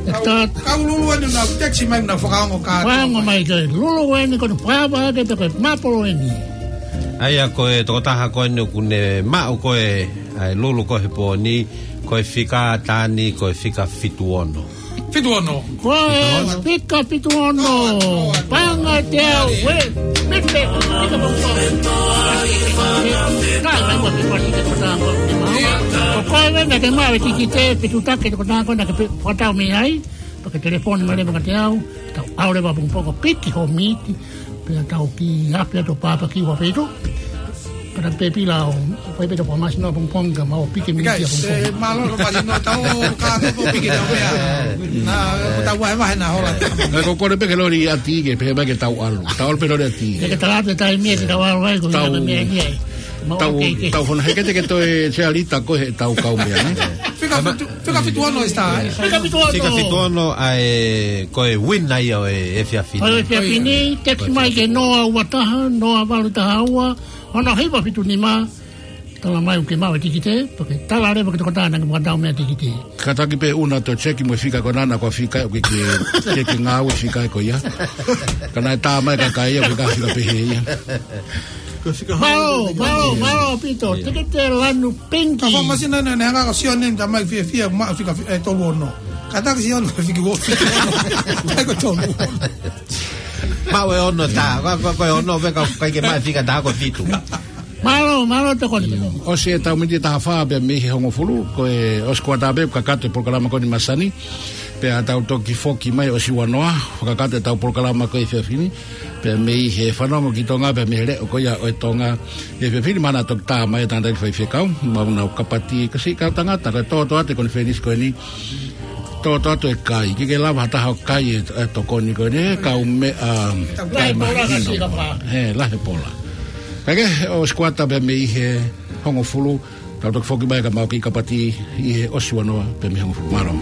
Extra. Kau lulu eni naʻa ku text mai naʻa fakaongo ka. Fakaongo mai ke lulu eni ko e fava ke te ko e māpolo eni. ʻA ia ko e tokotaha ko eni ʻoku ne maʻu ko ē ʻa e lulu ko ē he pō ni, ko e fika Tani, ko e fika fitu ono. Fitu ono. Ko e fika fitu ono. Paʻanga teau, ē, Meat Pack, fika fitu ono. Kai mai ko e fika fitu ono. Ko koe naʻa ke maʻu e tikite, fetuʻutaki e tokotaha ko ē naʻa ke pe-, fakatau mei ai, pea ke telefoni mai leva kiate au, tau ʻalu leva ʻapongipongi ʻo piki hoʻo mīti, pea tau kiʻi afe atu ʻo pāpaki ua feituʻu. Pea pē pila ʻo, ʻo fai pē ʻetau fakamasino ʻapongipongi ka mau piki mīti ʻapongipongi. Mālō ʻaupito, mālō ʻaupito, tau ka ko piki tau mea. Naʻa, ko tau vahevahe naʻa hola. Naʻa ko kole pē ke loli ʻa Tike, pehē mai ke tau ʻalu. Tau ʻalu pē loli ʻa Tike. Ke tala atu e taimi ʻe tau ʻalu ai, ko tau, ia mea ia. Mau tau, ke, ke. Tau fona heke te ke toe sealita ko ē he tau kau mea, ē? Fika fitu, fika fitu ono e star, ē? Fika fitu ono. Fika fitu ono ʻa e, ko e win ai ʻo e efiafi ni. ʻO e efiafi ni, text mai ki he noa ua taha, noa valu taha ua, ono hiva fitu nima, tala mai ʻoku ke maʻu e tikite, pea ke tala leva ki he tokotaha naʻa ke fakatau mei ai e tikite. Kātaki pē Una toe cheki mo e fika ko ena naʻa ko e fika ʻoku ke, ke, ke ngāue fika ko ia. Ka naʻe tā mai e kakai ia, ko e fika pehē ia. Mālō, mālō, mālō ʻaupito, tikite lanu pinki. Ka ko e masina naʻe, naʻe hanga ko Sione ta mai fiefia, maʻu fika fi-, ē, tolu ono. Kātaki Sione ko e fika ua fitu ono. Kai ko tolu ono. Maʻu e ono tā, ko, ko, ko e ono, pea ka, kai ke maʻu fika tā ko e fitu. Mālō, mālō tokoni. ʻOsi ʻetau miniti ʻe taha fā pea mei he hongofulu, ko e ʻosi kuata pē, kakato e polokalama ko eni masani. Pea tau toki foki mai ʻosi ua noa, fakakakato ʻetau polokalama ko e efiafi ni. Pea mei he fanongo ki Tonga, pea mei he leʻo ko ia ʻo e Tonga. ʻI he efiafi ni mahalo naʻa toki tā mai e tangataʻeiki faifekau, maʻu ʻenau kapati, ka siʻi kau tangata, ka tōtō atu e konifelenisi ko eni. Tōtō atu e kai, ke ke lava ha taha ʻo kai e, e tokoni ko eni, e kau meʻa, ʻa, kai mahino. He, lahi e pola. Ka ke, ʻosi kuata pē mei he hongofulu, tau toki foki mai ka mau kiʻi kapati ʻi he ʻosi ua noa pē mei he hongofulu. Mālō.